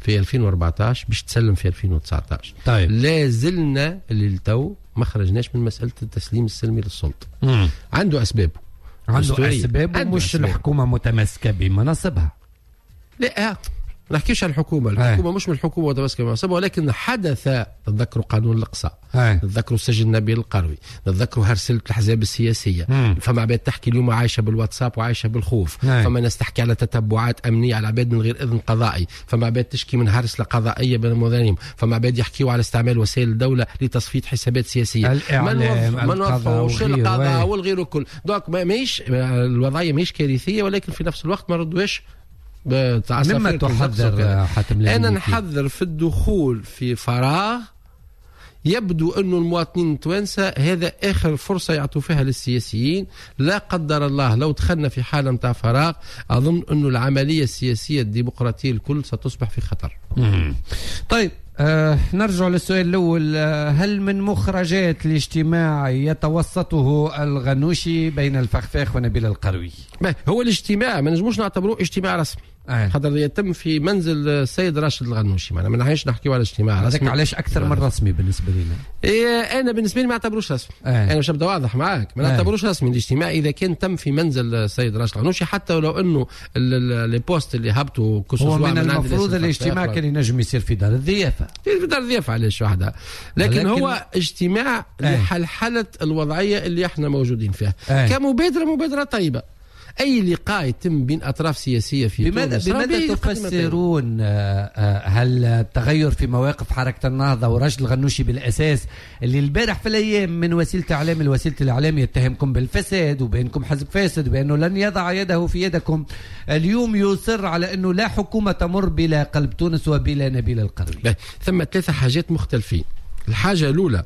في 2014 باش تسلم في 2019. طيب. لا زلنا للتو ما خرجناش من مسألة التسليم السلمي للسلطة. عنده أسبابه، عنده أسباب، ومش الحكومة متمسكة بمناصبها. لا، ما نحكيش على الحكومة، الحكومة مش من الحكومة متمسكة بمناصبها، ولكن حدث. تذكروا قانون الإقصاء، تذكروا سجن نبيل القروي، تذكروا هرسلة الأحزاب السياسية. فما عباد تحكي اليوم عايشة بالواتساب وعايشة بالخوف. فما ناس تحكي على تتبعات أمنية على عباد من غير إذن قضائي، فما عباد تشكي من هرسلة قضائية بين المواطنين، فما عباد يحكيوا على استعمال وسائل الدولة لتصفية حسابات سياسية. ما نوظفوش القضاء والغير الكل. donc ماهيش الوضعية ماهيش كارثية، ولكن في نفس الوقت ما ردوش. مما تحذر حاتم؟ أنا نحذر في الدخول في فراغ يبدو أن المواطنين التوانسة هذا آخر فرصة يعطوا فيها للسياسيين. لا قدر الله لو دخلنا في حالة متاع فراغ أظن أن العملية السياسية الديمقراطية الكل ستصبح في خطر. طيب، نرجع للسؤال الأول: هل من مخرجات الاجتماع يتوسطه الغنوشي بين الفخفاخ ونبيل القروي؟ هو الاجتماع ما نجموش نعتبروه اجتماع رسمي، خاطر يتم في منزل السيد راشد الغنوشي، ما نحناش نحكيو على اجتماع رسمي. هذاك علاش اكثر من رسمي بالنسبة لنا. انا بالنسبة لي ما اعتبروش رسمي. انا مش نبدا واضح معاك، ما نعتبروش رسمي الاجتماع اذا كان تم في منزل السيد راشد الغنوشي، حتى ولو انه les posts اللي هبطوا هو من المفروض الاجتماع كان ينجم يصير في دار الضيافة، في دار الضيافة علاش وحدها، لكن هو اجتماع لحلحله الوضعية اللي احنا موجودين فيها. كمبادره، مبادرة طيبة. أي لقاء يتم بين أطراف سياسية في تونس. بماذا تفسرون هل التغير في مواقف حركة النهضة وراشد الغنوشي بالأساس اللي البارح في الأيام من وسيلة إعلام لوسيلة الإعلام يتهمكم بالفساد وبأنكم حزب فاسد وبأنه لن يضع يده في يدكم، اليوم يصر على أنه لا حكومة تمر بلا قلب تونس وبلا نبيل القروي؟ ثم 3 حاجات مختلفين. الحاجة الأولى،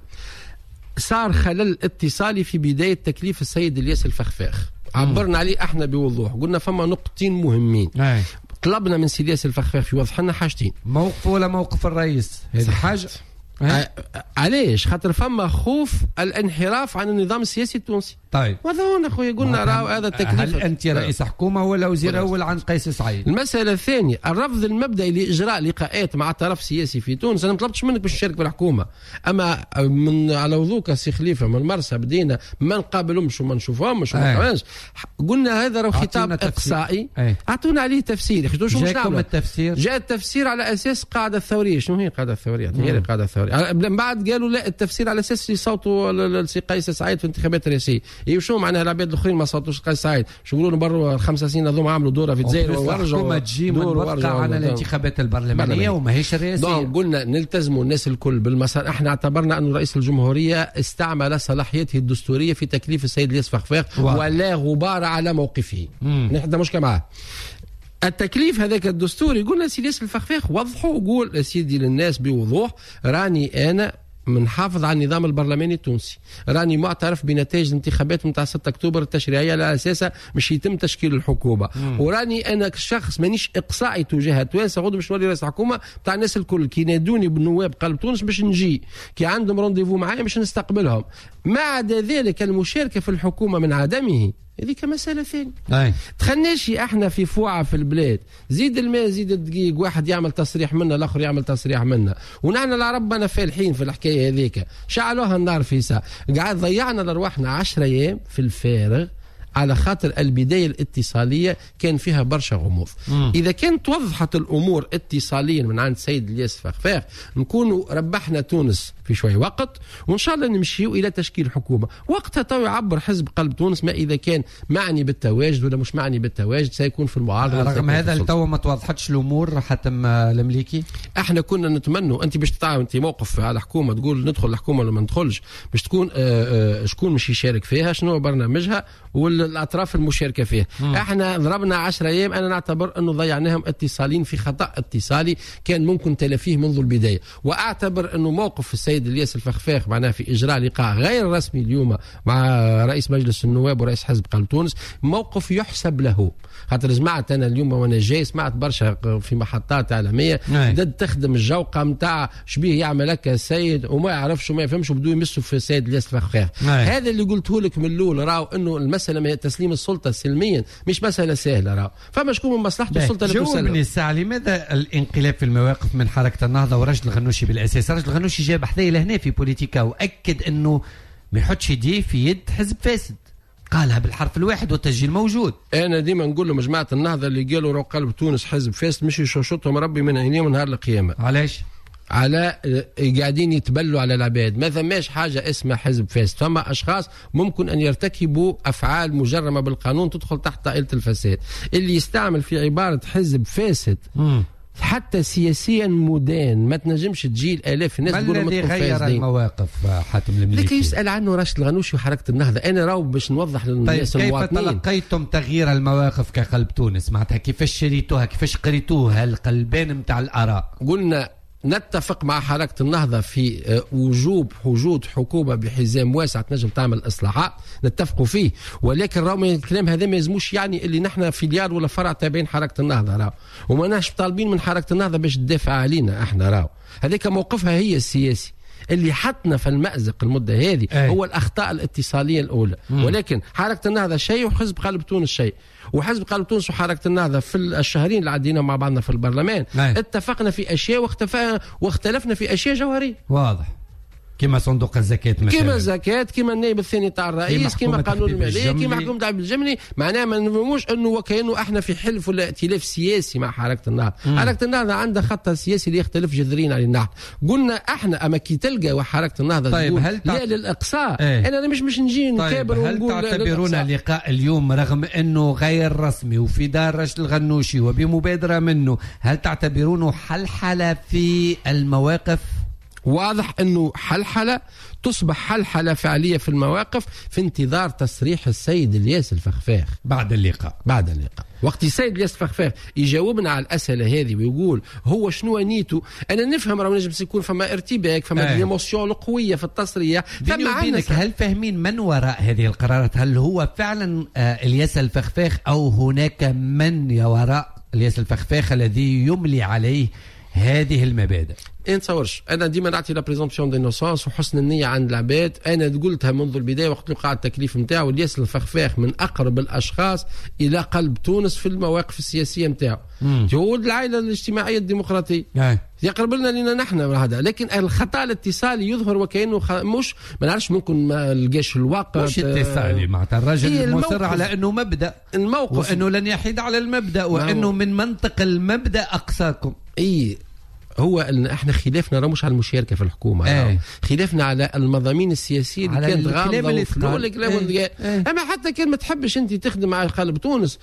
صار خلل اتصالي في بداية تكليف السيد الياس الفخفاخ، عبرنا عليه احنا بوضوح، قلنا فما نقطتين مهمين. طلبنا من سي الياس الفخفاخ يوضح لنا حاجتين: موقفه ولا موقف الرئيس، هذه حاجة. علاش؟ خاطر فما خوف الانحراف عن النظام السياسي التونسي. طيب وهذا هو خويا قلنا راهو هذا التكليف. هل انت رئيس حكومة ولا وزير اول عن قيس سعيد؟ المسالة الثانية الرفض المبدئي لاجراء لقاءات مع طرف سياسي في تونس. انا ما طلبتش منك باش تشارك في الحكومة، اما من على وضوك سي خليفة من المرسى بدينا ما نقابلهمش وما نشوفهمش وما نعملش. قلنا هذا راهو خطاب اقصائي، اعطونا عليه تفسير. جاكم التفسير؟ جاء التفسير على اساس القاعدة الثورية. شنو هي القاعدة الثورية؟ هي القاعدة الثورية. من بعد قالوا لا، التفسير على اساس يصوتوا لسي قيس سعيد في الانتخابات الرئاسية. إيه شو معناها العباد الاخرين ما صوتوش قيس سعيد؟ شو يقولوا بروا 5 سنين هذوما عملوا دوره في الجزائر ورجعوا تجي منبثقه على الانتخابات البرلمانية وماهيش الرئاسية. donc قلنا نلتزموا الناس الكل بالمسار. احنا اعتبرنا أن رئيس الجمهورية استعمل صلاحيته الدستورية في تكليف السيد الياس فخفاخ ولا غبار على موقفه. نحن مشكلة معاه التكليف هذاك الدستوري. قلنا سيدي الياس الفخفاخ وضحوا وقول سيدي للناس بوضوح راني انا منحافظ على النظام البرلماني التونسي، راني معترف بنتائج الانتخابات نتاع 6 اكتوبر التشريعية على اساسها مش يتم تشكيل الحكومة، وراني انا كشخص مانيش اقصائي تجاه التوانسة، غدوه باش نولي رئيس الحكومة نتاع الناس الكل، كي نادوني بالنواب قلب تونس باش نجي، كي عندهم rendez-vous معايا باش نستقبلهم. ما عدا ذلك المشاركة في الحكومة من عدمه هذيك مسألة ثانية. تخلناش احنا في فوعة في البلاد، زيد الماء زيد الدقيق، واحد يعمل تصريح منا الاخر يعمل تصريح منا، ونحن العرب انا فالحين في الحكاية هذيك، شعلوها النار في ساعة، قاعد ضيعنا لارواحنا 10 ايام في الفارغ على خاطر البداية الاتصالية كان فيها برشا غموض. إذا كانت وضحت الأمور اتصاليا من عند سيد الياس فخفاخ نكونوا ربحنا تونس في شوي وقت، وإن شاء الله نمشيو إلى تشكيل حكومة. وقتها تو يعبر حزب قلب تونس ما إذا كان معني بالتواجد ولا مش معني بالتواجد، سيكون في المعارضة. رغم هذا التو ما توضحتش الأمور حتى المليكي. احنا كنا نتمنوا أنت باش تتعاون أنت موقف على حكومة تقول ندخل الحكومة ولا ما ندخلش، باش تكون شكون مش يشارك فيها، شنو برنامجها والاطراف المشاركة فيها. احنا ضربنا 10 ايام، انا نعتبر انه ضيعناهم اتصالين في خطا اتصالي كان ممكن تلافيه منذ البداية، واعتبر انه موقف السيد الياس الفخفاخ معناه في اجراء لقاء غير رسمي اليوم مع رئيس مجلس النواب ورئيس حزب قلب تونس موقف يحسب له. خاطر سمعت انا اليوم وانا جاي سمعت برشا في محطات اعلامية ضد تخدم الجوقه نتاع شبيه يعمل هكا السيد وما يعرفش وما يفهمش وبدو يمسوا في السيد الياس الفخفاخ. هذا اللي قلته لك من الاول، راهو انه المسالة تسليم السلطة سلميا مش مسالة سهلة، راهو فما شكون من مصلحته السلطة اللي تسلم. جاوبني الساعة، لماذا الانقلاب في المواقف من حركة النهضة وراشد الغنوشي بالاساس؟ راشد الغنوشي جاب حذايا لهنا في بوليتيكا واكد انه ما يحطش يديه في يد حزب فاسد، قالها بالحرف الواحد والتسجيل موجود. انا ديما نقول لهم جماعة النهضة اللي قالوا رو قلب تونس حزب فاسد مش يشوشطهم ربي من عينيهم نهار القيامة. علاش؟ على قاعدين يتبلوا على العباد. ما ثماش حاجة اسمها حزب فاسد، فما أشخاص ممكن أن يرتكبوا أفعال مجرمة بالقانون تدخل تحت طائلة الفساد. اللي يستعمل في عبارة حزب فاسد حتى سياسيا مدان، ما تنجمش تجي الاف الناس تقول الذي غير المواقف حاتم المليكي؟ لكن يسأل عنه راشد الغنوشي وحركة النهضة. أنا راهو باش نوضح للناس طيب المواطنين، كيف تلقيتم تغيير المواقف كقلب تونس؟ معناتها كيفاش شريتوها، كيفاش قريتوها القلبين نتاع الآراء؟ قلنا نتفق مع حركة النهضة في وجوب وجود حكومة بحزام واسع تنجم تعمل إصلاحات، نتفقوا فيه، ولكن راهو الكلام هذا ما يلزموش يعني اللي نحن filiale ولا فرع تابعين حركة النهضة، راهو وما ناش طالبين من حركة النهضة باش تدافع علينا احنا، راهو هذيك موقفها هي السياسي اللي حطنا في المأزق المدة هذه. هو الأخطاء الاتصالية الأولى. ولكن حركة النهضة شيء وحزب قلب تونس شيء، وحزب قلب تونس وحركة النهضة في الشهرين اللي عدينا مع بعضنا في البرلمان اتفقنا في أشياء واختلفنا في أشياء جوهرية. واضح، كما صندوق الزكاة مثلا، كما الزكاة، كما النائب الثاني تاع الرئيس، كما قانون المالية، كما حكومة عبد الجملي. معناها ما نفهموش انه وكانه احنا في حلف ولا ائتلاف سياسي مع حركة النهضة. حركة النهضة عندها خطها السياسي اللي يختلف جذريا على النهضة. قلنا احنا اما كي تلقى وحركة النهضة طيب هل لا للاقصاء. انا مش نجي نكابر. طيب هل تعتبرون لقاء اليوم رغم انه غير رسمي وفي دار راشد الغنوشي وبمبادرة منه، هل تعتبرونه حلحلة في المواقف؟ واضح أنه حلحلة، تصبح حلحلة فعلية في المواقف في انتظار تصريح السيد الياس الفخفاخ بعد اللقاء. بعد اللقاء وقت السيد الياس الفخفاخ يجاوبنا على الأسئلة هذه ويقول هو شنو نيته، أنا نفهم راه نجم يكون فما ارتباك، فما l'émotion القوية في التصريح. بينك هل فاهمين من وراء هذه القرارات؟ هل هو فعلا الياس الفخفاخ أو هناك من وراء الياس الفخفاخ الذي يملي عليه هذه المبادئ؟ نتصورش. انا ديما نعطي la présomption d'innocence وحسن النية عند العباد. انا قلتها منذ البداية وقت وقع التكليف نتاعو، الياس الفخفاخ من اقرب الاشخاص الى قلب تونس في المواقف السياسية نتاعو. هو ولد العائلة الاجتماعية الديمقراطية، يقرب لنا نحن هذا. لكن الخطا الاتصالي يظهر وكانه مش، ما نعرفش، ممكن ما لقاش الوقت. مش اتصالي معناتها الرجل مصر على انه مبدا الموقف، وانه لن يحيد على المبدا، وانه من منطق المبدا اقصاكم. اي هو ان احنا خلافنا راه مش على المشاركة في الحكومة، خلافنا على المضامين السياسية اللي كانت غامضة الكلام. اما حتى كان ما تحبش انت تخدم مع قلب تونس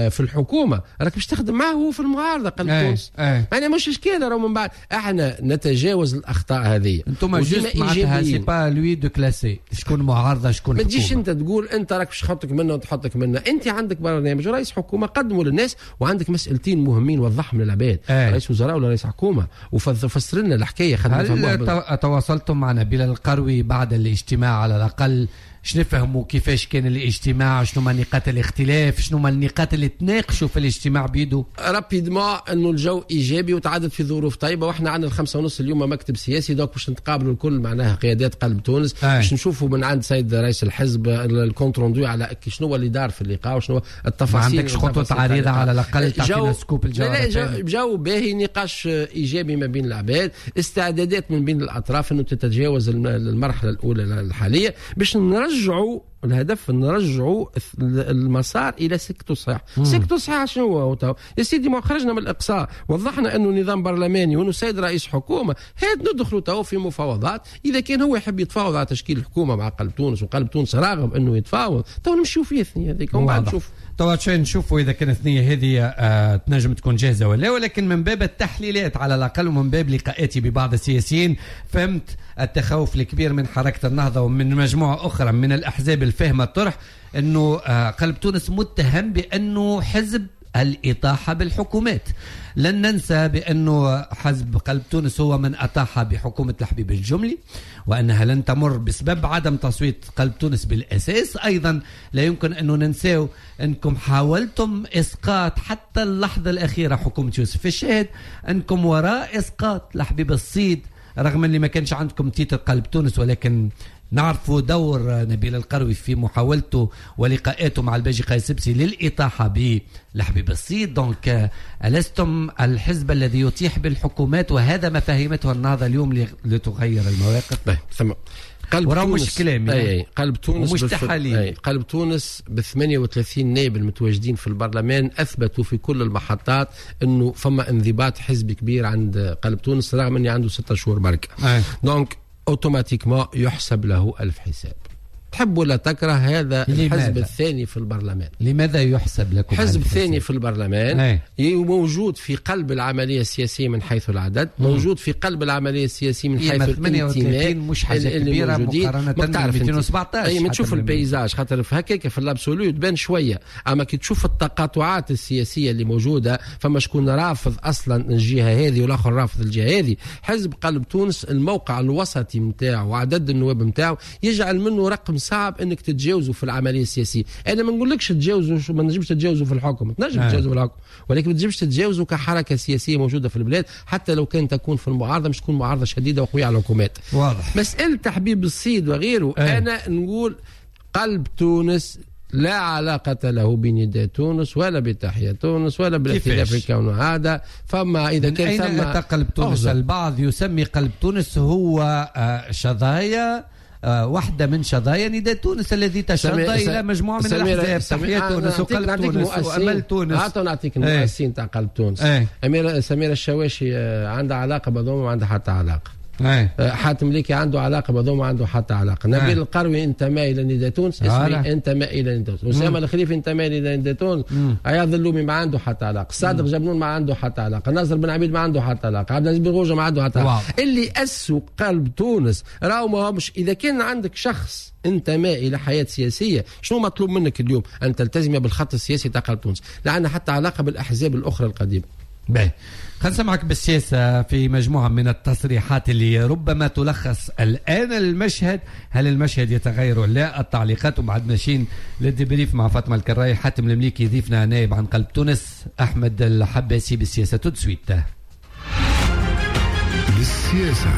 في الحكومة، راك باش تخدم معه هو في المعارضة قلب تونس. يعني مش اشكال، راه من بعد احنا نتجاوز الاخطاء هذه. انتم juste معناتها c'est pas à lui de classer شكون معارضة شكون حكومة. ما تجيش انت تقول انت راك باش تحطك منا وتحطك منا. انت عندك برنامج رئيس حكومة قدمه للناس، وعندك مسالتين مهمين وضحهم للعباد، رئيس وزراء ولا رئيس حكومة، وفسر لنا الحكاية. هل تواصلتم مع نبيل القروي بعد الاجتماع على الاقل شنو نفهموا كيفاش كان الاجتماع، شنو ما نقاط الاختلاف، شنو ما النقاط اللي تناقشوا في الاجتماع بيدو؟ rapidement انه الجو ايجابي وتعدت في ظروف طيبة، واحنا عندنا 5:30 اليوم مكتب سياسي، donc باش نتقابلوا الكل معناها قيادات قلب تونس باش نشوفوا من عند سيد رئيس الحزب ال compte rendu على شنو اللي دار في اللقاء وشنو التفاصيل. ما عندكش خطوط عريضة على الاقل تعطينا scoop الجو؟ جو باهي، نقاش ايجابي ما بين العباد، استعدادات من بين الاطراف انه تتجاوز المرحلة الاولى الحالية باش نرجعوا الهدف، نرجعوا المسار الى سكته صحيح. سكته صحيح شنو هو يا سيدي؟ ما خرجنا من الاقصاء، وضحنا انه نظام برلماني وانه سيد رئيس حكومة، هات ندخلوا تو في مفاوضات. اذا كان هو يحب يتفاوض على تشكيل الحكومة مع قلب تونس، وقلب تونس راغب انه يتفاوض، تو نمشيو فيه الثنية هذيك ومن بعد نشوف. تو نشوفوا اذا كان الثنية هذه تنجم تكون جاهزة ولا، ولكن من باب التحليلات على الاقل ومن باب لقاءاتي ببعض السياسيين فهمت التخوف الكبير من حركة النهضة ومن مجموعة اخرى من الاحزاب الفاهمه الطرح، انه قلب تونس متهم بانه حزب الإطاحة بالحكومات. لن ننسى بأنه حزب قلب تونس هو من أطاح بحكومة الحبيب الجملي، وأنها لن تمر بسبب عدم تصويت قلب تونس بالأساس. أيضا لا يمكن أن ننساو أنكم حاولتم إسقاط حتى اللحظة الأخيرة حكومة يوسف الشاهد، أنكم وراء إسقاط الحبيب الصيد رغم اللي ما كانش عندكم titre قلب تونس، ولكن نعرفوا دور نبيل القروي في محاولته ولقاءاته مع الباجي قايد السبسي للإطاحة بلحبيب الصيد. donc ألستم الحزب الذي يطيح بالحكومات، وهذا ما فهمته النهضة اليوم لتغير المواقف. ثم قلب تونس مش كلامي، أي قلب تونس مش تحاليل. قلب تونس ب 38 نائب المتواجدين في البرلمان اثبتوا في كل المحطات انه فما انضباط حزبي كبير عند قلب تونس، رغم اني عنده 6 شهور بركة. donc automatiquement يحسب له 1000 حساب، تحب ولا تكره. هذا الحزب الثاني في البرلمان. لماذا يحسب لكم حزب ثاني في البرلمان؟ موجود في قلب العملية السياسية من حيث العدد، موجود في قلب العملية السياسية من حيث الانتماء. مش حاجة كبيرة مقارنة ب 217. أي ما تشوف ال paysage، خاطر في هكاك في l'absolu تبان شوية، أما كي تشوف التقاطعات السياسية اللي موجودة، فما شكون رافض أصلا الجهة هذه والآخر رافض الجهة هذه. حزب قلب تونس الموقع الوسطي نتاعو وعدد النواب نتاعو يجعل منه رقم صعب انك تتجاوزه في العملية السياسية. انا ما نقولكش تجاوزه، ما نجمش تتجاوزه في الحكم، تنجم تتجاوزه في الحكم، ولكن ما تنجمش تتجاوزه كحركه سياسية موجودة في البلاد، حتى لو كان تكون في المعارضة، مش تكون معارضة شديدة وقويه على الحكومات. واضح. مسالة تحبيب الصيد وغيره، انا نقول قلب تونس لا علاقة له بنداء تونس ولا بتحية تونس ولا بالائتلاف الكون هذا. فما إذا كان ثم أين قلب تونس؟ البعض يسمي قلب تونس هو شظايا، واحدة من شظايا نداء تونس الذي تشظى إلى مجموعة من الأحزاب، تحية تونس وقلب تونس وأمل تونس. نعطيك المؤسسين تاع قلب تونس. سميرة الشواشي عندها علاقة بهذوما ما عندها حتى علاقة. حاتم ليكي عنده علاقة بهذوما عنده حتى علاقة. نبيل القروي انتمى إلى نداء تونس، اسمي انتمى إلى نداء تونس. أسامة الخليفي انتمى إلى نداء تونس. عياض اللومي ما عنده حتى علاقة. صادق جبنون ما عنده حتى علاقة. ناصر بن عبيد ما عنده حتى علاقة. عبد العزيز بن غوجة ما عنده حتى علاقة. اللي أسوا قلب تونس راهو ما همش. إذا كان عندك شخص انتمى إلى حياة سياسية، شنو مطلوب منك اليوم؟ أن تلتزم بالخط السياسي تاع قلب تونس. لا عندنا حتى علاقة بالأحزاب الأخرى القديمة. باهي، خلينا نسمعك بالسياسة في مجموعة من التصريحات اللي ربما تلخص الآن المشهد. هل المشهد يتغير ولا لا؟ التعليقات، وبعد ماشيين لل débrief مع فاطمة الكراي. حاتم المليكي ضيفنا نائب عن قلب تونس، أحمد الحباسي بالسياسة tout de suite. للسياسة.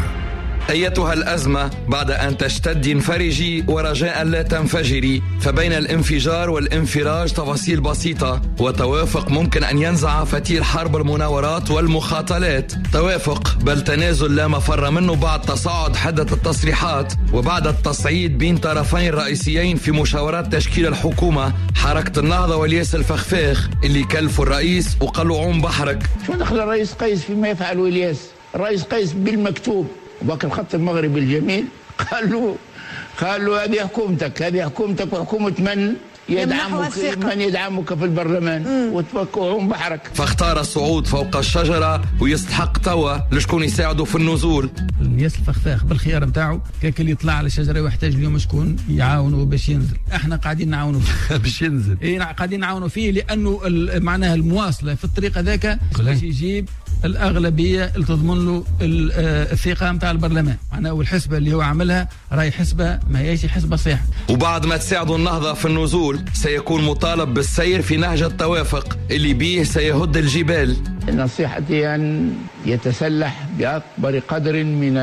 أيتها الأزمة بعد أن تشتد انفرجي ورجاء لا تنفجري، فبين الانفجار والانفراج تفاصيل بسيطة وتوافق ممكن أن ينزع فتيل حرب المناورات والمخاطلات. توافق بل تنازل لا مفر منه بعد تصاعد حدة التصريحات وبعد التصعيد بين طرفين رئيسيين في مشاورات تشكيل الحكومة، حركة النهضة والياس الفخفاخ اللي كلفوا الرئيس وقالوا عوم بحرك. شو دخل الرئيس قيس فيما يفعله الياس؟ الرئيس قيس بالمكتوب وباك الخط المغربي الجميل قال له هذه حكومتك، هذه حكومتك وحكومة من يدعمك، من يدعمك في البرلمان، وتفكعون بحرك. فاختار الصعود فوق الشجرة ويستحق توا لشكون يساعده في النزول. الياس الفخفاخ بالخيار نتاعو كاك اللي يطلع على الشجرة ويحتاج اليوم شكون يعاونه باش ينزل، احنا قاعدين نعاونوا فيه باش ينزل. اي قاعدين نعاونوا فيه لانه معناها المواصلة في الطريق هذاك باش يجيب الأغلبية اللي تضمن له الثقة نتاع البرلمان، معناها والحسبة اللي هو عملها راهي حسبة ما هيش حسبة صحيحة. وبعد ما تساعدوا النهضة في النزول سيكون مطالب بالسير في نهج التوافق اللي بيه سيهد الجبال. نصيحتي أن يتسلح بأكبر قدر من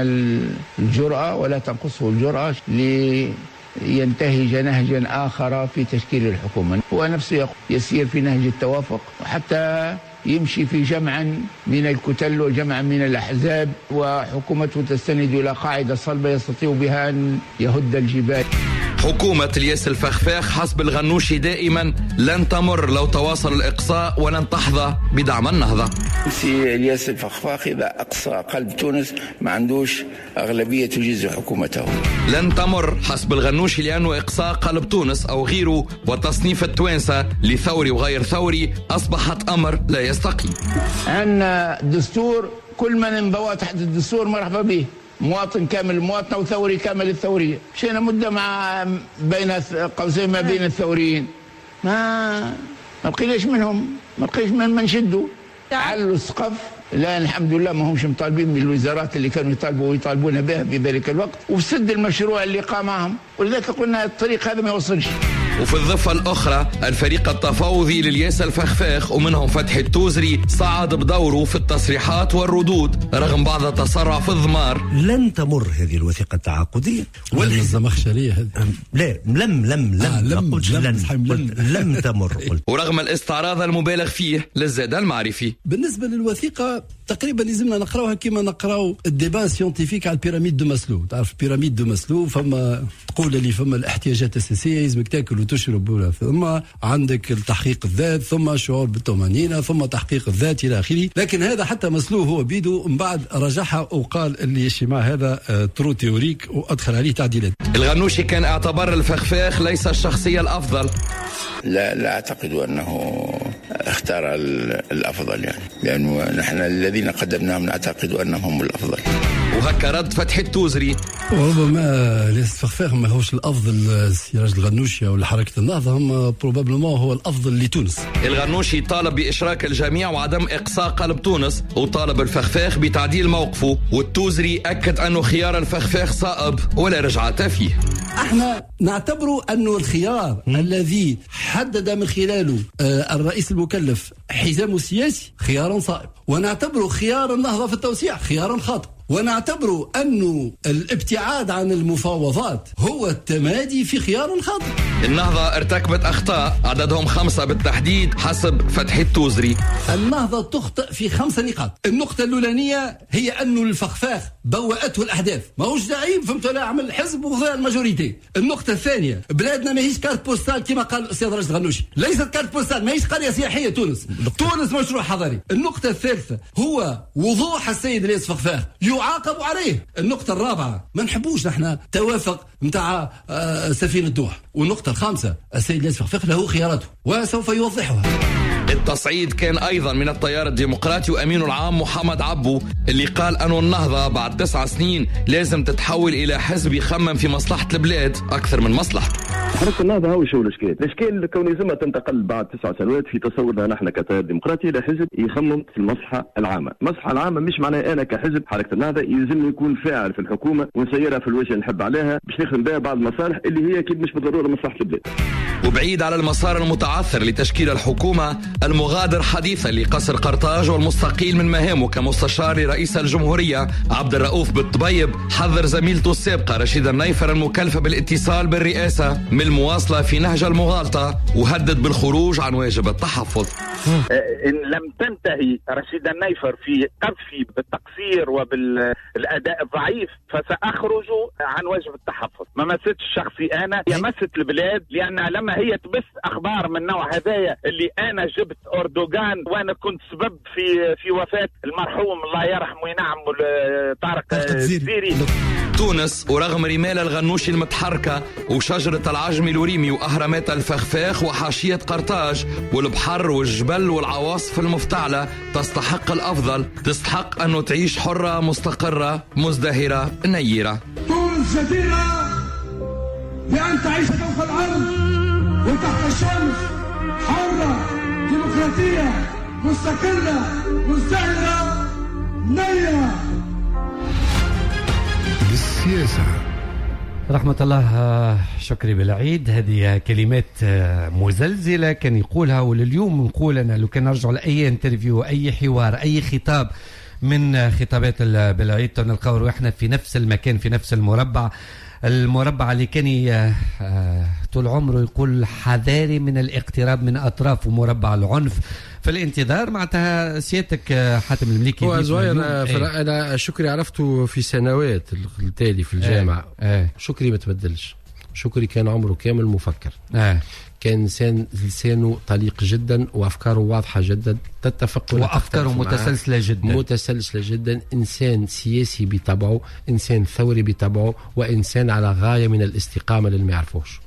الجرأة ولا تنقصه الجرأة لينتهج نهجا آخر في تشكيل الحكومة. هو نفسه يسير في نهج التوافق حتى يمشي في جمعا من الكتل وجمعا من الأحزاب، وحكومته تستند إلى قاعدة صلبة يستطيع بها أن يهد الجبال. حكومة الياس الفخفاخ حسب الغنوشي دائما لن تمر لو تواصل الإقصاء ولن تحظى بدعم النهضة. سي الياس الفخفاخ إذا أقصى قلب تونس ما عندوش أغلبية تجيز حكومته. لن تمر حسب الغنوشي لأنه إقصاء قلب تونس أو غيره وتصنيف التوانسة لثوري وغير ثوري أصبحت أمر لا يستقيم. عندنا دستور كل من انضوى تحت الدستور مرحبا به، مواطن كامل المواطنة وثوري كامل الثورية. مشينا مدة مع بين قوسين ما بين الثوريين، ما لقيناش منهم، ما لقيناش من شدوا علوا السقف. لا الحمد لله ما همش مطالبين من الوزارات اللي كانوا يطالبوا ويطالبون بها في ذلك الوقت، وسد المشروع اللي قام معهم، ولذلك قلنا الطريق هذا ما يوصلش. وفي الضفة الأخرى الفريق التفاوضي للياس الفخفاخ ومنهم فتحي التوزري صعد بدوره في التصريحات والردود رغم بعض التسرع في الضمار. لن تمر هذه الوثيقة التعاقدية والزمخشرية هذه. لا لم لم لم لم لم, لم تمر. ورغم الاستعراض المبالغ فيه للزاد المعرفي. بالنسبة للوثيقة تقريبا لازمنا نقراوها كما نقراو ال débat scientifique على ال pyramide de Maslow. تعرف pyramide de Maslow فما تقول اللي فما الاحتياجات الاساسية لازمك تاكل وتشرب، ثم عندك التحقيق الذات، ثم الشعور بالطمانينه، ثم تحقيق الذات الى اخره. لكن هذا حتى ماسلو هو بيدو من بعد رجعها وقال اللي ال schéma هذا trop théorique وادخل عليه تعديلات. الغنوشي كان اعتبر الفخفاخ ليس الشخصية الافضل. لا اعتقد انه اختار الافضل، يعني لانه نحن الذين قدمناهم نعتقد انهم هم الافضل. وهكا رد فتحي التوزري. وربما الياس الفخفاخ ما هوش الافضل سراج الغنوشي او حركة النهضة، هم probablement هو الافضل لتونس. الغنوشي طالب باشراك الجميع وعدم اقصاء قلب تونس، وطالب الفخفاخ بتعديل موقفه، والتوزري اكد انه خيار الفخفاخ صائب ولا رجعه فيه. احنا نعتبر انه الخيار الذي حدد من خلاله الرئيس المكلف حزامه السياسي خيار صائب، ونعتبر خيار النهضة في التوسيع خيار خاطئ، ونعتبر أنه الابتعاد عن المفاوضات هو التمادي في خيار خاطئ. النهضة ارتكبت أخطاء عددهم 5 بالتحديد حسب فتحي التوزري. النهضة تخطئ في 5 نقاط. النقطة الأولانية هي أنه الفخفاخ بوأته الأحداث، ماهوش زعيم فهمت ولا عمل حزب وخذا ال majorité. النقطة الثانية بلادنا ماهيش carte postale كما قال الأستاذ راشد غنوشي، ليست carte postale، ماهيش قرية سياحية تونس، تونس مشروع حضاري. النقطة الثالثة هو وضوح السيد الياس فخفاخ يعاقب عليه. النقطة الرابعة ما نحبوش نحن توافق نتاع سفينة الدوح. والنقطة الخامسة السيد الياس فخفاخ له خياراته وسوف يوضحها. التصعيد كان أيضا من التيار الديمقراطي وأمينه العام محمد عبو اللي قال أن النهضة بعد 9 سنين لازم تتحول إلى حزب يخمم في مصلحة البلاد أكثر من مصلحته. حركة النهضة هو شو الإشكال؟ الإشكال كون يلزمها تنتقل بعد 9 سنوات في تصورنا نحن كتيار ديمقراطي إلى حزب يخمم في المصلحة العامة. المصلحة العامة مش معناها أنا كحزب حركة النهضة يلزمني يكون فاعل في الحكومة ونسيرها في الوجه اللي نحب عليها باش نخدم بها بعض المصالح اللي هي أكيد مش بالضرورة مصلحة البلاد. وبعيد على المسار المتعثر لتشكيل الحكومة، المغادر حديثا لقصر قرطاج والمستقيل من مهامه كمستشار لرئيس الجمهورية عبد الرؤوف بالطبيب، حذر زميلته السابقة رشيدة النيفر المكلفة بالاتصال بالرئاسة من المواصلة في نهج المغالطة، وهدد بالخروج عن واجب التحفظ. إن لم تنتهي رشيدة النيفر في قذفي بالتقصير وبالأداء الضعيف فسأخرج عن واجب التحفظ. ما مستش شخصي أنا، هي مست البلاد، لأن لما هي تبث أخبار من نوع هذايا اللي أنا جبت أردوغان وأنا كنت سبب في وفاة المرحوم الله يرحمه وينعم طارق الزيري. تونس ورغم رمال الغنوشي المتحركة وشجرة العجم الوريمي وأهرامات الفخفاخ وحاشية قرطاج والبحر والجبل والعواصف المفتعلة، تستحق الأفضل، تستحق أنه تعيش حرة مستقرة مزدهرة نيرة. تونس جديرة بأن تعيش فوق الأرض وتحت الشمس، حرة ديمقراطية مستقلة مزدهرة نيرة. بالسياسة. رحمة الله شكري بالعيد، هذه كلمات مزلزلة كان يقولها، ولليوم نقول أنا لو كان نرجع لأي interview، أي حوار، أي خطاب من خطابات بالعيد، نلقاو روحنا في نفس المكان، في نفس المربع، المربع اللي كان طول عمره يقول حذاري من الاقتراب من أطراف مربع العنف. في الانتظار معناتها سيادتك حاتم المليكي. هو زهير أنا شكري عرفته في سنوات التالي في الجامعة. شكري ما تبدلش، شكري كان عمره كامل مفكر. كان إنسان لسانه طليق جدا وأفكاره واضحة جدا، تتفق وأفكاره متسلسلة جدا، متسلسلة جدا. إنسان سياسي بطبعه، إنسان ثوري بطبعه، وإنسان على غاية من الاستقامة للي ما يعرفوش.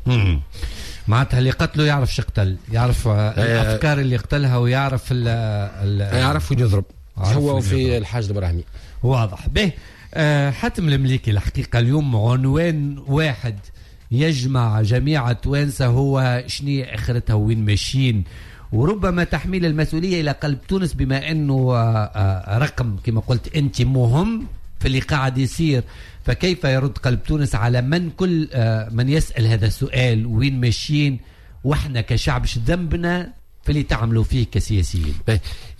معناتها اللي قتله يعرف شقتل، يعرف الأفكار اللي قتلها، ويعرف يعرف وين يضرب، هو في الحاج الإبراهيمي. واضح به. حاتم المليكي، الحقيقة اليوم عنوان واحد يجمع جميع التوانسة هو شني اخرتها وين ماشيين، وربما تحميل المسؤولية إلى قلب تونس، بما أنه رقم كما قلت أنت مهم في اللي قاعد يصير، فكيف يرد قلب تونس على من كل من يسأل هذا السؤال وين ماشيين، واحنا كشعب شو ذنبنا في اللي تعملوا فيه كسياسيين؟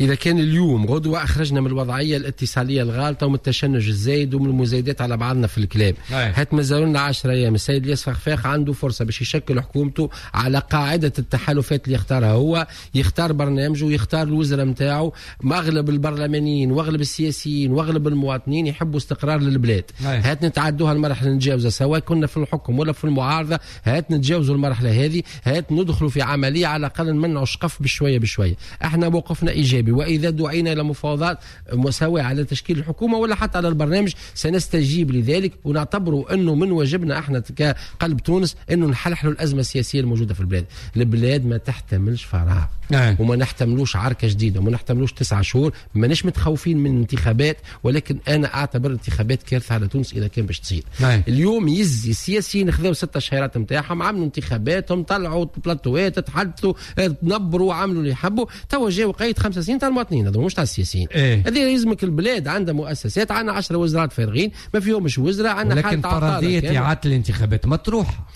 إذا كان اليوم غدوة أخرجنا من الوضعية الاتصالية الغالطة ومن التشنج الزايد ومن المزايدات على بعضنا في الكلام، هات مازالوا لنا 10 أيام. السيد الياس فخفاخ عنده فرصة باش يشكل حكومته على قاعدة التحالفات اللي يختارها هو، يختار برنامجه ويختار الوزراء نتاعو. أغلب البرلمانيين وأغلب السياسيين وأغلب المواطنين يحبوا استقرار للبلاد. هات نتعدوها المرحلة نتجاوزها، سواء كنا في الحكم ولا في المعارضة، هات نتجاوزوا المرحلة هذه، هات ندخلوا في عملية على الأقل نمنعوا الشقف بشوية بشوية. احنا موقفنا ايجابي، واذا دعينا الى مفاوضات سواء على تشكيل الحكومة ولا حتى على البرنامج سنستجيب لذلك، ونعتبره انه من واجبنا احنا كقلب تونس انه نحلحلوا الازمة السياسية الموجودة في البلاد. البلاد ما تحتملش فراغ، وما نحتملوش عركة جديدة، وما نحتملوش 9 شهور. ماناش متخوفين من انتخابات، ولكن انا اعتبر الانتخابات كارثة على تونس اذا كان باش تصير. اليوم يزي السياسيين خذوا 6 شهرات نتاعهم، عملوا انتخاباتهم، طلعوا بلاتوات، تحدثوا، تنبروا، عملوا اللي يحبوا. توا جاوا قيد 5 سنين تاع المواطنين، هذا مش تاع السياسيين. هذه يلزمك البلاد عندها مؤسسات، عندنا 10 وزارات فارغين ما فيهمش وزراء، عندنا لكن فرضية اعاده الانتخابات مطروحة،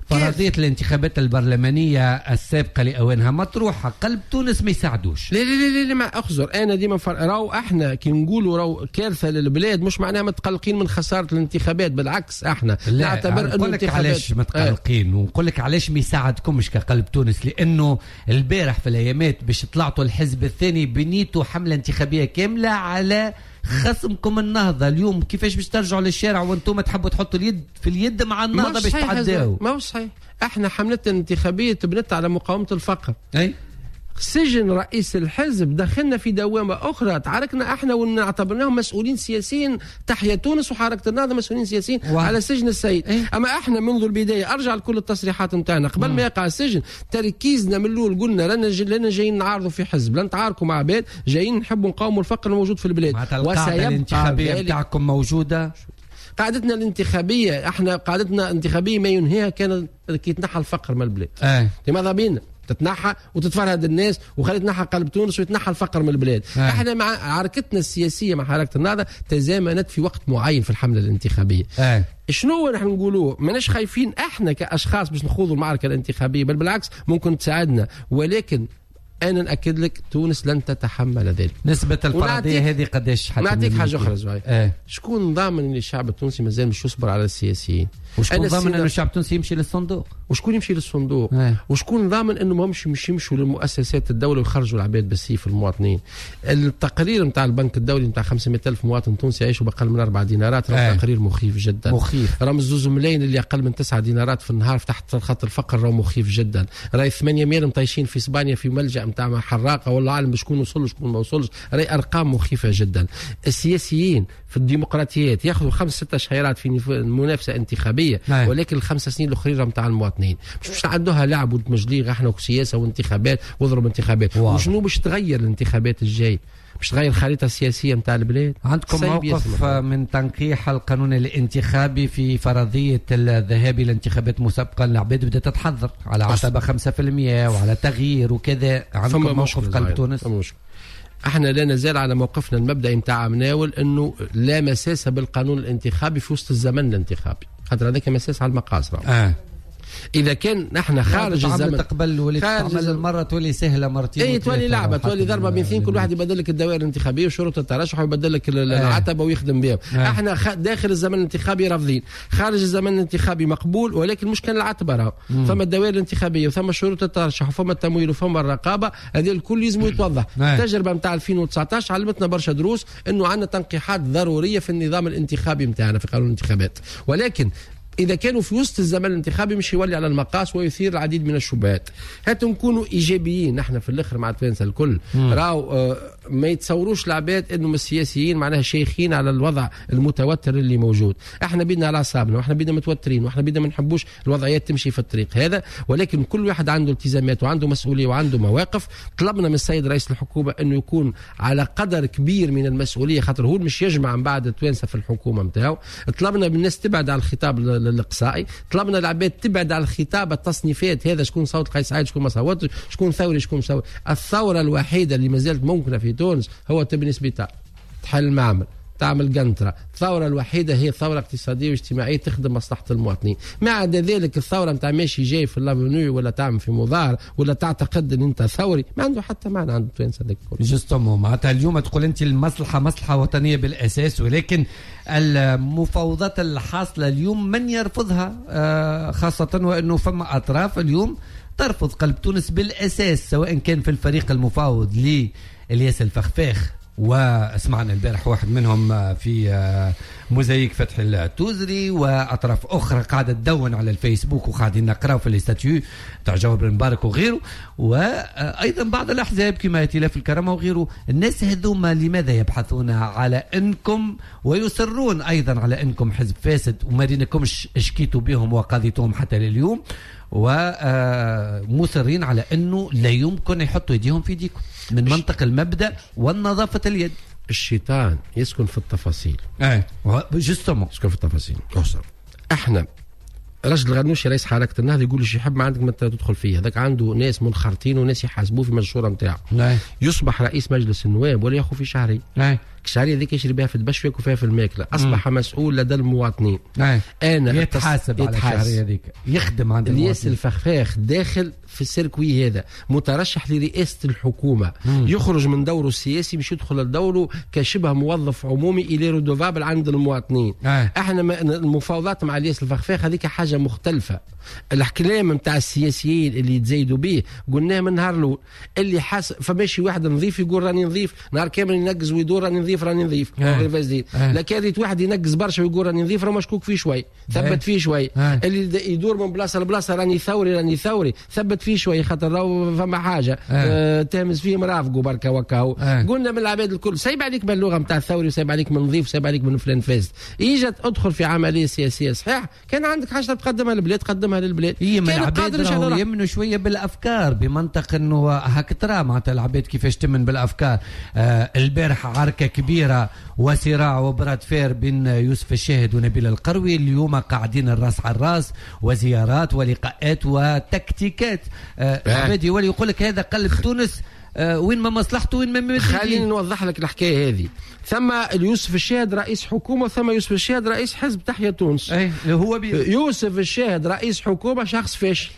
فرضية الانتخابات البرلمانية السابقة لأوانها مطروحة، قلب تونس ما يساعدوش. لا لا لا لا، ما أخزر أنا ديما راو احنا كي نقولوا راو كارثة للبلاد مش معناها متقلقين من خسارة الانتخابات، بالعكس احنا نعتبر أنه الانتخابات. علاش متقلقين ونقول لك علاش ما يساعدكمش كقلب تونس، لأنه البارح في الأيامات باش طلعتوا الحزب الثاني بنيتوا حملة انتخابية كاملة على خصمكم النهضة. اليوم كيفاش باش ترجعوا للشارع وانتم تحبوا تحطوا اليد في اليد مع النهضة باش تعداو؟ ما هو صحيح، احنا حملتنا الانتخابية تبنت على مقاومة الفقر. أي سجن رئيس الحزب دخلنا في دوامة أخرى، تعاركنا احنا ونعتبرناهم مسؤولين سياسيين، تحيا تونس وحركة النهضة مسؤولين سياسيين على سجن السيد. أما احنا منذ البداية أرجع لكل التصريحات نتاعنا قبل ما يقع السجن، تركيزنا من الأول قلنا لنا جايين نعارضوا في حزب، لن نتعاركوا مع عباد، جايين نحبوا نقاوموا الفقر الموجود في البلاد. القاعدة الانتخابية بتاعكم موجودة؟ قاعدتنا الانتخابية احنا قاعدتنا الانتخابية ما ينهيها كان كي يتنحى الفقر من البلاد. لماذا بينا؟ تتنحى وتتفرهد الناس وخلي تنحى قلب تونس ويتنحى الفقر من البلاد. احنا مع عركتنا السياسية مع حركة النهضة تزامنت في وقت معين في الحملة الانتخابية. شنو نحن نقولوه؟ ماناش خايفين احنا كاشخاص باش نخوضوا المعركة الانتخابية، بل بالعكس ممكن تساعدنا، ولكن انا ناكد لك تونس لن تتحمل ذلك. نسبه الفرضية هذه قداش؟ حتى نعطيك حاجة اخرى زهير. شكون ضامن ان الشعب التونسي مازال مش يصبر على السياسيين؟ وشكون ضامن انه الشعب التونسي يمشي للصندوق؟ وشكون يمشي للصندوق؟ وشكون ضامن انه ماهمش مش يمشوا للمؤسسات الدولة ويخرجوا العباد بالسيف المواطنين؟ التقرير نتاع البنك الدولي نتاع 500,000 مواطن تونسي يعيشوا باقل من 4 دينارات، راه تقرير مخيف جدا. مخيف. راه 2 ملايين اللي اقل من 9 دينارات في النهار تحت خط الفقر، راه مخيف جدا. راهي 800 مطيشين في اسبانيا في ملجأ نتاع حراقه، والله اعلم شكون وصل وشكون ما وصلش، راهي ارقام مخيفة جدا. السياسيين في الديمقراطيات ياخذوا 5-6 شهيرات في منافسه انتخابية، ولكن الخمس سنين الاخرين نتاع المواطنين مش نعدوها لعب وتمجليغ احنا وسياسة وانتخابات واضرب انتخابات. وشنو باش تغير الانتخابات الجاي؟ باش تغير الخريطة السياسية نتاع البلاد؟ عندكم موقف من تنقيح القانون الانتخابي في فرضية الذهاب الى انتخابات مسبقا؟ العباد بدات تتحضر على عتبة 5% وعلى تغيير وكذا. عندكم موقف قلب تونس؟ احنا لا نزال على موقفنا المبدئي نتاع مناول انه لا مساس بالقانون الانتخابي في وسط الزمن الانتخابي، خاطر هذاك مساس على المقاس. اذا كان نحن خارج الزمن تقبل ولي تعمل المرة تولي سهلة مرتين، اي تولي لعبه، تولي ضربه بين اثنين، كل واحد يبدل لك الدوائر الانتخابية وشروط الترشح ويبدل لك العتبة ويخدم بها. احنا داخل الزمن الانتخابي رافضين، خارج الزمن الانتخابي مقبول، ولكن مش كان العتبة راهو ثم الدوائر الانتخابية وثم شروط الترشح وثم التمويل وثم الرقابة، هذه الكل لازم يتوضح. التجربة نتاع 2019 علمتنا برشا دروس انه عندنا تنقيحات ضرورية في النظام الانتخابي نتاعنا في قانون الانتخابات، ولكن إذا كانوا في وسط الزمن الانتخابي مش يولي على المقاس ويثير العديد من الشبهات. هاتوا نكونوا إيجابيين نحن في الآخر مع التوانسة الكل. راهو ما يتصوروش العباد إنهم السياسيين معناها شيخين على الوضع المتوتر اللي موجود. احنا بيدنا على أعصابنا، واحنا بيدنا متوترين، واحنا بيدنا ما نحبوش الوضعيات تمشي في الطريق هذا، ولكن كل واحد عنده التزامات وعنده مسؤولية وعنده مواقف. طلبنا من السيد رئيس الحكومة إنه يكون على قدر كبير من المسؤولية، خاطر هو مش يجمع من بعد التوانسة في الحكومة نتاعو. طلبنا من الناس تبعد على الخطاب الاقصائي، طلبنا العباد تبعد على الخطاب التصنيفات هذا، شكون صوت قيس سعيد شكون ما صوتش، شكون ثوري شكون ثوري. الثورة الوحيدة اللي ما زالت ممكنة في تونس هو تبني سبيطار، تحل معمل، تعمل قنطرة. الثورة الوحيدة هي ثورة اقتصادية واجتماعية تخدم مصلحة المواطنين. ما عدا ذلك الثورة نتاع ماشي جاي في l'avenue ولا تعمل في مظاهر ولا تعتقد ان انت ثوري ما عنده حتى معنى عند التوانسة هذاك الكل. justement معناتها اليوم تقول انت المصلحة مصلحة وطنية بالاساس، ولكن المفاوضات الحاصلة اليوم من يرفضها، خاصة وانه فما اطراف اليوم ترفض قلب تونس بالاساس، سواء كان في الفريق المفاوض لإلياس الفخفاخ، واسمعنا البارح واحد منهم في موزايك فتح التوزري، واطراف اخرى قاعدة تدون على الفيسبوك وقاعدين نقراو في les statuts تاع جوهر المبارك وغيره، وايضا بعض الاحزاب كما ائتلاف الكرامة وغيره. الناس هذوما لماذا يبحثون على انكم ويصرون ايضا على انكم حزب فاسد وما رينكمش شكيتوا بهم وقاضيتهم حتى لليوم، ومصرين على انه لا يمكن يحطوا يديهم في يديكم من منطق المبدا والنظافة اليد؟ الشيطان يسكن في التفاصيل. justement يسكن في التفاصيل. احنا رجل الغنوشي رئيس حركة النهضة يقول لي يحب ما عندك ما تدخل فيه، هذاك عنده ناس منخرطين وناس يحاسبوه في المشورة نتاعو. يصبح رئيس مجلس النواب ولا ياخذ في شهري. الشهرية هذيك يشري بها في الدبش وياكل فيها في الماكلة. اصبح مسؤول لدى المواطنين. انا يتحاسب على الشهرية هذيك، يخدم عند المواطنين. الياس الفخفاخ داخل في ال circuit هذا، مترشح لرئاسة الحكومة. يخرج من دوره السياسي باش يدخل لدوره كشبه موظف عمومي الى redevable عند المواطنين. احنا المفاوضات مع الياس الفخفاخ هذيك حاجة مختلفة. الكلام نتاع السياسيين اللي يتزايدوا به قلناه من النهار الاول، اللي حاس فماشي واحد نظيف يقول راني نظيف نهار كامل ينقز ويدور راني نظيف راني نظيف غير لكن ريت واحد ينقز برشا ويقول راني نظيف راه مشكوك فيه شوي، ثبت فيه شوي. اللي يدور من بلاصة لبلاصه راني ثوري راني ثوري، ثبت فيه شوي خاطر راهو فما حاجة تهمس فيه مرافقة بركة وكاو. قلنا من العباد الكل سايب عليك باللغة نتاع الثوري وسايب عليك من نظيف وسايب عليك من فلان فاسد. اجت ادخل في عملية سياسية صحيح، كان عندك حاجة تقدمها للبلاد قدمها للبلاد. هي من العباد راهو يمنوا شوية بالافكار بمنطق انه هاك ترى معناتها العباد كيفاش تمن بالافكار. البارحة عركة كبيرة وصراع و bras de fer بين يوسف الشاهد ونبيل القروي. اليوم قاعدين الراس على الراس وزيارات ولقاءات وتكتيكات. عباد يولي يقول لك هذا قلب تونس، وين ما مصلحته وين ما. خليني نوضح لك الحكاية هذه. ثم يوسف الشاهد رئيس حكومة، ثم يوسف الشاهد رئيس حزب تحيا تونس. اي هو يوسف الشاهد رئيس حكومة شخص فاشل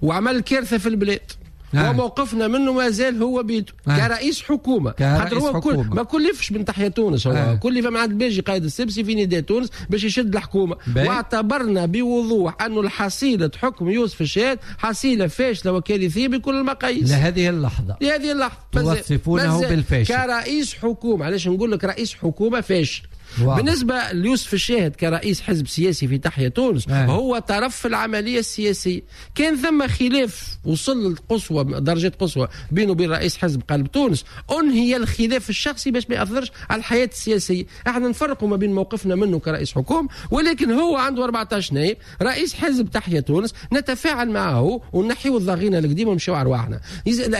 وعمل كارثة في البلاد. وموقفنا منه ما زال هو بيده كرئيس حكومة. خاطر هو ما كلفش من تحيا تونس، هو كلف مع الباجي قائد السبسي في نداء تونس باش يشد الحكومة. واعتبرنا بوضوح انه الحصيلة حكم يوسف الشاهد حصيله فاشلة وكارثيه بكل المقاييس لهذه اللحظة. لهذه اللحظة توصفونه بالفاشل كرئيس حكومة. علاش نقول لك رئيس حكومة فاشل؟ بالنسبة ليوسف الشاهد كرئيس حزب سياسي في تحيا تونس هو طرف في العملية السياسية. كان ثم خلاف وصل للقصوى، درجة قصوى بينه وبين رئيس حزب قلب تونس. أنهي الخلاف الشخصي باش ما يأثرش على الحياة السياسية. احنا نفرقوا ما بين موقفنا منه كرئيس حكومة، ولكن هو عنده 14 نائب رئيس حزب تحيا تونس، نتفاعل معه ونحيو الضغينة القديمة ونمشيو على أرواحنا.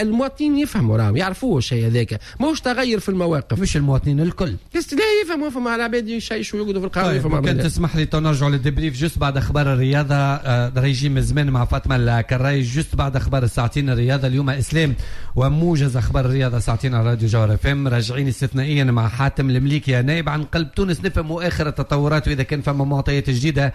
المواطنين يفهموا، راهم يعرفوه الشيء هذاك، ماهوش تغير في المواقف. مش المواطنين الكل لا يفهموا، فما العباد يشيشوا ويقعدوا في القهوة. طيب كان تسمح لي نرجعوا لل débrief juste بعد اخبار الرياضة. ريجيم زمان مع فاطمة الكراي juste بعد اخبار الساعتين الرياضة. اليوم اسلام وموجز اخبار الرياضة ساعتين على راديو جوهرة اف ام. راجعين استثنائيا مع حاتم المليكي نائب عن قلب تونس، نفهموا اخر التطورات واذا كان فما معطيات جديدة.